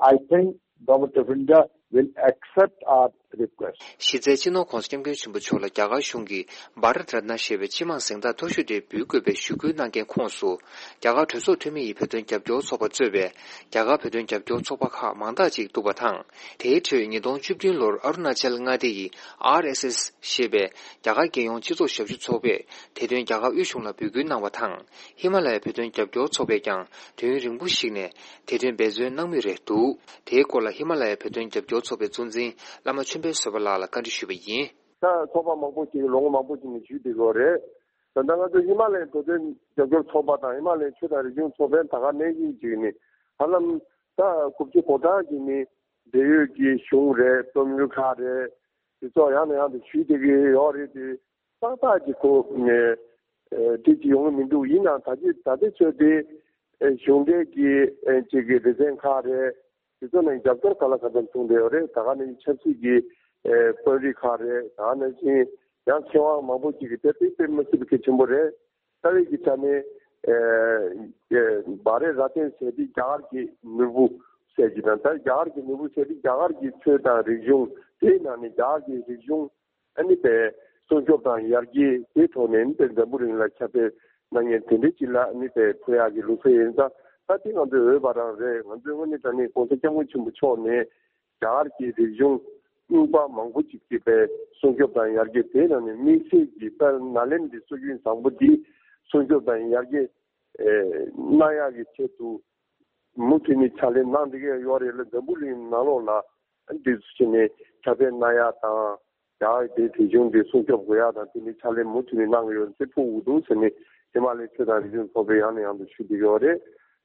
I think Government of India will accept our request. གཞི་རྩའི་སྤྱི་ནོར་༸གོང་ས་༸སྐྱབས་མགོན་ཆེན་པོ་མཆོག་ལ་རྒྱ་གར་གཞུང་གིས་བྷ་རཏ་རཏྣ་ཞེས་པའི་སྤྱི་དམངས་གཟེངས་རྟགས་མཐོ་ཤོས་དེ་འབུལ་དགོས་པའི་ཞུ་སྐུལ་གནང་མཁན་ཁོངས་སུ། རྒྱ་གར་གྲོས་ཚོགས་འཐུས་མི་ཡི་བོད་དོན་རྒྱབ་སྐྱོར་ཚོགས་པ་གཙོས་པའི་རྒྱ་གར་བོད་དོན་རྒྱབ་སྐྱོར་ཚོགས་པ་ཁག་མང་དག་ཅིག་འདུག་པ་དང་། དེའི་ཁྲོད་ཉིས་སྟོང་བཅུ་བདུན་ལོར་ཨ་རུ་ན་ཅལ་མངའ་སྡེ་ཡི་ཨར་ཨེས་ཨེས་ཞེས་པའི་རྒྱ་གར་རྒྱལ་ཡོངས་སྤྱི་ཚོགས་ཞབས་ཞུ་ཚོགས་པས་དེ་དོན་རྒྱ་གར་དབུས་གཞུང་ལ་འབོད་སྐུལ་གནང་བ་དང་། ཧི་མ་ལ་ཡའི་བོད་དོན་རྒྱབ་སྐྱོར་ཚོགས་པས་ཀྱང་དུས་ཡུན་རིང་པོ་ཞིག་ནས་དེ་དོན་འབད་བརྩོན་གནང་མུས་རེད་འདུག་དེའི་སྐོར་ལ་ཧི་མ་ལ་ཡའི་བོད་དོན་རྒྱབ་སྐྱོར་ཚོགས་པའི་གཙོ་འཛིན་བླ་མ་ཆོས་འཕེལ་བཟོད་པ་ལགས་ལ་བཀའ་འདྲི་ཞུས་པ་ཡིན། ད་ཚོགས་པ་མང་པོ་ཅིག་ལོ་ངོ་མང་པོ་ཅིག་ནས་ཞུས་བསྡད་ཡོད་རེད། ད་ལྟ་ང་ཚོ་ཧི་མ་ལ་ཡའི་བོད་དོན་རྒྱབ་སྐྱོར་ཚོགས་པ་དང་ཧི་མ་ལ་ཡའི་ཆོས་དང་རིག་གཞུང་ཚོགས་པའི་ད་ག་ནང་བཞིན་ཅིག་ནི་ཧ་ལམ་ད་དགུ་བཅུ་གོ་གྲངས་ཅིག་ནི་འབྲེལ་ཡོད་ཀྱི་གཞུང་རེད། རྩོམ་རིག་ཁག་རེད། དེ་ཚོ་ཡང་ནས་ཡང་དུ་ཞུས་བསྡད་ཀྱི་ཡོད་རེད་དེ། ཏག་ཏག་གི་ཁོ་ནས་ཨེ་དེ་ཅི་ཡོང་གི་མི་འདུག་ཡིན་ནའང་ད་ཅི་ད་ལྟའི་ཆོས་དེ་ཨེ་གཞུང་འབྲེལ་གྱི་ཨེ་ཅིག་གི་སྡེ་ཚན་ཁག་རེད། དེ་ཚོ་ནས་རྒྱབ་སྐྱོར་ག་ལ་ག་ཚོད་བྱུང་བསྡད་ཡོད་རེད། ད་ག་ནས་ཆབ་སྲིད་ཀྱི་ ཨེ་དཔོན་རིགས་ཁག་རེད། ད་ནང་བཞིན་ཡང་མཁས་དབང་མང་པོ་ཅིག་གིས་དེ་དཔེ་དཔེ་མི་སྲིད་པའི་གལ་ཆེན་པོ་རེད། རྩ་བའི་གི་ཆ་ནས་ཨེ་ཨེ་བྷ་རེ་ར་ཏན་ཟེར་དེ་རྒྱ་གར་གྱི་ནོར་བུ་ཟེར་གྱི་དང་། ད་རྒྱ་གར་གྱི་ནོར་བུ་ཟེར་དེ་རྒྱ་གར་གྱི་ཆོས་དང་རིག་གཞུང་དེའི་ནང་ནས་རྒྱ་གར་གྱི་རིག་གཞུང་ཨ་ནི་པའི་སྲུང་སྐྱོབ་དང་ཡར་རྒྱས་དེའི་ཐོག་ནས་ཨ་ནི་པའི་འཛམ་བུ་གླིང་ལ་ཁྱབ་སྤེལ་གནང་མཁན་དེ་འདྲའི་ཅིག་ལ་ཨ་ནི་པའི་ཕུལ་ཡག་གི་ལུགས་སྲོལ་ཡིན་ཙང་། ད་དེ་ང་ཚོའི་འོས་པ་རང་རེད། ང་ཚོའི་དངོས་གནས་དྲང་གནས་༸གོང་ས་༸སྐྱབས་མགོན་ཆེན་པོ་མཆོག་ནས་རྒྱ་གར་གྱི་རིག་གཞུང་རྙིང་པ་མང་པོ་ཅིག་གི་པའི་སྲུང་སྐྱོབ་དང་ཡར་རྒྱས། དེའི་ནང་ནས་དམིགས་བསལ་གྱི་ད་ནཱ་ལེནྡྲའི་སྲོལ་རྒྱུན་བཟང་པོ་འདི་སྲུང་སྐྱོབ་དང་ཡར་རྒྱས་ཨེ་གནང་ཡག་གི་ཆེད་དུ་མུ་མཐུད་ནས་ཕྱག་ལས་གནང་བསྡད་ཀྱི་ཡོད་རེད་ལ། འཛམ་བུ་གླིང་ནང་ལོགས་ལ་འདི་ཚོ་བྱས་ནས་ཁྱབ་སྤེལ་གནང་ཡག་དང་། རྒྱ་གར་གྱི་རིག་གཞུང་འདི་སྲུང་སྐྱོབ་དགོས་ཡག་དང་། དེ་འདྲའི་ཕྱག་ལས་མུ་མཐུད་ནས་གནང་གི་ཡོད་ཟེར་ཕུལ་དགོས་འདུག་ཟེར་ནས་ཧི་མ་ལའི་ཆོས་དང་རིག་གཞུང་ཚོགས་པས་ཡང་ནས་ཡང་དུ་ཞུ་བསྡད་ཡོད་རེད།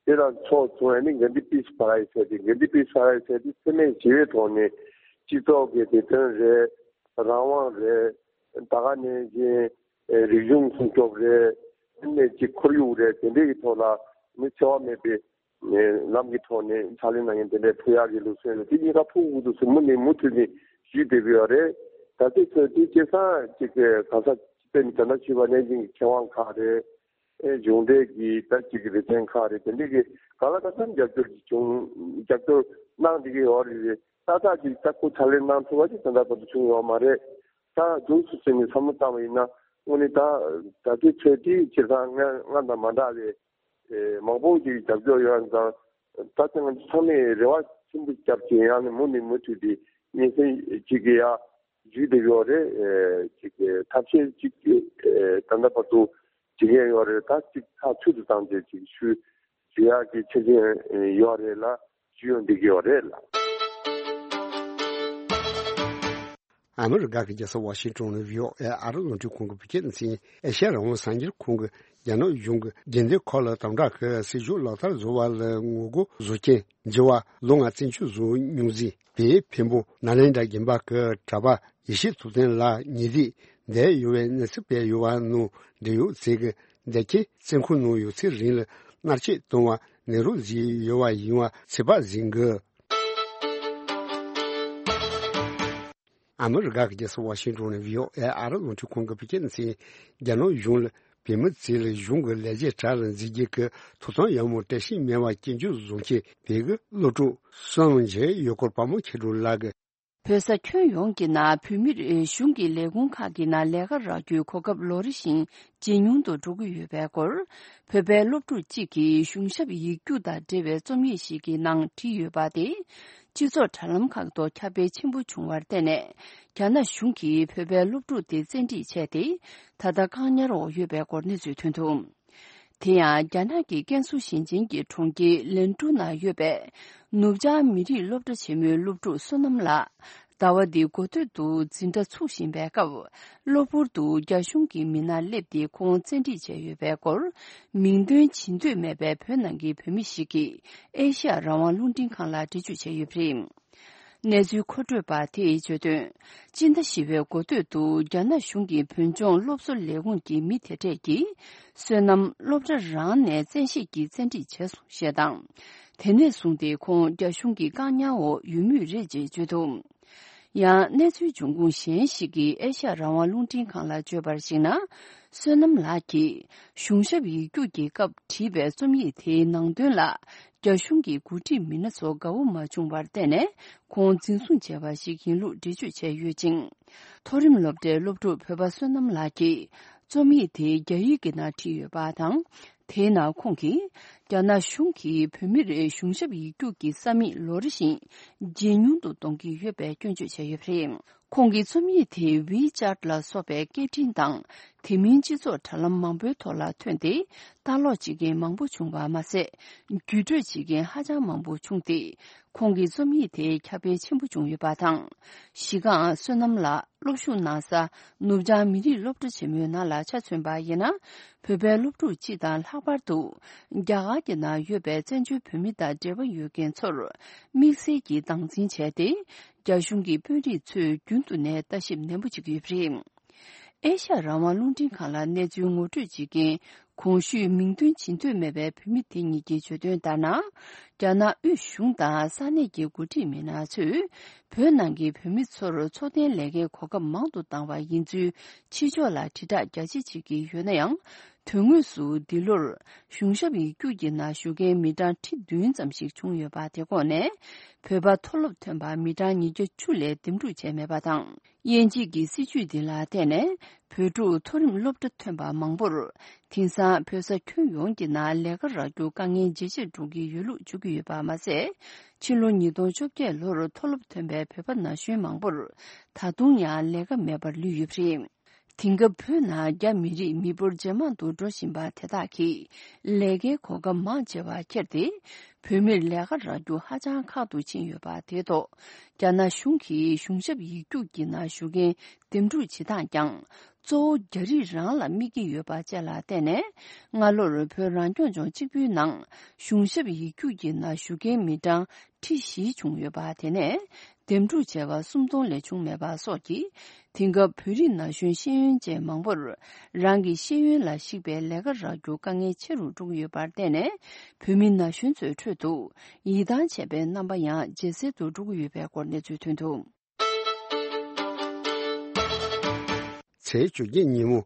དེ་དང་ཕྱོགས་མཚུངས་ནས་གྷན་དྷི་པིས་པ་རའི་ཟེར་ཏེ། གྷན་དྷི་པིས་པ་རའི་ཟེར་ཏེ་འཚེ་མེད་ཞི་བའི་ཐོག་ནས་སྤྱི་ཚོགས་ཀྱི་བདེ་དོན་རེད། རང་དབང་རེད། ད་ག་ནང་བཞིན་རིག་གཞུང་སྲུང་སྐྱོབ་རེད། ནས་ཀྱི་ཁོར་ཡུག་རེད། དེ་འདྲའི་གི་ཐོག་ལ་ནི་འཚེ་བ་མེད་པའི་ནས་ལམ་གྱི་ཐོག་ནས་ཕྱག་ལས་གནང་མཁན་དེ་འདྲའི་ཕུལ་ཡག་གི་ལུགས་སྲོལ་ཡོད། དེ་གཉིས་ཀ་ཕུལ་དགོས་འདུག་ཟེར་མུ་ནས་མུ་མཐུད་ནས་ཞུས་བསྡད་ཀྱི་ཡོད་རེད། ད་ལྟའི་ཆར་དེ་སྐྱེས་ཚང་གཅིག་གི་གང་ཟག་དཔེར་ན་ད་ལྟ་ཞུས་པ་ནང་བཞིན་གྱི་མཁས་དབང་ཁག་རེད། ཨེ་གཞུང་འབྲེལ་གྱི་ད་གཅིག་གི་རེ་འདུན་ཁག་རེད། དེ་འདྲའི་གི་གང་ལ་གང་འཚམ་རྒྱབ་སྐྱོར་གྱི་བྱུང་རྒྱབ་སྐྱོར་གནང་བསྡད་ཀྱི་ཡོད་རེད། ཏག་ཏག་ཅིག་ད་ཁོ་ཕྱག་ལས་གནང་ཐུབ་པ་ཅིག་ད་ལྟ་བར་དུ་བྱུང་ཡོད་མ་རེད། ད་འདུག་སུ་ཟེར་ནས་བསམ་བློ་བཏང་བ་ཡིན་ན། དངོས་གནས་ད་ད་ལྟའི་ཆོས་དེའི་སྤྱིར་བཏང་སྔ་སྔ་དང་མ་འདྲ་བའི་ཨེ་མང་པོ་ཅིག་རྒྱབ་སྐྱོར་ཡོད་ཙང་། ད་ལྟ་ང་ཚོ་ཚང་མས་རེ་བ་ཆེན་པོ་བརྒྱབ་ཀྱིན་ཡང་ནས་མུ་ནས་མུ་མཐུད་དེ་སྙན་སེང་ཅིག་གི་ཡ་ཞུས་བསྡད་ཡོད་རེད། ཨེ་ཅིག་གི་ཐབས་ཤེས་ཅིག་གི་ཨེ་ད་ལྟ་བར་དུ་བྱེད་མཁན་ཡོད་རེད། ད་ཅིག་ཐག་ཆོད་དུ་བཏང་རྗེས་ཅིག་ཞུ་ཞུ་ཡག་གི་ཆ་རྐྱེན་ཡོད་རེད་ལ། ཞུ་ཡོང་བསྡད་ཀྱི་ཡོད་རེད་ལ། ཨ་མི་རི་ཀ་གི་རྒྱལ་ས་ཝ་ཤིང་ཊོན་ནས་བྷི་ཨོ་ཨེ་ཨ་རི་རླུང་འཕྲིན་ཁང་གི་བོད་སྐད་སྡེ་ཚན། ཨེ་ཤ་ཡ་རང་དབང་གསར་འགྱུར་ཁང་གིས་རྒྱ་ནག་གཞུང་གིས་རྒྱལ་མཚན་ཁོ་ལ་དམ་དྲག་གི་སྲིད་ཇུས་ལག་བསྟར་བཟོ་བ་ལ་ངོ་རྒོལ་བཟོ་མཁན་བྱེས་པ་ལོ་ལྔ་བཙན་བྱོལ་བཟོ་མྱོང་མཛད་པའི་འཕན་པོ་ནཱ་ལེནྡྲ་དགོན་པ་གི་གྲྭ་པ་ཡེ་ཤེས་ཐུབ་བསྟན་ལགས་ཉེ་འདབས་བསྡད་ཡོད་པའི་གནས་ཚུལ་སྤེལ་ཡོད་པ་ནང་འབྲེལ་ཡོད་ཚོས་ཀྱིས་འདེད་ཁྱེར་བཙོན་ཁང་ནང་ཡོད་ཚད་རིང་ལ་མནར་གཅོད་བཏང་བ་ནད་རོ་བཟི་ཡོད་པ་ཡིན་པ་ཚོད་དཔག་བྱེད་ཀྱི། ཨ་མི་རི་ཀ་གི་རྒྱལ་ས་ཝ་ཤིང་ཊོན་ནས་བྷི་ཨོ་ཨེ་ཨ་རི་རླུང་འཕྲིན་ཁང་གི་བོད་སྐད་སྡེ་ཚན། རྒྱ་ནག་གཞུང་ལ་བོད་མི་ཚོ་ལ་གཞུང་གི་ལས་བྱེད་གྲལ་ལ་འཛུལ་རྒྱུ་གི་ཐོབ་ཐང་ཡང་མོ་བཀྲ་ཤིས་སྨན་པ་སྐྱོན་བརྗོད་བཟོ་མཁན་བོད་ཀྱི་སློབ་ཕྲུག་བསོད་ནམས་རྒྱལ་ཡོད་སྐོར་དཔའ་མོ་མཁས་གྲུབ་ལགས་ཀྱིས། བོད་ས་ཁྱོན་ཡོངས་ཀྱི་ནང་བོད་མིར་གཞུང་གི་ལས་ཁུངས་ཁག་གི་ནང་ལས་ཀ་རག་རྒྱུའི་གོ་སྐབས་ལོ་རེ་བཞིན་ཇེ་ཉུང་དུ་འགྲོ་གི་ཡོད་པའི་སྐོར། བོད་པའི་སློབ་ཕྲུག་ཅིག་གིས་གཞུང་ཞབས་ཡིག་རྒྱུགས་དང་འབྲེལ་བའི་རྩོམ་ཡིག་ཞིག་གི་ནང་བྲིས་ཡོད་པ་དེ། སྤྱི་ཚོགས་དྲ་ལམ་ཁག་ཏུ་ཁྱབ་སྤེལ་ཆེན་པོ་བྱུང་བར་བརྟེན་ནས། རྒྱ་ནག་གཞུང་གིས་བོད་པའི་སློབ་ཕྲུག་དེ་བཙན་ཁྲིད་བྱས་ཏེ། ད་ལྟ་བཀག་ཉར་འོག་ཡོད་པའི་སྐོར་གནས་ཚུལ་ཐོན་འདུག་དེ་ཡང་རྒྱ་ནག་གི་ཀན་སུའུ་ཞིང་ཆེན་གྱི་གྲོང་ཁྱེར་ལན་ཀྲུའུ་ནང་ཡོད་པའི་ནུབ་བྱང་མི་རིགས་སློབ་གྲྭ་ཆེན་མོའི་སློབ་ཕྲུག་བསོད་ནམས་ལགས། ཟླ་བ་འདིའི་འགོ་སྟོད་དུ་འཛིན་གྲྭ་ཚུགས་བཞིན་པའི་སྐབས། གློ་བུར་དུ་རྒྱ་གཞུང་གི་མི་སྣར་སླེབས་ཏེ་ཁོང་བཙན་ཁྲིད་བྱས་ཡོད་པའི་སྐོར། མིང་འདོན་བྱེད་འདོད་མེད་པའི་བོད་ནང་གི་བོད་མི་ཞིག་གིས་ཨེ་ཤ་ཡ་རང་དབང་རླུང་འཕྲིན་ཁང་ལ་འགྲེལ་བརྗོད་བྱས་ཡོད་པ་རེད། གནས་ཚུལ་མཁོ་སྤྲོད་པ་དེས་བརྗོད་དོན། སྤྱི་ཟླ་བཞི་པའི་འགོ་སྟོད་དུ་རྒྱ་ནག་གཞུང་གི་བོད་ལྗོངས་སློབ་གསོ་ལས་ཁུངས་ཀྱི་མི་དེ་གྲས་ཀྱིས། བསོད་ནམས་སློབ་གྲྭ་རང་ནས་བཙན་ཤེད་ཀྱིས་བཙན་ཁྲིད་བྱས་སོང་ཞེས་དང་། དེ་ནས་བཟུང་སྟེ་ཁོང་རྒྱ་གཞུང་གི་བཀག་ཉར་འོག་ཡོད་མུས་རེད་ཅེས་བརྗོད་འདུག་ཡང་གནས་ཚུལ་འབྱུང་ཁུངས་གཞན་ཞིག་གིས་ཨེ་ཤ་ཡ་རང་དབང་རླུང་འཕྲིན་ཁང་ལ་བརྗོད་པར་གཞིགས་ན། བསོད་ནམས་ལགས་ཀྱིས་གཞུང་ཞབས་ཡིག་རྒྱུགས་ཀྱི་སྐབས་བྲིས་པའི་རྩོམ་ཡིག་དེའི་ནང་དོན་ལ། རྒྱ་གཞུང་གི་འགོ་ཁྲིད་མི་སྣ་ཚོ་དགའ་བོ་མ་བྱུང་བར་བརྟེན་ནས། ཁོང་འཛིན་བཟུང་བྱས་པ་ཞིག་ཡིན་ལུགས་འགྲེལ་བརྗོད་བྱས་ཡོད་ཅིང་། མཐོ་རིམ་སློབ་གྲྭའི་སློབ་ཕྲུག་བོད་པ་བསོད་ནམས་ལགས་ཀྱིས། རྩོམ་ཡིག་དེ་རྒྱ་ཡིག་གི་ནང་བྲིས་ཡོད་པ་དང་། དེའི་ནང་ཁོང་གིས། རྒྱ་ནག་གཞུང་གིས་བོད་མིར་གཞུང་ཞབས་ཡིག་རྒྱུགས་ཀྱི་ས་མིག་ལོ་རེ་བཞིན་ཇེ་ཉུང་དུ་གཏོང་གི་ཡོད་པའི་སྐྱོན་བརྗོད་བྱས་ཡོད་པ་རེད། ཁོང་གི་རྩོམ་ཡིག་དེ་ཝི་ཅཱཊ་ལ་སོགས་པའི་སྐད་འཕྲིན་དང་། དེ་མིན་སྤྱི་ཚོགས་དྲ་ལམ་མང་པོའི་ཐོག་ལ་ཐོན་ཏེ། ལྟ་ཀློག་བྱེད་མཁན་མང་པོ་བྱུང་བ་མ་ཟད། བརྒྱུད་སྤྲོད་བྱེད་མཁན་ཧ་ཅང་མང་པོ་བྱུང་སྟེ། ཁོང་གི་རྩོམ་ཡིག་དེ་ཁྱབ་སྤེལ་ཆེན་པོ་བྱུང་ཡོད་པ་དང་། གཞི་རྐང་བསོད་ནམས་ལགས་སློབ་ཞུགས་གནང་ས་ནུབ་བྱང་མི་རིགས་སློབ་གྲྭ་ཆེན་མོའི་ནང་ལ་ཆ་མཚོན་པ་ཡིན་ན། བོད་པའི་སློབ་ཕྲུག་སྤྱི་དང་ལྷག་པར་དུ། རྒྱ་གར་གྱི་ནང་ཡོད་པའི་བཙན་བྱོལ་བོད་མི་དང་འབྲེལ་བ་ཡོད་མཁན་ཚོར། དམིགས་བསལ་གྱིས་སྟངས་འཛིན་བྱས་ཏེ། རྒྱ་གཞུང་གི་དཔོན་རིགས་ཚོས་རྒྱུན་དུ་ནས་ལྟ་ཞིབ་ནན་པོ་བྱེད་ཀྱི་ཡོད་པ་རེད། ཨེ་ཤ་ཡ་རང་དབང་རླུང་འཕྲིན་ཁང་ལ་གནས་ཚུལ་ངོ་སྤྲོད་བྱེད་མཁན་ གོང་ཞུས་མིང་འདོན་བྱེད་འདོད་མེད་པའི་བོད་མི་དེ་གཉིས་ཀྱིས་བརྗོད་དོན་ལྟར་ན། རྒྱ་ནག་དབུས་གཞུང་དང་ས་གནས་ཀྱི་འགོ་ཁྲིད་མི་སྣ་ཚོས་བོད་ནང་གི་བོད་མི་ཚོར་འཚོ་རྟེན་ལས་ཀའི་གོ་སྐབས་མང་དུ་བཏང་བ་ཡིན་ཚུལ་ཕྱི་ཕྱོགས་ལ་དྲིལ་བསྒྲགས་རྒྱ་ཆེ་བྱེད་ཀྱི་ཡོད་ན་ཡང་། དོན་དངོས་སུ་འདི་ལོར་གཞུང་ཞབས་ཡིག་རྒྱུགས་ཀྱི་ནང་ཞུགས་མཁན་མི་གྲངས་ཁྲི་བདུན་ཙམ་ཞིག་བྱུང་ཡོད་པ་དེ་ཁོངས་ནས། བོད་པ་མཐོ་སློབ་ཐོན་པ་མི་གྲངས་ཉིས་བརྒྱ་བཅུ་ལས་འདེམས་སྒྲུག་བྱས་མེད་པ་དང་། དབྱེ་འབྱེད་ཀྱི་སྲིད་བྱུས་འདི་ལ་བརྟེན་ནས། བོད་ཕྲུག་མཐོ་རིམ་སློབ་གྲྭ་ཐོན་པ་མང་པོར། དེང་སང་བོད་ས་ཁྱོན་ཡོངས་ཀྱི་ནང་ལས་ཀ་རག་རྒྱུ་དཀའ་ངལ་ཇེ་ཆེར་འགྲོ་གི་ཡོད་ལུགས་བརྗོད་ཀྱི་ཡོད་པ་མ་ཟད། ཕྱི་ལོ་ཉིས་སྟོང་བཅོ་བརྒྱད་ལོར་མཐོ་སློབ་ཐོན་པའི་བོད་པ་ན་གཞོན་མང་པོར། ད་དུང་ཡང་ལས་ཀ་མེད་པར་ལུས་ཡོད་པ་རེད། དེང་སྐབས་བོད་ནང་རྒྱ་མི་རིགས་མི་འབོར་ཇེ་མང་དུ་འགྲོ་བཞིན་པ་དེ་དག་གིས་ལས་ཀའི་གོ་སྐབས་མང་ཆེ་བ་ཁྱེར་ཏེ། བོད་མིར་ལས་ཀ་རག་རྒྱུ་ཧ་ཅང་ཁག་ཏུ་ཕྱིན་ཡོད་པ་དེ་ཐོག་རྒྱ་ནག་གཞུང་གིས་གཞུང་ཞབས་ཡིག་རྒྱུགས་ཀྱི་ནང་ཞུགས་མཁན་འདེམས་སྒྲུག་བྱེད་སྟངས་ཀྱང་གཙོ་བོ་རྒྱ་རིགས་རང་ལ་དམིགས་ཀྱི་ཡོད་པ་བཅས་ལ་བརྟེན་ནས། སྔ་ལོར་བོད་རང་སྐྱོང་ལྗོངས་གཅིག་པུའི་ནང་གཞུང་ཞབས་ཡིག་རྒྱུགས་ཀྱི་ནང་ཞུགས་མཁན་མི་གྲངས་ཁྲི་བཞི་བྱུང་ཡོད་པ་དེ་ནས། འདེམས་སྒྲུག་བྱས་པ་སུམ་སྟོང་ལས་བྱུང་མེད་པ་སོགས་ཀྱིས། དེང་སྐབས་བོད་རིགས་ན་གཞོན་ཤེས་ཡོན་ཅན་མང་པོར། རང་གི་ཤེས་ཡོན་ལ་གཞིགས་པའི་ལས་ཀ་རག་རྒྱུ་དཀའ་ངལ་ཆེ་རུ་འགྲོ་གི་ཡོད་པར་བརྟེན་ནས། བོད་མི་ན་གཞོན་ཚོའི་ཁྲོད་དུ། ཡིད་ཐང་ཆད་པའི་རྣམ་པ་ཡང་ཇེ་གསལ་དུ་འགྲོ་གི་ཡོད་པའི་སྐོར་གནས་ཚུལ་ཐོན་འདུག་ཚེས་བཅོ་བརྒྱད་ཉིན་མོ།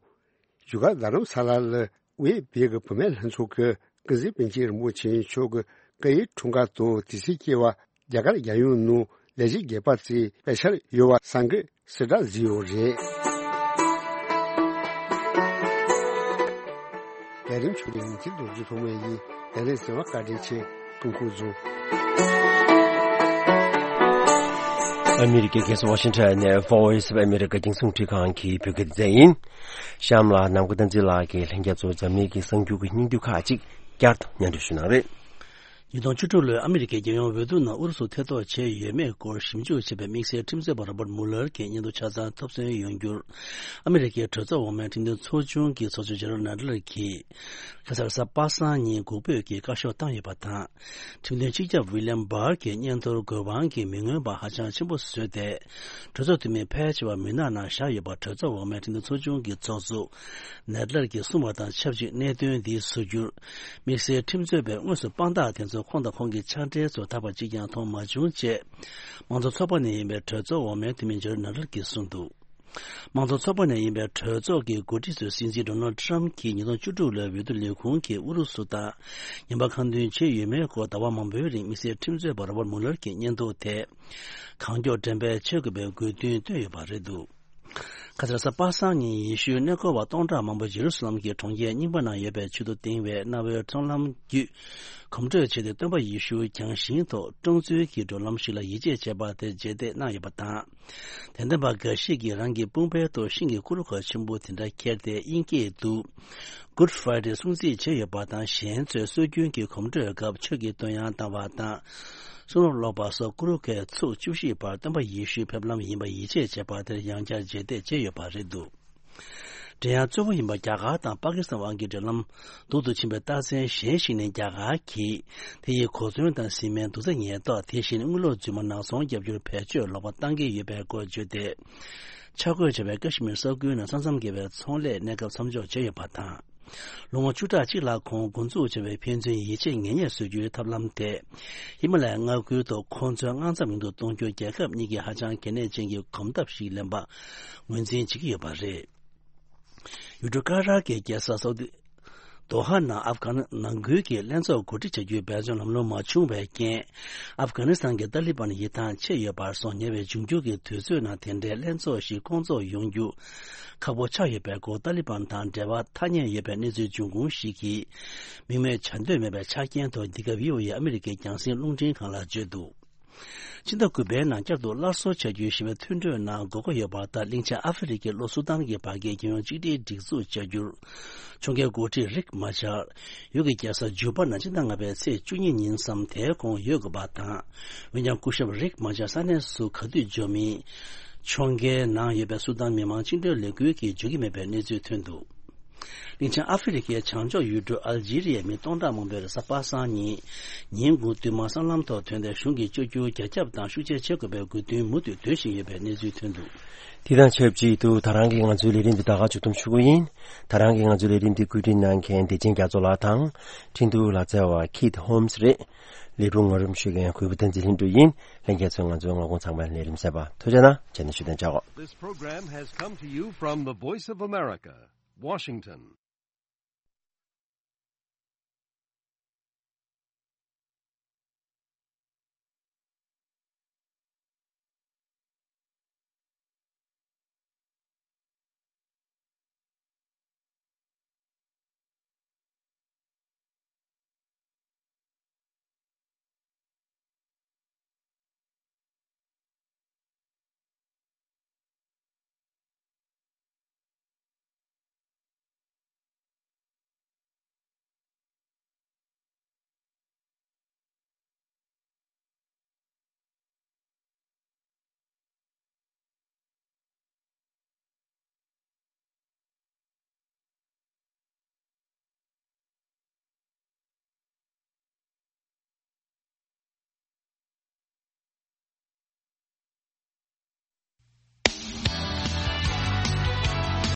བཞུགས་སྒར་རྡ་རམ་ས་ལ་ལ་དབུས་བོད་ཀྱི་བུད་མེད་ལྷན་ཚོགས་ཀྱི་ཀུན་གཟིགས་པཎ་ཆེན་རིན་པོ་ཆེ་མཆོག་གི་བཀའ་ཡི་འཁྲུངས་སྐར་དང་དེ་ཚེ་སྐྱེ་བ་རྒྱ་གར་རྒྱལ་ཡོངས་ནང་ལས་བྱེད་རྒྱས་པ་བཅས་སྤེལ་འཆར་ཡོད་པ་གསར་འགོད་གསལ་བསྒྲགས་བཟོས་ཡོད་རེད། ལས་རིམ་ཆུ་ལེན་འཛིན་རྡོ་རྗེ་ཐོགས་མེད་ཡིན། ལས་རིམ་གསན་པར་བཀའ་དྲིན་ཆེ། ཐུགས་ཁུར་བཟུང་། ཨ་མི་རི་ཀའི་རྒྱལ་ས་ཝ་ཤིང་ཊོན་ནས་Voice of America རྒྱང་སྲིང་འཕྲིན་ཁང་གི་བོད་སྐད་སྡེ་ཚན་ཡིན། གཤམ་ལ་ནམ་མཁའ་བསྟན་འཛིན་ལགས་ཀྱིས་ལྷན་རྒྱས་ཚོར་འཛམ་གླིང་གི་གསར་འགྱུར་གྱི་སྙིང་བསྡུས་ཁག་ཅིག་བསྐྱར་དུ་སྙན་སྒྲོན་ཞུ་གནང་རེད། ཉིས་སྟོང་བཅུ་དྲུག་ལོའི་ཨ་མི་རི་ཀའི་རྒྱལ་ཡོངས་འོས་བསྡུ་ནང་ཨུ་རུ་སུ་ཐེ་གཏོགས་བྱས་ཡོད་མེད་སྐོར་ཞིབ་འཇུག་བྱེད་པའི་དམིགས་བསལ་ཁྲིམས་རྩོད་པ་Robert Mueller གྱི་སྙན་ཐོ་ཆ་ཚང་ཐོབ་སོན་ཡོང་རྒྱུར། ཨ་མི་རི་ཀའི་གྲོས་ཚོགས་འོག་མའི་ཁྲིམས་དོན་ཚོགས་ཆུང་གི་ཚོགས་གཙོ་Jerrold Nadler གྱིས། ཁ་སང་རེས་གཟའ་པ་སངས་ཉིན་འགོག་འབོད་ཀྱི་བཀའ་ཤོག་བཏང་ཡོད་པ་དང་། ཁྲིམས་དོན་སྤྱི་ཁྱབ་William Barr གྱི་སྙན་ཐོར་དགོས་དབང་གིས་མི་མངོན་པ་ཧ་ཅང་ཆེན་པོ་བཟོས་ཏེ། གྲོས་ཚོགས་འཐུས་མི་ཕལ་ཆེ་བ་མུན་ནག་ནང་བཞག་ཡོད་པ་གྲོས་ཚོགས་འོག་མའི་ཁྲིམས་དོན་ཚོགས་ཆུང་གི་ཚོགས་གཙོ་Nadler གྱིས་གསུངས་པ་དང་ཆབས་ཅིག་གནད་དོན་འདི་བཟོ་རྒྱུར། དམིགས་བསལ་ཁྲིམས་རྩོད་པའི་དངོས་སུ་དཔང་རྟགས་དེ་ཚོ་ཁོང་དང་ཁོང་གི་ཕྱག་སྦྲེལ་ཚོ་ད་བར་གཅིག་ཀྱང་མཐོང་མ་བྱུང་ཅེས། མང་གཙོ་ཚོགས་པ་ནས་ཡིན་པའི་གྲོས་ཚོགས་འོག་མའི་འཐུས་མི་Jerrold Nadler གྱིས་གསུངས་འདུག་མང་གཙོ་ཚོགས་པ་ནས་ཡིན་པའི་གྲོས་ཚོགས་ཀྱི་འགོ་ཁྲིད་ཚོས་སྲིད་འཛིན་Donald Trump གྱིས་ཉིས་སྟོང་བཅུ་དྲུག་ལོའི་འོས་བསྡུ་ལས་ཁུངས་ཀྱིས་ཨུ་རུ་སུ་དང་ངན་པ་ཁ་མདུན་བྱས་ཡོད་མེད་སྐོར་ཟླ་བ་མང་པོའི་རིང་དམིགས་བསལ་ཁྲིམས་རྩོད་པ་Robert Mueller གྱི་སྙན་ཐོ་དེ་གང་མགྱོགས་འགྲེམས་སྤེལ་བྱེད་དགོས་པའི་དགོས་འདུན་བཏོན་ཡོད་པ་རེད་འདུག་ཁ་སང་རེས་གཟའ་པ་སངས་ཉིན་ཡེ་ཤུའི་གནས་སྐོར་བ་སྟོང་ཕྲག་མང་པོ་ཇེ་རུ་སཱ་ལམ་གྱི་གྲོང་ཁྱེར་རྙིང་པ་ནང་ཡོད་པའི་ཆེད་དུ་དེང་བའི་གནའ་བོའི་ཚོང་ལམ་བརྒྱུད་གོམ་བགྲོད་བྱས་ཏེ་སྟོན་པ་ཡེ་ཤུ་རྒྱང་ཤིང་ཐོག་སྤྲང་ཚུལ་གྱི་བགྲོད་ལམ་ཞིག་ལ་ཡིད་ཆེས་བྱས་པ་དེ་རྗེས་འདེད་གནང་ཡོད་པ་དང་། དད་ལྡན་པ་འགའ་ཞིག་གིས་རང་གི་དཔུང་པའི་ཐོག་ཤིང་གི་ཀུ་རུ་ཁ་ཆེན་པོ་དེ་འདྲ་ཁྱེར་ཏེ་དབྱིན་སྐད་དུ་Good Friday སྲུང་བརྩི་བྱས་ཡོད་པ་དང་། གཞན་ཚོས་སྲོལ་རྒྱུན་གྱི་གོམ་བགྲོད་སྐབས་ཆོས་ཀྱི་འདོན་དབྱངས་བཏང་བ་དང་། གསུང་རབ་ཀློག་པ་སོགས་ཀུ་རུ་ཁའི་ཚུགས་བཅུ་བཞིའི་བར་སྟོན་པ་ཡེ་ཤུའི་ཕེབས་ལམ་ཡིན་པ་ཡིད་ཆེས་བྱས་པ་དེར་ཡང་བསྐྱར་རྗེས་འདེད་བྱས་ཡོད་པ་རེད་འདུག་འགྲན་ཡངས་གཙོ་བོ་ཡིན་པ་རྒྱ་གར་དང་པ་ཀི་སི་ཐན་དབར་གྱི་འབྲེལ་ལམ་སྡུག་ཏུ་ཕྱིན་པའི་རྟགས་མཚན་གཞན་ཞིག་ནི། རྒྱ་གར་གྱིས་དེ་ཡི་གོ་མཚོན་དང་བཟི་སྨན་དུག་རྫས་ཉེན་རྟོག་དེ་བཞིན་དངུལ་ལོར་རྫུན་མ་ནག་ཚོང་བརྒྱབ་རྒྱུར་བེད་སྤྱོད་ལོག་པ་བཏང་གི་ཡོད་པའི་སྐོར་བརྗོད་དེ། ཆ་བགོས་བྱས་པའི་ཀ་ཤི་མིར་ས་ཁུལ་ནང་ས་མཚམས་བརྒལ་བའི་ཚོང་ལས་གནས་སྐབས་མཚམས་འཇོག་བྱས་ཡོད་པ་དང་། ལོ་ངོ་བཅུ་ཕྲག་གཅིག་ལྷག་གོང་འགོ་འཛུགས་བྱས་པའི་ཕན་ཚུན་ཡིད་ཆེས་ངེས་གཉིས་བཟོ་རྒྱུའི་ཐབས་ལམ་དེ། ཧི་མ་ལ་ཡའི་མངའ་ཁུལ་ཐོག་ཁོང་ཚོའི་དངངས་འཚབ་ཉུང་དུ་གཏོང་རྒྱུར་རྒྱལ་ཁབ་གཉིས་ཀྱིས་ཧ་ཅང་གལ་གནད་ཅན་གྱི་གོམ་སྟབས་ཤིག་ལེན་པ་ངོས་འཛིན་བྱེད་ཀྱི་ཡོད་པ་རེད། ཡུལ་གྲུ་ཀ་ཏར་གྱི་རྒྱལ་ས་སའུ་ཏི། དོ་ཧ་ནང་ཨབ་གྷ་ནི་ནང་ཁུལ་གྱི་ལྷན་ཚོགས་གོ་སྒྲིག་བྱ་རྒྱུའི་འབད་བརྩོན་ལམ་ལྷོང་མ་བྱུང་བའི་རྐྱེན། ཨབ་གྷ་ནི་སི་ཐན་གྱི་ཏཱ་ལི་བན་ཡིད་ཐང་ཆད་ཡོད་པར་སོང་། ཉེ་བའི་འབྱུང་འགྱུར་གྱི་དུས་ཚོད་ནང་དེ་འདྲའི་ལྷན་ཚོགས་ཤིག་སྐོང་ཚོགས་ཡོང་རྒྱུ་ཁག་པོ་ཆགས་ཡོད་པའི་སྐོར། ཏཱ་ལི་བན་དང་འབྲེལ་བ་ཐ་སྙད་ཡོད་པའི་གནས་ཚུལ་འབྱུང་ཁུངས་ཤིག་གིས་མིང་སྨོས་བྱ་འདོད་མེད་པའི་ཆ་རྐྱེན་ཐོག་འདི་ག་བྷི་ཨོ་ཨེ་ཨ་མི་རི་ཀའི་རྒྱང་སྲིང་རླུང་འཕྲིན་ཁང་ལ་བརྗོད་འདུག་ཕྱི་ཟླ་དགུ་པའི་ནང་བསྐྱར་དུ་སླར་གསོ་བྱ་རྒྱུའི་ཞི་བའི་མཐུན་གྲོས་ནང་དགོས་མཁོ་ཡོད་པ་ལྟར། གླིང་ཆེན་ཨ་ཧྥེ་རི་ཁའི་ལྷོ་སུ་དཱན་གྱི་བར་བརྒལ་རྒྱལ་ཡོངས་གཅིག་སྒྲིལ་སྒྲིག་འཛུགས་བཅའ་རྒྱུར་ཕྱོགས་འགལ་འགོ་ཁྲིད་རིག་མ་ཆར་ཡུལ་གྱི་རྒྱལ་ས་ཇུ་པ་ནང་སྤྱི་ཟླ་ལྔ་པའི་ཚེས་བཅུ་གཉིས་ཉིན་ཙམ་དེའི་གོང་ཡོད་དགོས་པ་དང་། འོན་ཀྱང་སྐུ་ཞབས་རིག་མ་ཆར་ས་གནས་སུ་ག་དུས་འབྱོར་མིན། ཕྱོགས་འགལ་ནང་ཡོད་པའི་སུ་དཱན་མི་དམངས་བཅིངས་འགྲོལ་ལས་འགུལ་གྱིས་བརྗོད་ཀྱི་མེད་པའི་གནས་ཚུལ་ཐོན་འདུག་གླིང་ཆེན་ཨ་ཧྥེ་རི་ཁའི་བྱང་ཕྱོགས་ཡུལ་གྲུ་ཨལ་ཇི་རི་ཡའི་མི་སྟོང་ཕྲག་མང་པོས་རེས་གཟའ་པ་སངས་ཉིན། ཉིན་དགུང་བདུན་མ་སྲང་ལམ་ཐོག་ཐོན་ཏེ་གཞུང་གིས་བཅོས་བསྒྱུར་རྒྱ་ཁྱབ་དང་ཤུགས་ཆེ་བྱེད་དགོས་པའི་དགོས་འདུན་མུ་མཐུད་འདོན་བཞིན་ཡོད་པའི་གནས་ཚུལ་ཐོན་འདུག། དེ་དང་ཆབས་ཅིག་ཏུ་ད་རང་གི་ང་ཚོའི་ལས་རིམ་འདི་ད་ག་མཇུག་སྡོམ་ཞུ་གི་ཡིན། ད་རང་གི་ང་ཚོའི་ལས་རིམ་འདི་བཀོད་སྒྲིག་གནང་མཁན་བདེ་ཆེན་རྒྱ་མཚོ་ལགས་དང་། འཕྲིན་གཏོང་ལག་རྩལ་བ་ཁིད་ཧོམ་སི་རེད། ལས་རུང་ངོ་རིམ་ཞུ་མཁན་གུས་པ་བསྟན་འཛིན་ལྷུན་གྲུབ་ཡིན། ལྷན་རྒྱས་ཚོས་ང་ཚོའི་ངོ་གུང་ཚང་མའི་ལས་རིམ་གསན་པ་ཐུགས་རྗེ་གནང་། རྗེས་ནས་ཞུ་དོན་བྱ་གོ། This program has come to you from the Voice of America, Washington.